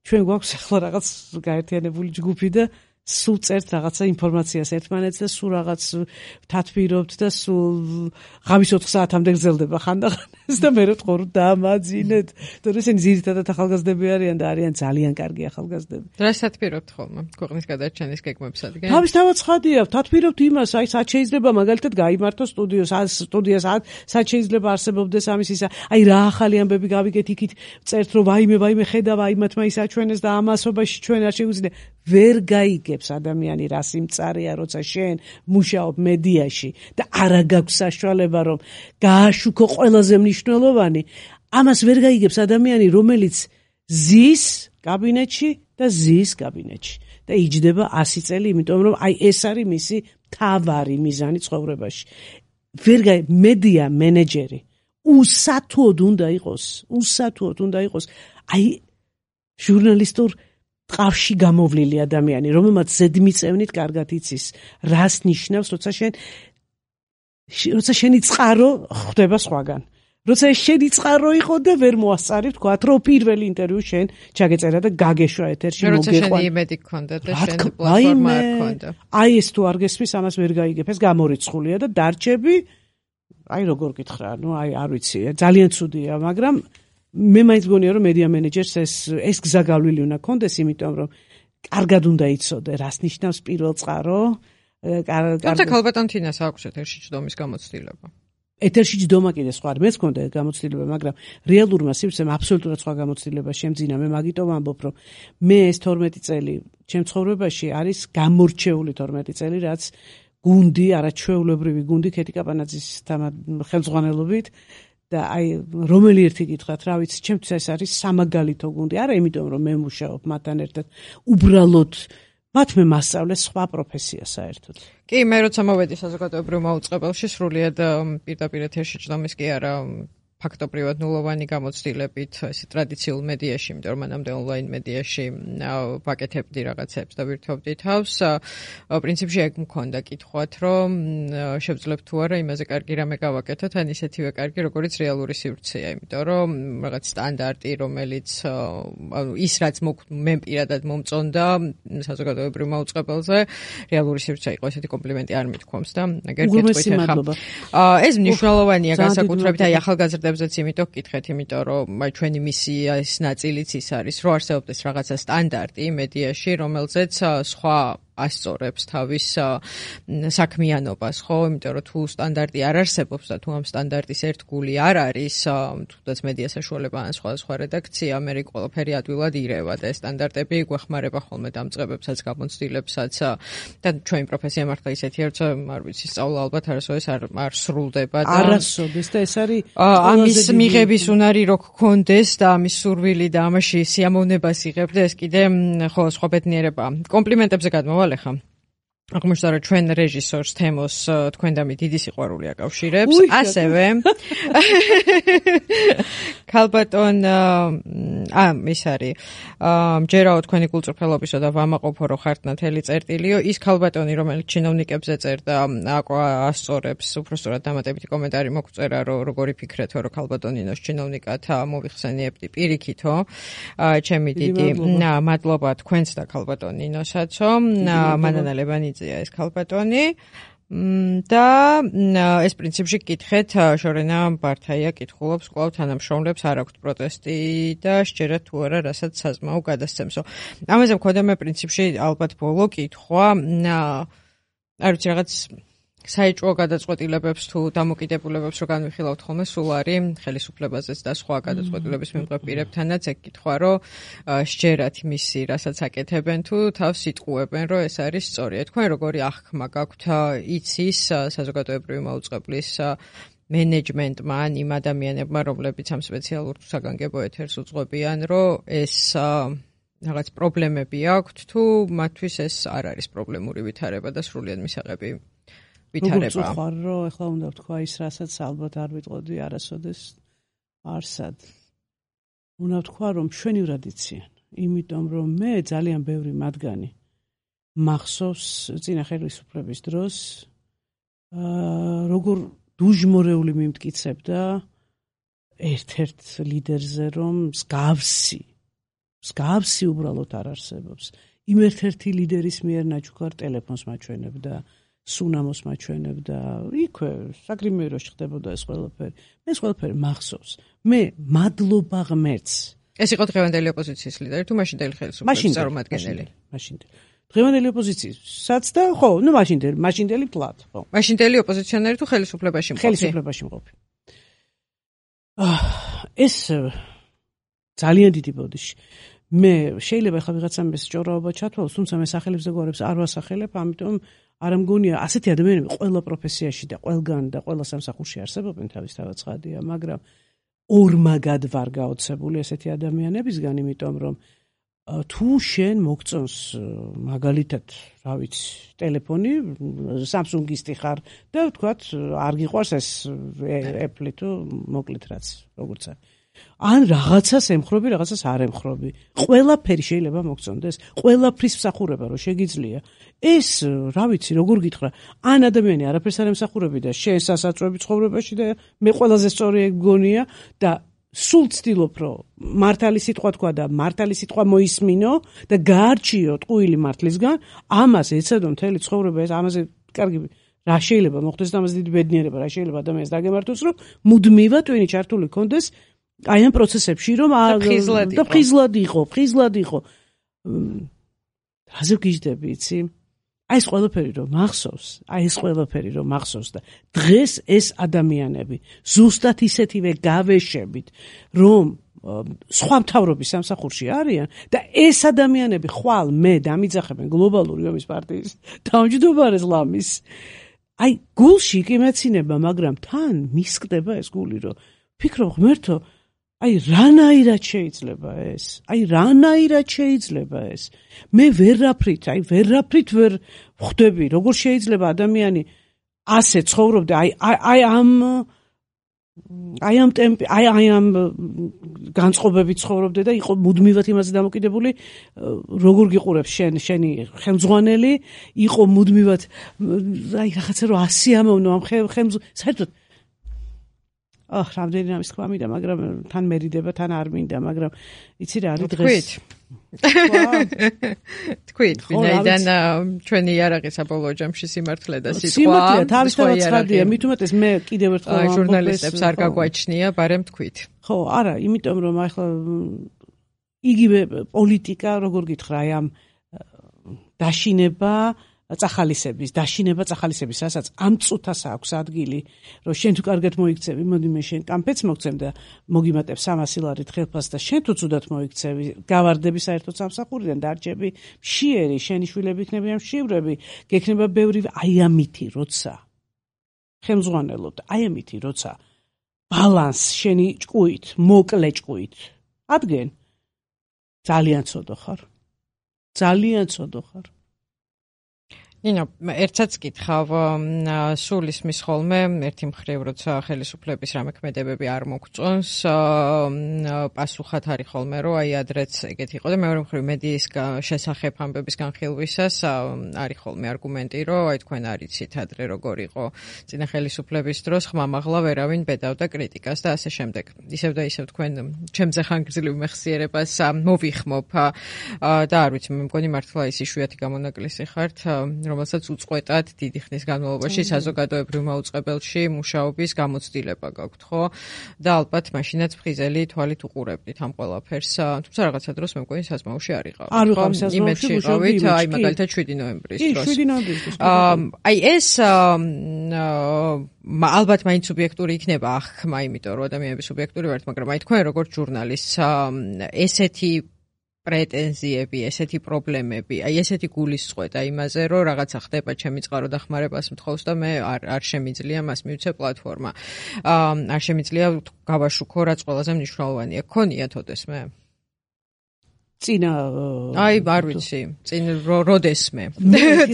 ჩვენ გვაქვს ახლა რაღაც გაერთიანებული ჯგუფი და სულ წერთ რაღაცა ინფორმაციას ერთმანეთს და სულ რაღაც ვთათბირობთ და სულ ღამის ოთხ საათამდე გრძელდება ხანდახან ეს და მე ვთქო რომ დამაძინეთ. თორე ესენი ძირითადად ახალგაზრდები არიან და არიან ძალიან კარგი ახალგაზრდები. რას თათბირობთ ხოლმე ქვეყნის გადარჩენის გეგმებსადმი? თავისთავად ცხადია, ვთათბირობთ იმას, აი სად შეიძლება მაგალითად გაიმართოს სტუდიოს, სტუდიას სად შეიძლება არსებობდეს ამის ისა, აი რა ახალი ამბები გავიგეთ იქით, წერთ რომ ვაიმე, ვაიმე ხედავ, აი მათმა ის აჩვენეს და ამასობაში ჩვენ არ შეგვიძლია. ვერ გაიგებს ადამიანი რა სიმწარეა, როცა შენ მუშაობ მედიაში და არა გაქვს საშუალება რომ გააშუქო ყველაზე მნიშვნელოვანი. ამას ვერ გაიგებს ადამიანი, რომელიც ზის კაბინეტში და ზის კაბინეტში და იჯდება ასი წელი, იმიტომ რომ აი ეს არის მისი მთავარი მიზანი ცხოვრებაში. ვერ გაი მედია მენეჯერი უსათუოდ უნდა იყოს, უსათუოდ უნდა იყოს აი ჟურნალისტურ ყავში გამოვლილი ადამიანი, რომელმაც ზედმიწევნით კარგად იცის, რას ნიშნავს, როცა შენ როცა შენი წყარო ხდება სხვაგან. როცა შენი წყარო იყო და ვერ მოასწარი, ვთქვათ, რომ პირველი ინტერვიუ შენ ჩაგეწერა და გაგეშვა ეთერში მოგეყვან. როცა შენი იმედი გქონდა და შენ პლატფორმა არ გქონდა. აი ეს თუ არ გესმის, ამას ვერ გაიგებ, ეს გამორიცხულია და დარჩები, აი როგორ გითხრა, ну აი არ ვიცი, ძალიან ცუდია, მაგრამ მე მაინც მგონია რომ მედია მენეჯერს ეს ეს გზა გავლილი უნდა კონდეს, იმიტომ რომ კარგად უნდა იცოდე რას ნიშნავს პირველ წყარო. თუმცა ქალბატონ თინას აქვს ეთერში ჯდომის გამოცდილება. ეთერში ჯდომა კიდე სხვა, მეც მქონდა გამოცდილება, მაგრამ რეალურმა სივრცემ აბსოლუტურად სხვა გამოცდილება შემძინა. მე მაგიტომ ამბობ, რომ მე ეს თორმეტი წელი ჩემ ცხოვრებაში არის გამორჩეული თორმეტი წელი, რაც გუნდი, არაჩვეულებრივი გუნდი ქეთი კაპანაძის ხელმძღვანელობით და აი რომელი ერთი გითხრათ, რა ვიცი, ჩემთვის ეს არის სამაგალითო გუნდი, არა იმიტომ რომ მე მუშაობ მათთან ერთად, უბრალოდ მათ მე მასწავლეს სხვა პროფესია საერთოდ. კი, მე როცა მოვედი საზოგადოებრივ მაუწყებელში, სრულიად პირდაპირ ეთერში ჯდომის კი არა ფაქტობრივად ნულოვანი გამოცდილებით ესე ტრადიციულ მედიაში, იმიტომ რომ მანამდე ონლაინ მედიაში ვაკეთებდი რაღაცებს და ვირთვობდი თავს. პრინციპში ეგ მქონდა კითხვათ, რომ შევძლებთ თუ არა იმაზე კარგი რამე გავაკეთოთ, ან ისეთივე კარგი, როგორიც რეალური სივრცეა, იმიტომ რომ რაღაც სტანდარტი, რომელიც ანუ ის რაც მე პირადად მომწონდა საზოგადოებრივ მაუწყებელზე, რეალური სივრცე იყო, ესეთი კომპლიმენტი არ მithქვამს და ეგერ კითხვით ახლა. ეს მნიშვნელოვანია განსაკუთრებით აი ახალგაზრდებს ზეც იმიტომ გკითხეთ, იმიტომ რომ აი ჩვენი მისია ის ნაწილიც ის არის, რომ არსებობდეს რაღაცა სტანდარტი მედიაში, რომელზეც სხვა ასწორებს თავის საქმიანობას, ხო? იმიტომ რომ თუ სტანდარტი არ არსებობს და თუ ამ სტანდარტის ერთგული არ არის, თუნდაც მედია საშუალება ან სხვა სხვა რედაქცია, მე ყველაფერი ადვილად ირევა და ეს სტანდარტები გვეხმარება ხოლმე დამწყებებსაც, გამოცდილებსაც და ჩვენი პროფესია მართლა ისეთია, როცა არ ვიცი, სწავლა ალბათ არასოდეს არ არ სრულდება და არასოდეს და ეს არის ამის მიღების უნარი რო გქონდეს და ამის სურვილი და ამაში სიამოვნებას იღებ და ეს კიდე ხო სხვა ბედნიერება. კომპლიმენტებზე გადმოვალ ახლა. აღმოჩნდა რომ ჩვენ რეჟისორს თემოს თქვენდამი დიდი სიყვარული აკავშირებს, ასევე ქალბატონ ა ის არის მჯერაო თქვენი კულტურფელობისო და ვამაყობო რო ხართ ნათელი წერტილიო, ის ქალბატონი რომელიც ჩინოვნიკებზე წერდა ასწორებს, უბრალოდ დამატებითი კომენტარი მოგწერა რომ როგორი ფიქრეთო რომ ქალბატონინოს ჩინოვნიკად მოვიხსენიებდი პირიქითო, ჩემი დიდი მადლობა თქვენს და ქალბატონინოსაცო, მანანა ლებანიძე ეს ქალბატონი და ეს პრინციპში გკითხეთ შორენა ბართაია კითხულობს კვლავ თანამშრომლებს არ აქვთ პროტესტი და სჯერათ თუ არა რასაც საზმაო გადასცემსო. ამაზე მქონდა მე პრინციპში ალბათ ბოლო კითხვა, არ ვიცი რაღაც საეჭვო გადაწყვეტილებებს თუ დამოკიდებულებებს რო განვიხილავთ ხოლმე, სულ არის ხელისუფლებაზეც და სხვა გადაწყვეტილების მიმღებ პირებთანაც ეგ კითხვა, რომ სჯერათ მისი, რასაც აკეთებენ თუ თავს იტყუებენ, რომ ეს არის სწორია. თქვენ როგორი აღქმა გაქვთ იცის საზოგადოებრივი მაუწყებლის მენეჯმენტმა ან იმ ადამიანებმა, რომლებიც ამ სპეციალურ საგანგებო ეთერს უძღვებიან, რომ ეს რაღაც პრობლემები აქვთ თუ მათთვის ეს არ არის პრობლემური ვითარება და სრულიად მისაღები ვითარება. როგორც ხარ, რომ ეხლა უნდა ვთქვა ის, რასაც ალბათ არ ვიტყოდი არასოდეს არსად. უნდა ვთქვა, რომ მშვენივრად იციან, იმიტომ რომ მე ძალიან ბევრი მათგანი მახსოვს წინა ხელისუფლების დროს, როგორ დუჟმორეული მიმტკიცებდა ერთ-ერთ ლიდერზე, რომ მსგავსი, მსგავსი უბრალოდ არ არსებობს. იმ ერთ-ერთი ლიდერის მიერ ნაჩუქარ ტელეფონს მაჩვენებდა, სუნამოს მაჩვენებდა, იქვე საგრიმეროში ხდებოდა ეს ყველაფერი. მე ეს ყველაფერი მახსოვს. მე მადლობა ღმერთს. ეს იყო დღევანდელი ოპოზიციის ლიდერი თუ მაშინდელი ხელისუფლების წარმომადგენელი? მაშინდელი. დღევანდელი ოპოზიციის და ხო, ნუ მაშინდელი, მაშინდელი ფლატ, ხო. მაშინდელი ოპოზიციონერი თუ ხელისუფლებაში მყოფი? ხელისუფლებაში მყოფი. ეს ძალიან დიდი ბოდიში. მე შეიძლება ახლა ვიღაცამ ეს ჭორაობა ჩათვალოს, თუმცა მე სახელებს და გვარებს არ ვასახელებ, ამიტომ არ მგონია ასეთი ადამიანები ყველა პროფესიაში და ყველგან და ყველა სამსახურში არსებობენ, თავისთავად ცხადია, მაგრამ ორმაგად ვარ გაოცებული ესეთი ადამიანებისგან, იმიტომ რომ თუ შენ მოგწონს მაგალითად, რა ვიცი, ტელეფონი, Samsung-ისტი ხარ და ვთქვათ, არ გიყვარს ეს Apple თუ მოკლედ რაც, როგორც არის. ან რაღაცას ემხრობი, რაღაცას არ ემხრობი. ყველაფერი შეიძლება მოგწონდეს, ყველაფრის მსახურება რო შეგიძლია. ეს, რა ვიცი, როგორ გითხრა, ან ადამიანი არაფერს არ ემსახურები და შენ სასაწვევი ცხოვრებაში და მე ყველაზე სწორი ეგ გონია და სულ ცდილობ, რომ მართალი სიტყვა თქვა და მართალი სიტყვა მოისმინო და გაარჩიო ტყუილი მართლისგან, ამას ეცადო მთელი ცხოვრება, ეს ამაზე კარგი რა შეიძლება მოხდეს და ამაზე დიდი ბედნიერება რა შეიძლება ადამიანს დაგემართოს, რომ მუდმივად ტვინი ჩართული კონდეს აი ამ პროცესებში, რომ და ფხიზლად იყო, ფხიზლად იყო. რაზე გიждები, იცი? აი ეს ყველაფერი რომ მახსოვს, აი ეს ყველაფერი რომ მახსოვს და დღეს ეს ადამიანები ზუსტად ისეთივე გავეშებით, რომ სხვა მთავრობის სამსახურში არიან და ეს ადამიანები ხვალ მე დამიძახებენ გლობალური ომის პარტიის თავმჯდომარეს ლამის. აი გულში იკიმეცინება, მაგრამ თან მისკდება ეს გული, რომ ფიქრობ ღმერთო, აი რანაირად შეიძლება ეს? აი რანაირად შეიძლება ეს? მე ვერაფრით, აი ვერაფრით ვერ ხვდები, როგორ შეიძლება ადამიანი ასე ცხოვრობდა, აი აი ამ აი ამ ტემპი, აი აი ამ განწყობებით ცხოვრობდა და იყო მუდმივად იმაზე დამოკიდებული, როგორ გიყურებს შენ, შენი ხელმძღვანელი, იყო მუდმივად აი რაღაცა რომ ასიამოვნო ამ ხელმძ საერთოდ აჰ, რამდენი რამის თქვა მინდა, მაგრამ თან მერიდება, თან არ მინდა, მაგრამ იცი რა არის დღეს. თქვით, ვინაიდან ჩვენი იარაღი საბოლოო ჯამში სიმართლე და სიტყვა. სიმართლე თავისთავად ცხადია, მით უმეტეს მე კიდევ ერთხელ ვამბობ, ჟურნალისტებს არ გაგვაჩნია, ბარემ თქვით. ხო, არა, იმიტომ რომ ახლა იგივე პოლიტიკა, როგორ გითხრა, აი ამ დაშინება წახალისების, დაშინება წახალისების, რასაც ამ წუთას აქვს ადგილი, რომ შენ თუ კარგად მოიქცევი, მოდი მე შენ კამფეთს მოგცემ და მოგიმატებ სამასი ლარით ხელფასს და შენ თუ ცუდად მოიქცევი, გავარდები საერთოდ სამსახურიდან, დარჩები მშიერი, შენი შვილები იქნებიან მშივრები, გექნება ბევრი აი ამითი, როცა ხელმძღვანელობ და აი ამითი, როცა ბალანს შენი ჭკუით, მოკლე ჭკუით ადგენ, ძალიან ცოდო ხარ. ძალიან ცოდო ხარ. ნინო, ერთსაც გითხავ, სულ ისმის ხოლმე, ერთი მხრივ, როცა ხელისუფლების რამე ქმედებები არ მოგწონს, პასუხად არის ხოლმე, რომ აი ადრეც ეგეთი იყო და მეორე მხრივ მედიის შესახებ ამბების განხილვისას არის ხოლმე არგუმენტი, რომ აი თქვენ არიცით ადრე როგორ იყო წინა ხელისუფლების დროს, ხმამაღლა ვერავინ ბედავდა კრიტიკას და ასე შემდეგ. ისევ და ისევ თქვენ ჩემზე ხანგრძლივ მეხსიერებას მოვიხმობ და არ ვიცი, მე მგონი მართლა ის იშვიათი გამონაკლისი ხართ, რომელსაც უწყვეტად დიდი ხნის განმავლობაში საზოგადოებრივ მაუწყებელში მუშაობის გამოცდილება გაქვთ, ხო? და ალბათ მაშინაც ფხიზელი თვალით უყურებდით ამ ყველაფერს. თუმცა რაღაცა დროს მე მგონი საზმაოში არ იყავით. არ ვიყავ საზმაოში, მუშაობთ, აი მაგალითად შვიდი ნოემბრის დროს. შვიდი ნოემბრის დროს. აი ეს ალბათ მაინც სუბიექტური იქნება ახმა, იმიტომ რომ ადამიანები სუბიექტური ვართ, მაგრამ აი თქვენ როგორც ჟურნალისტს ესეთი პრეტენზიები, ესეთი პრობლემები, აი ესეთი გულისწყობა იმაზე, რომ რაღაცა ხდება ჩემი წყარო დახმარებას მთხოვს და მე არ არ შემიძლია მას მივცე პლატფორმა. არ შემიძლია გავაშუქო, რაც ყველაზე მნიშვნელოვანია. გქონიათ ოდესმე? წინა აი არ ვიცი, წინ როდესმე.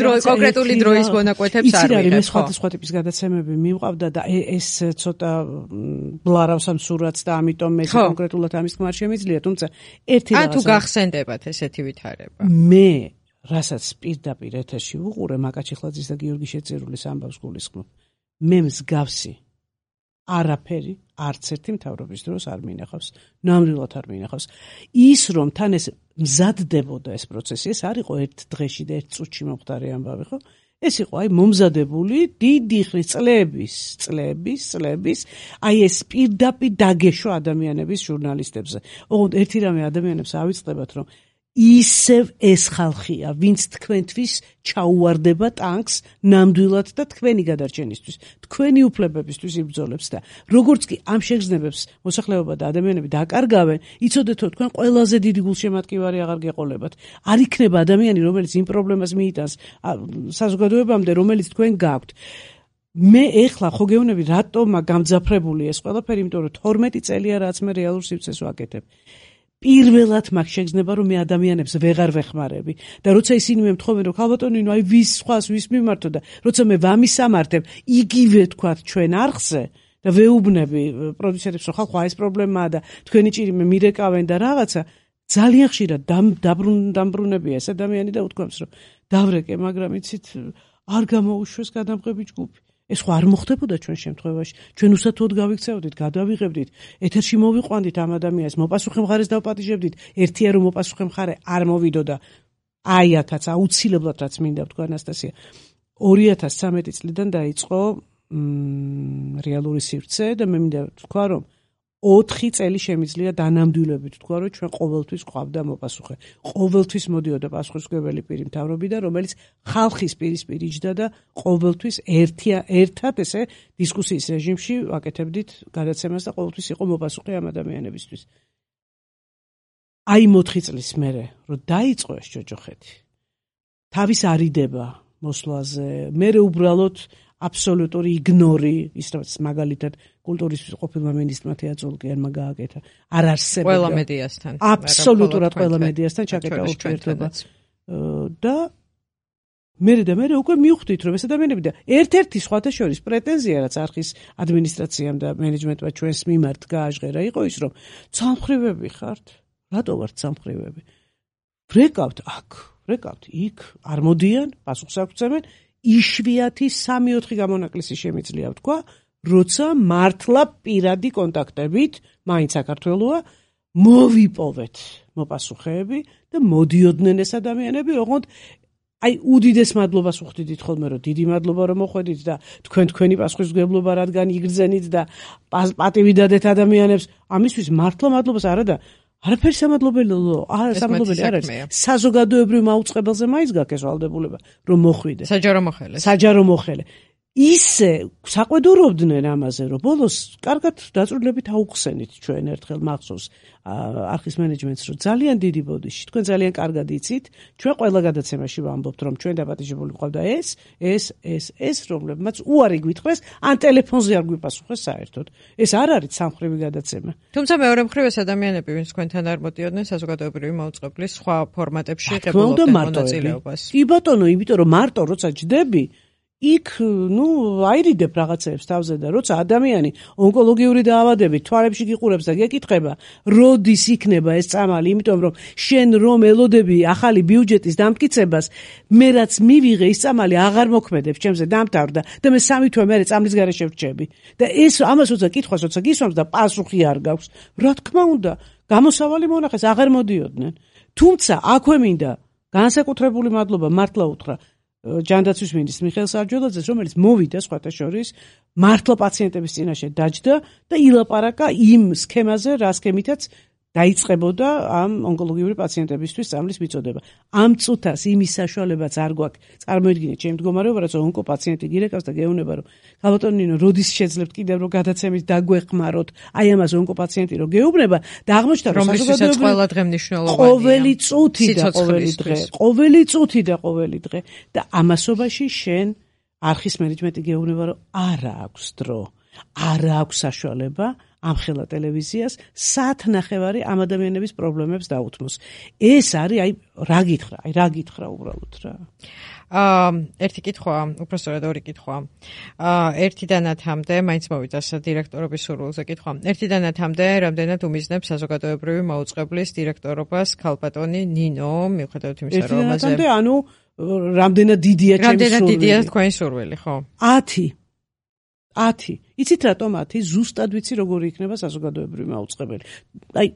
დრო კონკრეტული დროის მონაკვეთებს არ ვიღებ. მე სხვადასხვა ტიპის გადაცემები მივყავდა და ეს ცოტა ბლარავს ამ სურათს და ამიტომ მე კონკრეტულად ამის თქმა არ შემიძლია, თუმცა ერთი რაღაცა. ან თუ გახსენდებათ ესეთი ვითარება. მე რასაც პირდაპირ ეთერში ვუყურე მაკაჩიხლაძის და გიორგი შეწირულის ამბავს გულისხმობ. მე მსგავსი არაფერი არც ერთი მთავრობის დროს არ მინახავს, ნამდვილად არ მინახავს. ის რომ თან ეს მზადდებოდა ეს პროცესი, ეს არ იყო ერთ დღეში და ერთ წუთში მომხდარი ამბავი, ხო? ეს იყო აი მომზადებული დიდი ხნის წლების, წლების, წლების, აი ეს პირდაპირ დაგეშვა ადამიანების ჟურნალისტებზე. ოღონდ ერთი რამე ადამიანებს ავიწყდებათ, რომ ისევ ეს ხალხია, ვინც თქვენთვის ჩაუვარდება ტანკს ნამდვილად და თქვენი გადარჩენისთვის, თქვენი უფლებებისთვის იბრძოლებს და როგორც კი ამ შეგრძნებებს მოსახლეობა და ადამიანები დაკარგავენ, იცოდეთ რომ თქვენ ყველაზე დიდი გულშემატკივარი აღარ გეყოლებათ. არ იქნება ადამიანი, რომელიც იმ პრობლემას მიიტანს საზოგადოებამდე, რომელიც თქვენ გაქვთ. მე ეხლა ხო გეუბნები რატომა გამძაფრებული ეს ყველაფერი, იმიტომ რომ თორმეტი წელია რაც მე რეალურ სივრცეს ვაკეთებ. პირველად მაგ შეგრძნება რომ მე ადამიანებს ვეღარ ვეხმარები და როცა ისინი მე მთხოვენ რომ ქალბატონინო აი ვის სხვას ვის მიმართო და როცა მე ვამისამართებ იგივე თქვათ ჩვენ არხზე და ვეუბნები პროდიუსერებს რომ ხალხო ეს პრობლემაა და თქვენი ჭირი მე მირეკავენ და რაღაცა ძალიან ხშირად დამბრუნებია ეს ადამიანი და უთქვამს რომ დავრეკე მაგრამ იცით არ გამოუშვეს გადამღები ჯგუფი. ეს ხო არ მოხდებოდა ჩვენ შემთხვევაში. ჩვენ უსათუოდ გავიქცეოდით, გადავიღებდით, ეთერში მოვიყვანდით ამ ადამიანს, მოპასუხე მხარეს დავპატიჟებდით, ერთია რომ მოპასუხე მხარე არ მოვიდოდა. აი ათაც აუცილებლად რაც მინდა ვთქვა ანასტასია. ორი ათას ცხრამეტი წლიდან დაიწყო რეალური სივრცე და მე მინდა ვთქვა რომ ოთხი წელი შემიძლია დანამდვილებით თქვა რომ ჩვენ ყოველთვის ყავდა მოპასუხე. ყოველთვის მოდიოდა პასუხისმგებელი პირი მთავრობიდან, რომელიც ხალხის პირისპირ იჯდა და ყოველთვის ერთია ერთად ესე დისკუსიის რეჟიმში ვაკეთებდით გადაცემას და ყოველთვის იყო მოპასუხე ამ ადამიანებისთვის. აი ოთხი წლის მერე რომ დაიწყო ეს ჯოჯოხეთი. თავის არიდება მოსვლაზე, მერე უბრალოდ აბსოლუტური იგნორი, ის რაც მაგალითად კულტურის ყოფილმა მინისტრმა თეატროლოგიანმა გააკეთა. არ არსებობდა ყველა მედიასთან. აბსოლუტურად ყველა მედიასთან ჩაკეტა ურთიერთობა. და მერე და მერე უკვე მივხვდით რომ ეს ადამიანები და ერთ-ერთი სხვათა შორის პრეტენზია რაც არხის ადმინისტრაციამ და მენეჯმენტმა ჩვენს მიმართ გააჟღერა იყო ის რომ ცალმხრივები ხართ. რატო ვართ ცალმხრივები? ვრეკავთ აქ, ვრეკავთ იქ, არ მოდიან, პასუხს აღწევენ. იშვიათი სამი ოთხი გამონაკლისი შემიძლია ვთქვა, როცა მართლა პირადი კონტაქტებით, მაინც საქართველოა, მოვიპოვეთ მოპასუხეები და მოდიოდნენ ეს ადამიანები, ოღონდ აი უდიდეს მადლობას ვუხდით ხოლმე, რომ დიდი მადლობა რომ მოხვედით და თქვენ თქვენი პასუხისმგებლობა რადგან იგრძენით და პატივი დადეთ ადამიანებს, ამისთვის მართლა მადლობას არა და არაფერი სამადლობელი არა სამადლობელი არ არის. საზოგადოებრივ მაუწყებელზე მაინც გაქვს ეს ვალდებულება, რომ მოხვიდე. საჯარო მოხელე. საჯარო მოხელე. ისე საყვედურობდნენ ამაზე, რომ ბოლოს კარგად დაწვრილებით აუხსენით ჩვენ ერთხელ მახსოვს არხის მენეჯმენტს, რომ ძალიან დიდი ბოდიში, თქვენ ძალიან კარგად იცით, ჩვენ ყველა გადაცემაში ვამბობთ, რომ ჩვენ დაპატიჟებული გვყავდა ეს, ეს, ეს, ეს, რომლებმაც უარი გვითხრეს, ან ტელეფონზე არ გვიპასუხეს საერთოდ. ეს არ არის სამხრივი გადაცემა. თუმცა მეორე მხრივ ეს ადამიანები, ვინც თქვენთან არ მოდიოდნენ საზოგადოებრივი მაუწყებლის სხვა ფორმატებში ღებულობდნენ მონაწილეობას. კი ბატონო, იმიტომ რომ მარტო როცა ჯდები იქ, ნუ, აირიდებ რაღაცებს თავზე და როცა ადამიანი ონკოლოგიური დაავადებით თვალებში გიყურებს და გეკითხება, როდის იქნება ეს წამალი, იმიტომ რომ შენ რომ ელოდები ახალი ბიუჯეტის დამტკიცებას, მე რაც მივიღე ის წამალი აღარ მოქმედებს, ჩემზე დამთავრდა და მე სამი თვე მერე წამლის გარეშე ვრჩები. და ეს ამას როცა კითხვას როცა გისვამს და პასუხი არ გაქვს, რა თქმა უნდა, გამოსავალი მონახეს აღარ მოდიოდნენ. თუმცა აქვე მინდა განსაკუთრებული მადლობა მართლა უთხრა ჯანდაცვის მინისტრის მიხეილ სარჯველაძეს, რომელიც მოვიდა სხვათა შორის მართლა პაციენტების წინაშე დაჯდა და ილაპარაკა იმ სქემაზე, რა სქემითაც დაიწყებოდა ამ ონკოლოგიური პაციენტებისთვის სწავლის მიწოდება. ამ წუთას იმის საშუალებაც არ გვაქვს. წარმოიდგინეთ ჩემ მდგომარეობა, რაც ონკოპაციენტი გირეკავს და გეუბნება, რომ ხალბატონო ნინო, როდის შეძლებთ კიდევ რომ გადაცემით დაგვეხმაროთ, აი ამას ონკოპაციენტი რომ გეუბნება და აღმოჩნდა რომ საზოგადოებრივი ყველა დღე მნიშვნელოვანია. ყოველი წუთი და ყოველი დღე, ყოველი წუთი და ყოველი დღე და ამასობაში შენ არხის მენეჯმენტი გეუბნება, რომ არა აქვს დრო, არა აქვს საშუალება ამხელა ტელევიზიას საათნახევარი ამ ადამიანების პრობლემებს დაუთმოს. ეს არის აი რა გითხრა, აი რა გითხრა უბრალოდ რა. აა ერთი კითხვა, უბრალოდ ორი კითხვა. აა ერთიდანათამდე მაინც მოვიდა დირექტორობის სურვილზე კითხვა. ერთიდანათამდე რამდენად უმიზნებს საზოგადოებრივი მაუწყებლის დირექტორობას ქალბატონი ნინო, მიუხედავად იმისა, რომ ამაზე ერთიდანათამდე ანუ რამდენად დიდია ჩემი სურვილი. რამდენად დიდია თქვენი სურვილი, ხო? ათი. ათი. იცით რატომ ათი? ზუსტად ვიცი როგორი იქნება საზოგადოებრივი მაუწყებელი. აი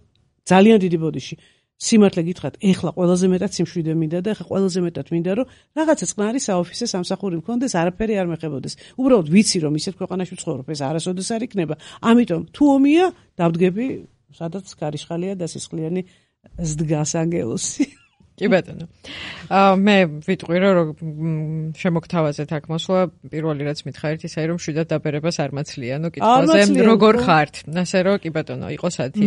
ძალიან დიდი ბოდიში. სიმართლე გითხრათ, ეხლა ყველაზე მეტად სიმშვიდე მინდა და ეხლა ყველაზე მეტად მინდა რომ რაღაცა წყნარი საოფისე სამსახური მქონდეს, არაფერი არ მეხებოდეს. უბრალოდ ვიცი რომ ისეთ ქვეყანაში ვცხოვრობ, ეს არასოდეს არ იქნება. ამიტომ თუ ომია, დავდგები, სადაც გარიშხალია და სისხლიანი ზდგას ანგელოსი. კი ბატონო. აა მე ვიტყვი რომ შემოგთავაზეთ აქ მოსვლა, პირველი რაც მითხარით ისე რომ შვიდად დაბერებას არ მაცლიანო კითხვაზე როგორ ხართ. ასე რომ კი ბატონო, იყოს ათი.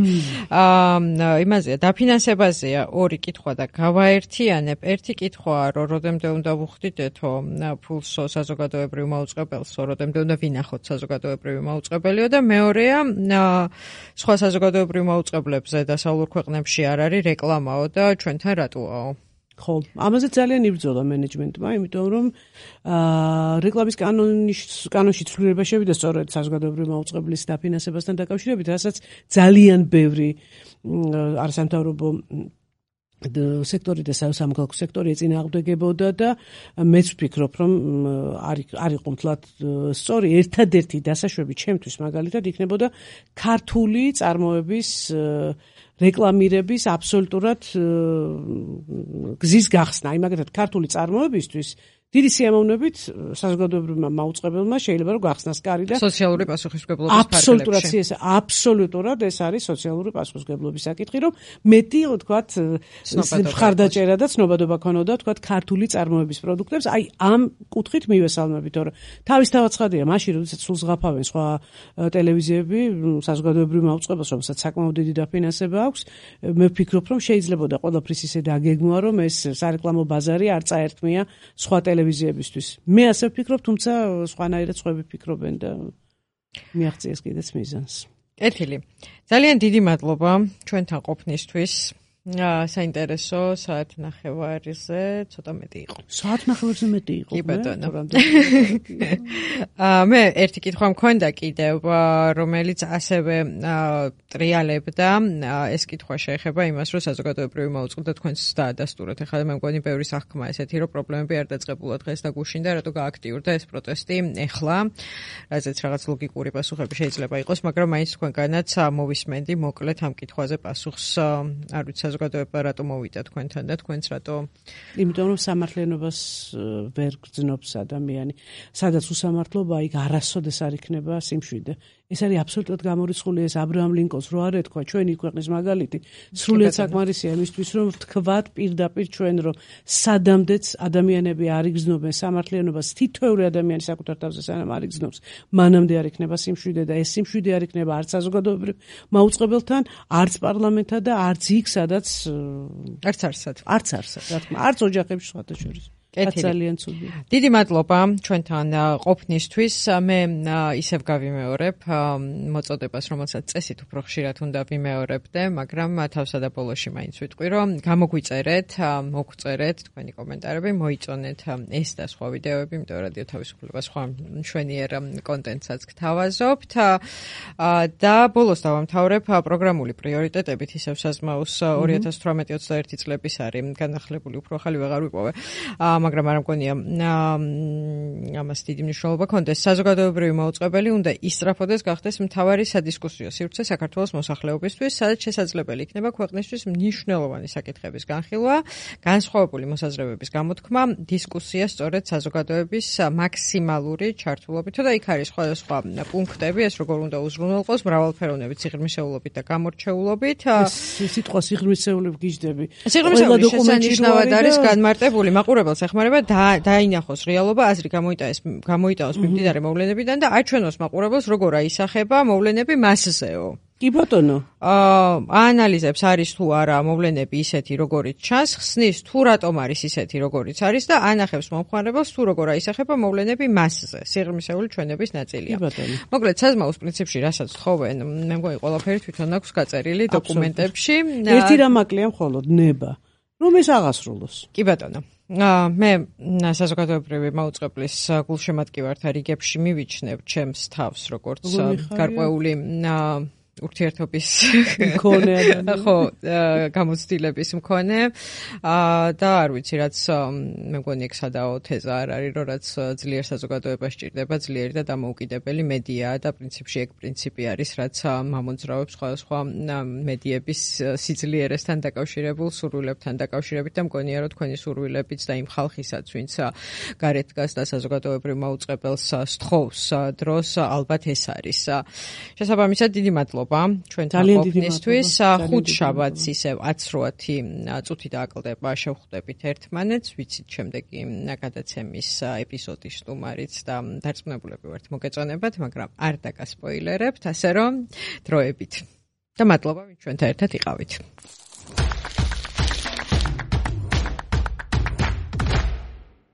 აა იმაზეა, დაფინანსებაზეა ორი კითხვა და გავაერთიანებ. ერთი კითხვაა რომ როდემდე უნდა ვუხდიდეთო ფულსო საზოგადოებრივ მაუწყებელსო, როდემდე უნდა ვინახოთ საზოგადოებრივი მაუწყებელიო და მეორეა სხვა საზოგადოებრივ მაუწყებლებზე დასავლურ ქვეყნებში არ არის რეკლამაო და ჩვენთან რატოა? ხო, ამაზე ძალიან იბრძოლა მენეჯმენტმა, იმიტომ რომ აა რეკლამის კანონის კანონში ცვლილება შევიდა სწორედ საზოგადოებრივი მაუწყებლის დაფინანსებასთან დაკავშირებით, რასაც ძალიან ბევრი არასამთავრობო სექტორი და სამოქალაქო სექტორი ეწინააღმდეგებოდა და მეც ვფიქრობ, რომ არ იყო მთლად სწორი. ერთადერთი დასაშვები ჩემთვის მაგალითად იქნებოდა ქართული წარმოების რეკლამირების აბსოლუტურად გზის გახსნა. აი მაგათად ქართული წარმოებისთვის დიდი სიამოვნებით საზოგადოებრივმა მაუწყებელმა შეიძლება რომ გახსნას კარი და სოციალური პასუხისმგებლობის ფარგლებში. აბსოლუტურად ეს აბსოლუტურად ეს არის სოციალური პასუხისმგებლობის საკითხი, რომ მეტი ვთქვათ მხარდაჭერა და ცნობადობა ქონოდა ვთქვათ ქართული წარმოების პროდუქტებს. აი ამ კუთხით მივესალმებით, თორე თავისთავად ცხადია, მაშინ როდესაც სულ ზღაფავენ სხვა ტელევიზიები საზოგადოებრივ მაუწყებელს, რომელსაც საკმაოდ დიდი დაფინანსება აქვს, მე ვფიქრობ, რომ შეიძლებოდა ყველაფრის ისე დაგეგმვა, რომ ეს სარეკლამო ბაზარი არ წაერთმია სხვა ტელევიზიებისთვის. მე ასე ვფიქრობ, თუმცა სხვანაირად სხვები ფიქრობენ და მიაღწიეს კიდეც მიზანს. კეთილი. ძალიან დიდი მადლობა ჩვენთან ყოფნისთვის. საინტერესო საათნახევარზე ცოტა მეტი იყო. საათნახევარზე მეტი იყო. კი ბატონო. აა მე ერთი კითხვა მქონდა კიდევ, რომელიც ასევე ტრიალებდა. ეს კითხვა შეეხება იმას, რომ საზოგადოებრივი მაუწყებლა თქვენს დაადასტურეთ. ეხლა მე მგონი ბევრი სახქმა ესეთი, რომ პრობლემები არ დაწყებულა დღეს და გუშინდა, რატო გააქტიურდა ეს პროტესტი ეხლა. რაზეც რაღაც ლოგიკური პასუხები შეიძლება იყოს, მაგრამ მაინც თქვენგანაც მოვისმენდი მოკლედ ამ კითხვაზე პასუხს. არ ვიცი საზოგადოება რატო მოვიდა თქვენთან და თქვენც რატო? იმიტომ რომ სამართლიანობას ვერ გრძნობს ადამიანი. სადაც უსამართლობა, იქ არასოდეს არ იქნება სიმშვიდე. ეს არის აბსოლუტურად გამორიცხული, ეს აბრაამ ლინკოლნს რო არ ეთქვა ჩვენი ქვეყნის მაგალითი. სრულიად საკმარისია იმისთვის, რომ ვთქვათ პირდაპირ ჩვენ, რომ სადამდეც ადამიანები არ იგრძნობენ სამართლიანობას, თითოეული ადამიანი საკუთარ თავზე სანამ არ იგრძნობს, მანამდე არ იქნება სიმშვიდე და ეს სიმშვიდე არ იქნება არც საზოგადოებრივ მაუწყებელთან, არც პარლამენტთან და არც იქ, სადაც არც არსად. არც არსად, რა თქმა უნდა, არც ოჯახებში სხვათა შორის. ძალიან ცუდი. დიდი მადლობა ჩვენთან ყოფნისთვის. მე ისევ გავიმეორებ მოწოდებას, რომელსაც წესით უფრო ხშირად უნდა ვიმეორებდე, მაგრამ თავსა და ბოლოში მაინც ვიტყვი, რომ გამოგვიწერეთ, მოგწერეთ თქვენი კომენტარები, მოიწონეთ ეს და სხვა ვიდეოები, იმიტომ რადიო თავისუფლება სხვა მშვენიერ კონტენტსაც გთავაზობთ. და ბოლოს დავამთავრებ პროგრამული პრიორიტეტებით, ისევ საზმაუს ორი ათას თვრამეტი ოცდაერთი წლების არის განახლებული, უფრო ახალი ვეღარ ვიპოვე. მაგრამ არ მგონია ამას დიდი მნიშვნელობა კონდეს. საზოგადოებრივი მაუწყებელი უნდა ისწრაფოდეს გახდეს მთავარი სადისკუსიო სივრცე საქართველოს მოსახლეობისთვის, სადაც შესაძლებელი იქნება ქვეყნისთვის მნიშვნელოვანი საკითხების განხილვა, განსხვავებული მოსაზრებების გამოთქმა, დისკუსია სწორედ საზოგადოების მაქსიმალური ჩართულობით და იქ არის სხვადასხვა პუნქტები, ეს როგორ უნდა უზრუნველყოს, მრავალფეროვნებით, სიღრმისეულობით და გამორჩეულობით. სიტყვა სიღრმისეულები გიждები. სიღრმისეული შესანიშნავად არის განმარტებული, მაყურებელს ეხმარება დაინახოს რეალობა, აზრი გამოიტანოს, გამოიტანოს მიმდინარე მოვლენებიდან და აჩვენოს მაყურებელს როგორ აისახება მოვლენები მასზეო. კი ბატონო. აა აანალიზებს არის თუ არა მოვლენები ისეთი როგორიც ჩანს, ხსნის თუ რატომ არის ისეთი როგორიც არის და ანახებს მომხმარებელს თუ როგორ აისახება მოვლენები მასზე. სიღრმისეული ჩვენების ნაწილია. კი ბატონო. მოკლედ საზმაუს პრინციპში რასაც თხოვენ, მე მგონი ყველაფერი თვითონ აქვს გაწერილი დოკუმენტებში. ერთი რამ აკლია მხოლოდ ნება, რომ ეს აღასრულოს. კი ბატონო. მე საზოგადოებრივი მაუწყებლის გულშემატკივართა რიგებში მივიჩნევ ჩემს თავს როგორც გარკვეული ურთიერთობის მქონე ხო გამოცდილების მქონე და არ ვიცი რაც მე მგონი ეგ სადაო თეზა არ არის რომ რაც ძლიერ საზოგადოებას სჭირდება ძლიერი და დამოუკიდებელი მედიაა და პრინციპში ეგ პრინციპი არის რაც მამოძრავებს სხვადასხვა მედიების სიძლიერესთან დაკავშირებულ სურვილებთან დაკავშირებით და მგონია რომ თქვენი სურვილებიც და იმ ხალხისაც ვინც გარეთ დგას და საზოგადოებრივ მაუწყებელს სთხოვს დროს ალბათ ეს არის შესაბამისად დიდი მადლობა ჩვენთან ყოფნისთვის. ხუთშაბათს ისევ ათსროათი წუთი დააკლდება შევხვდებით ერთმანეთს, ვიცით შემდეგი გადაცემის ეპიზოდის სტუმარიც და დარწმუნებულები ვართ მოგეწონებათ, მაგრამ არ დაგასპოილერებთ, ასე რომ დროებით. და მადლობა ვინც ჩვენთან ერთად იყავით.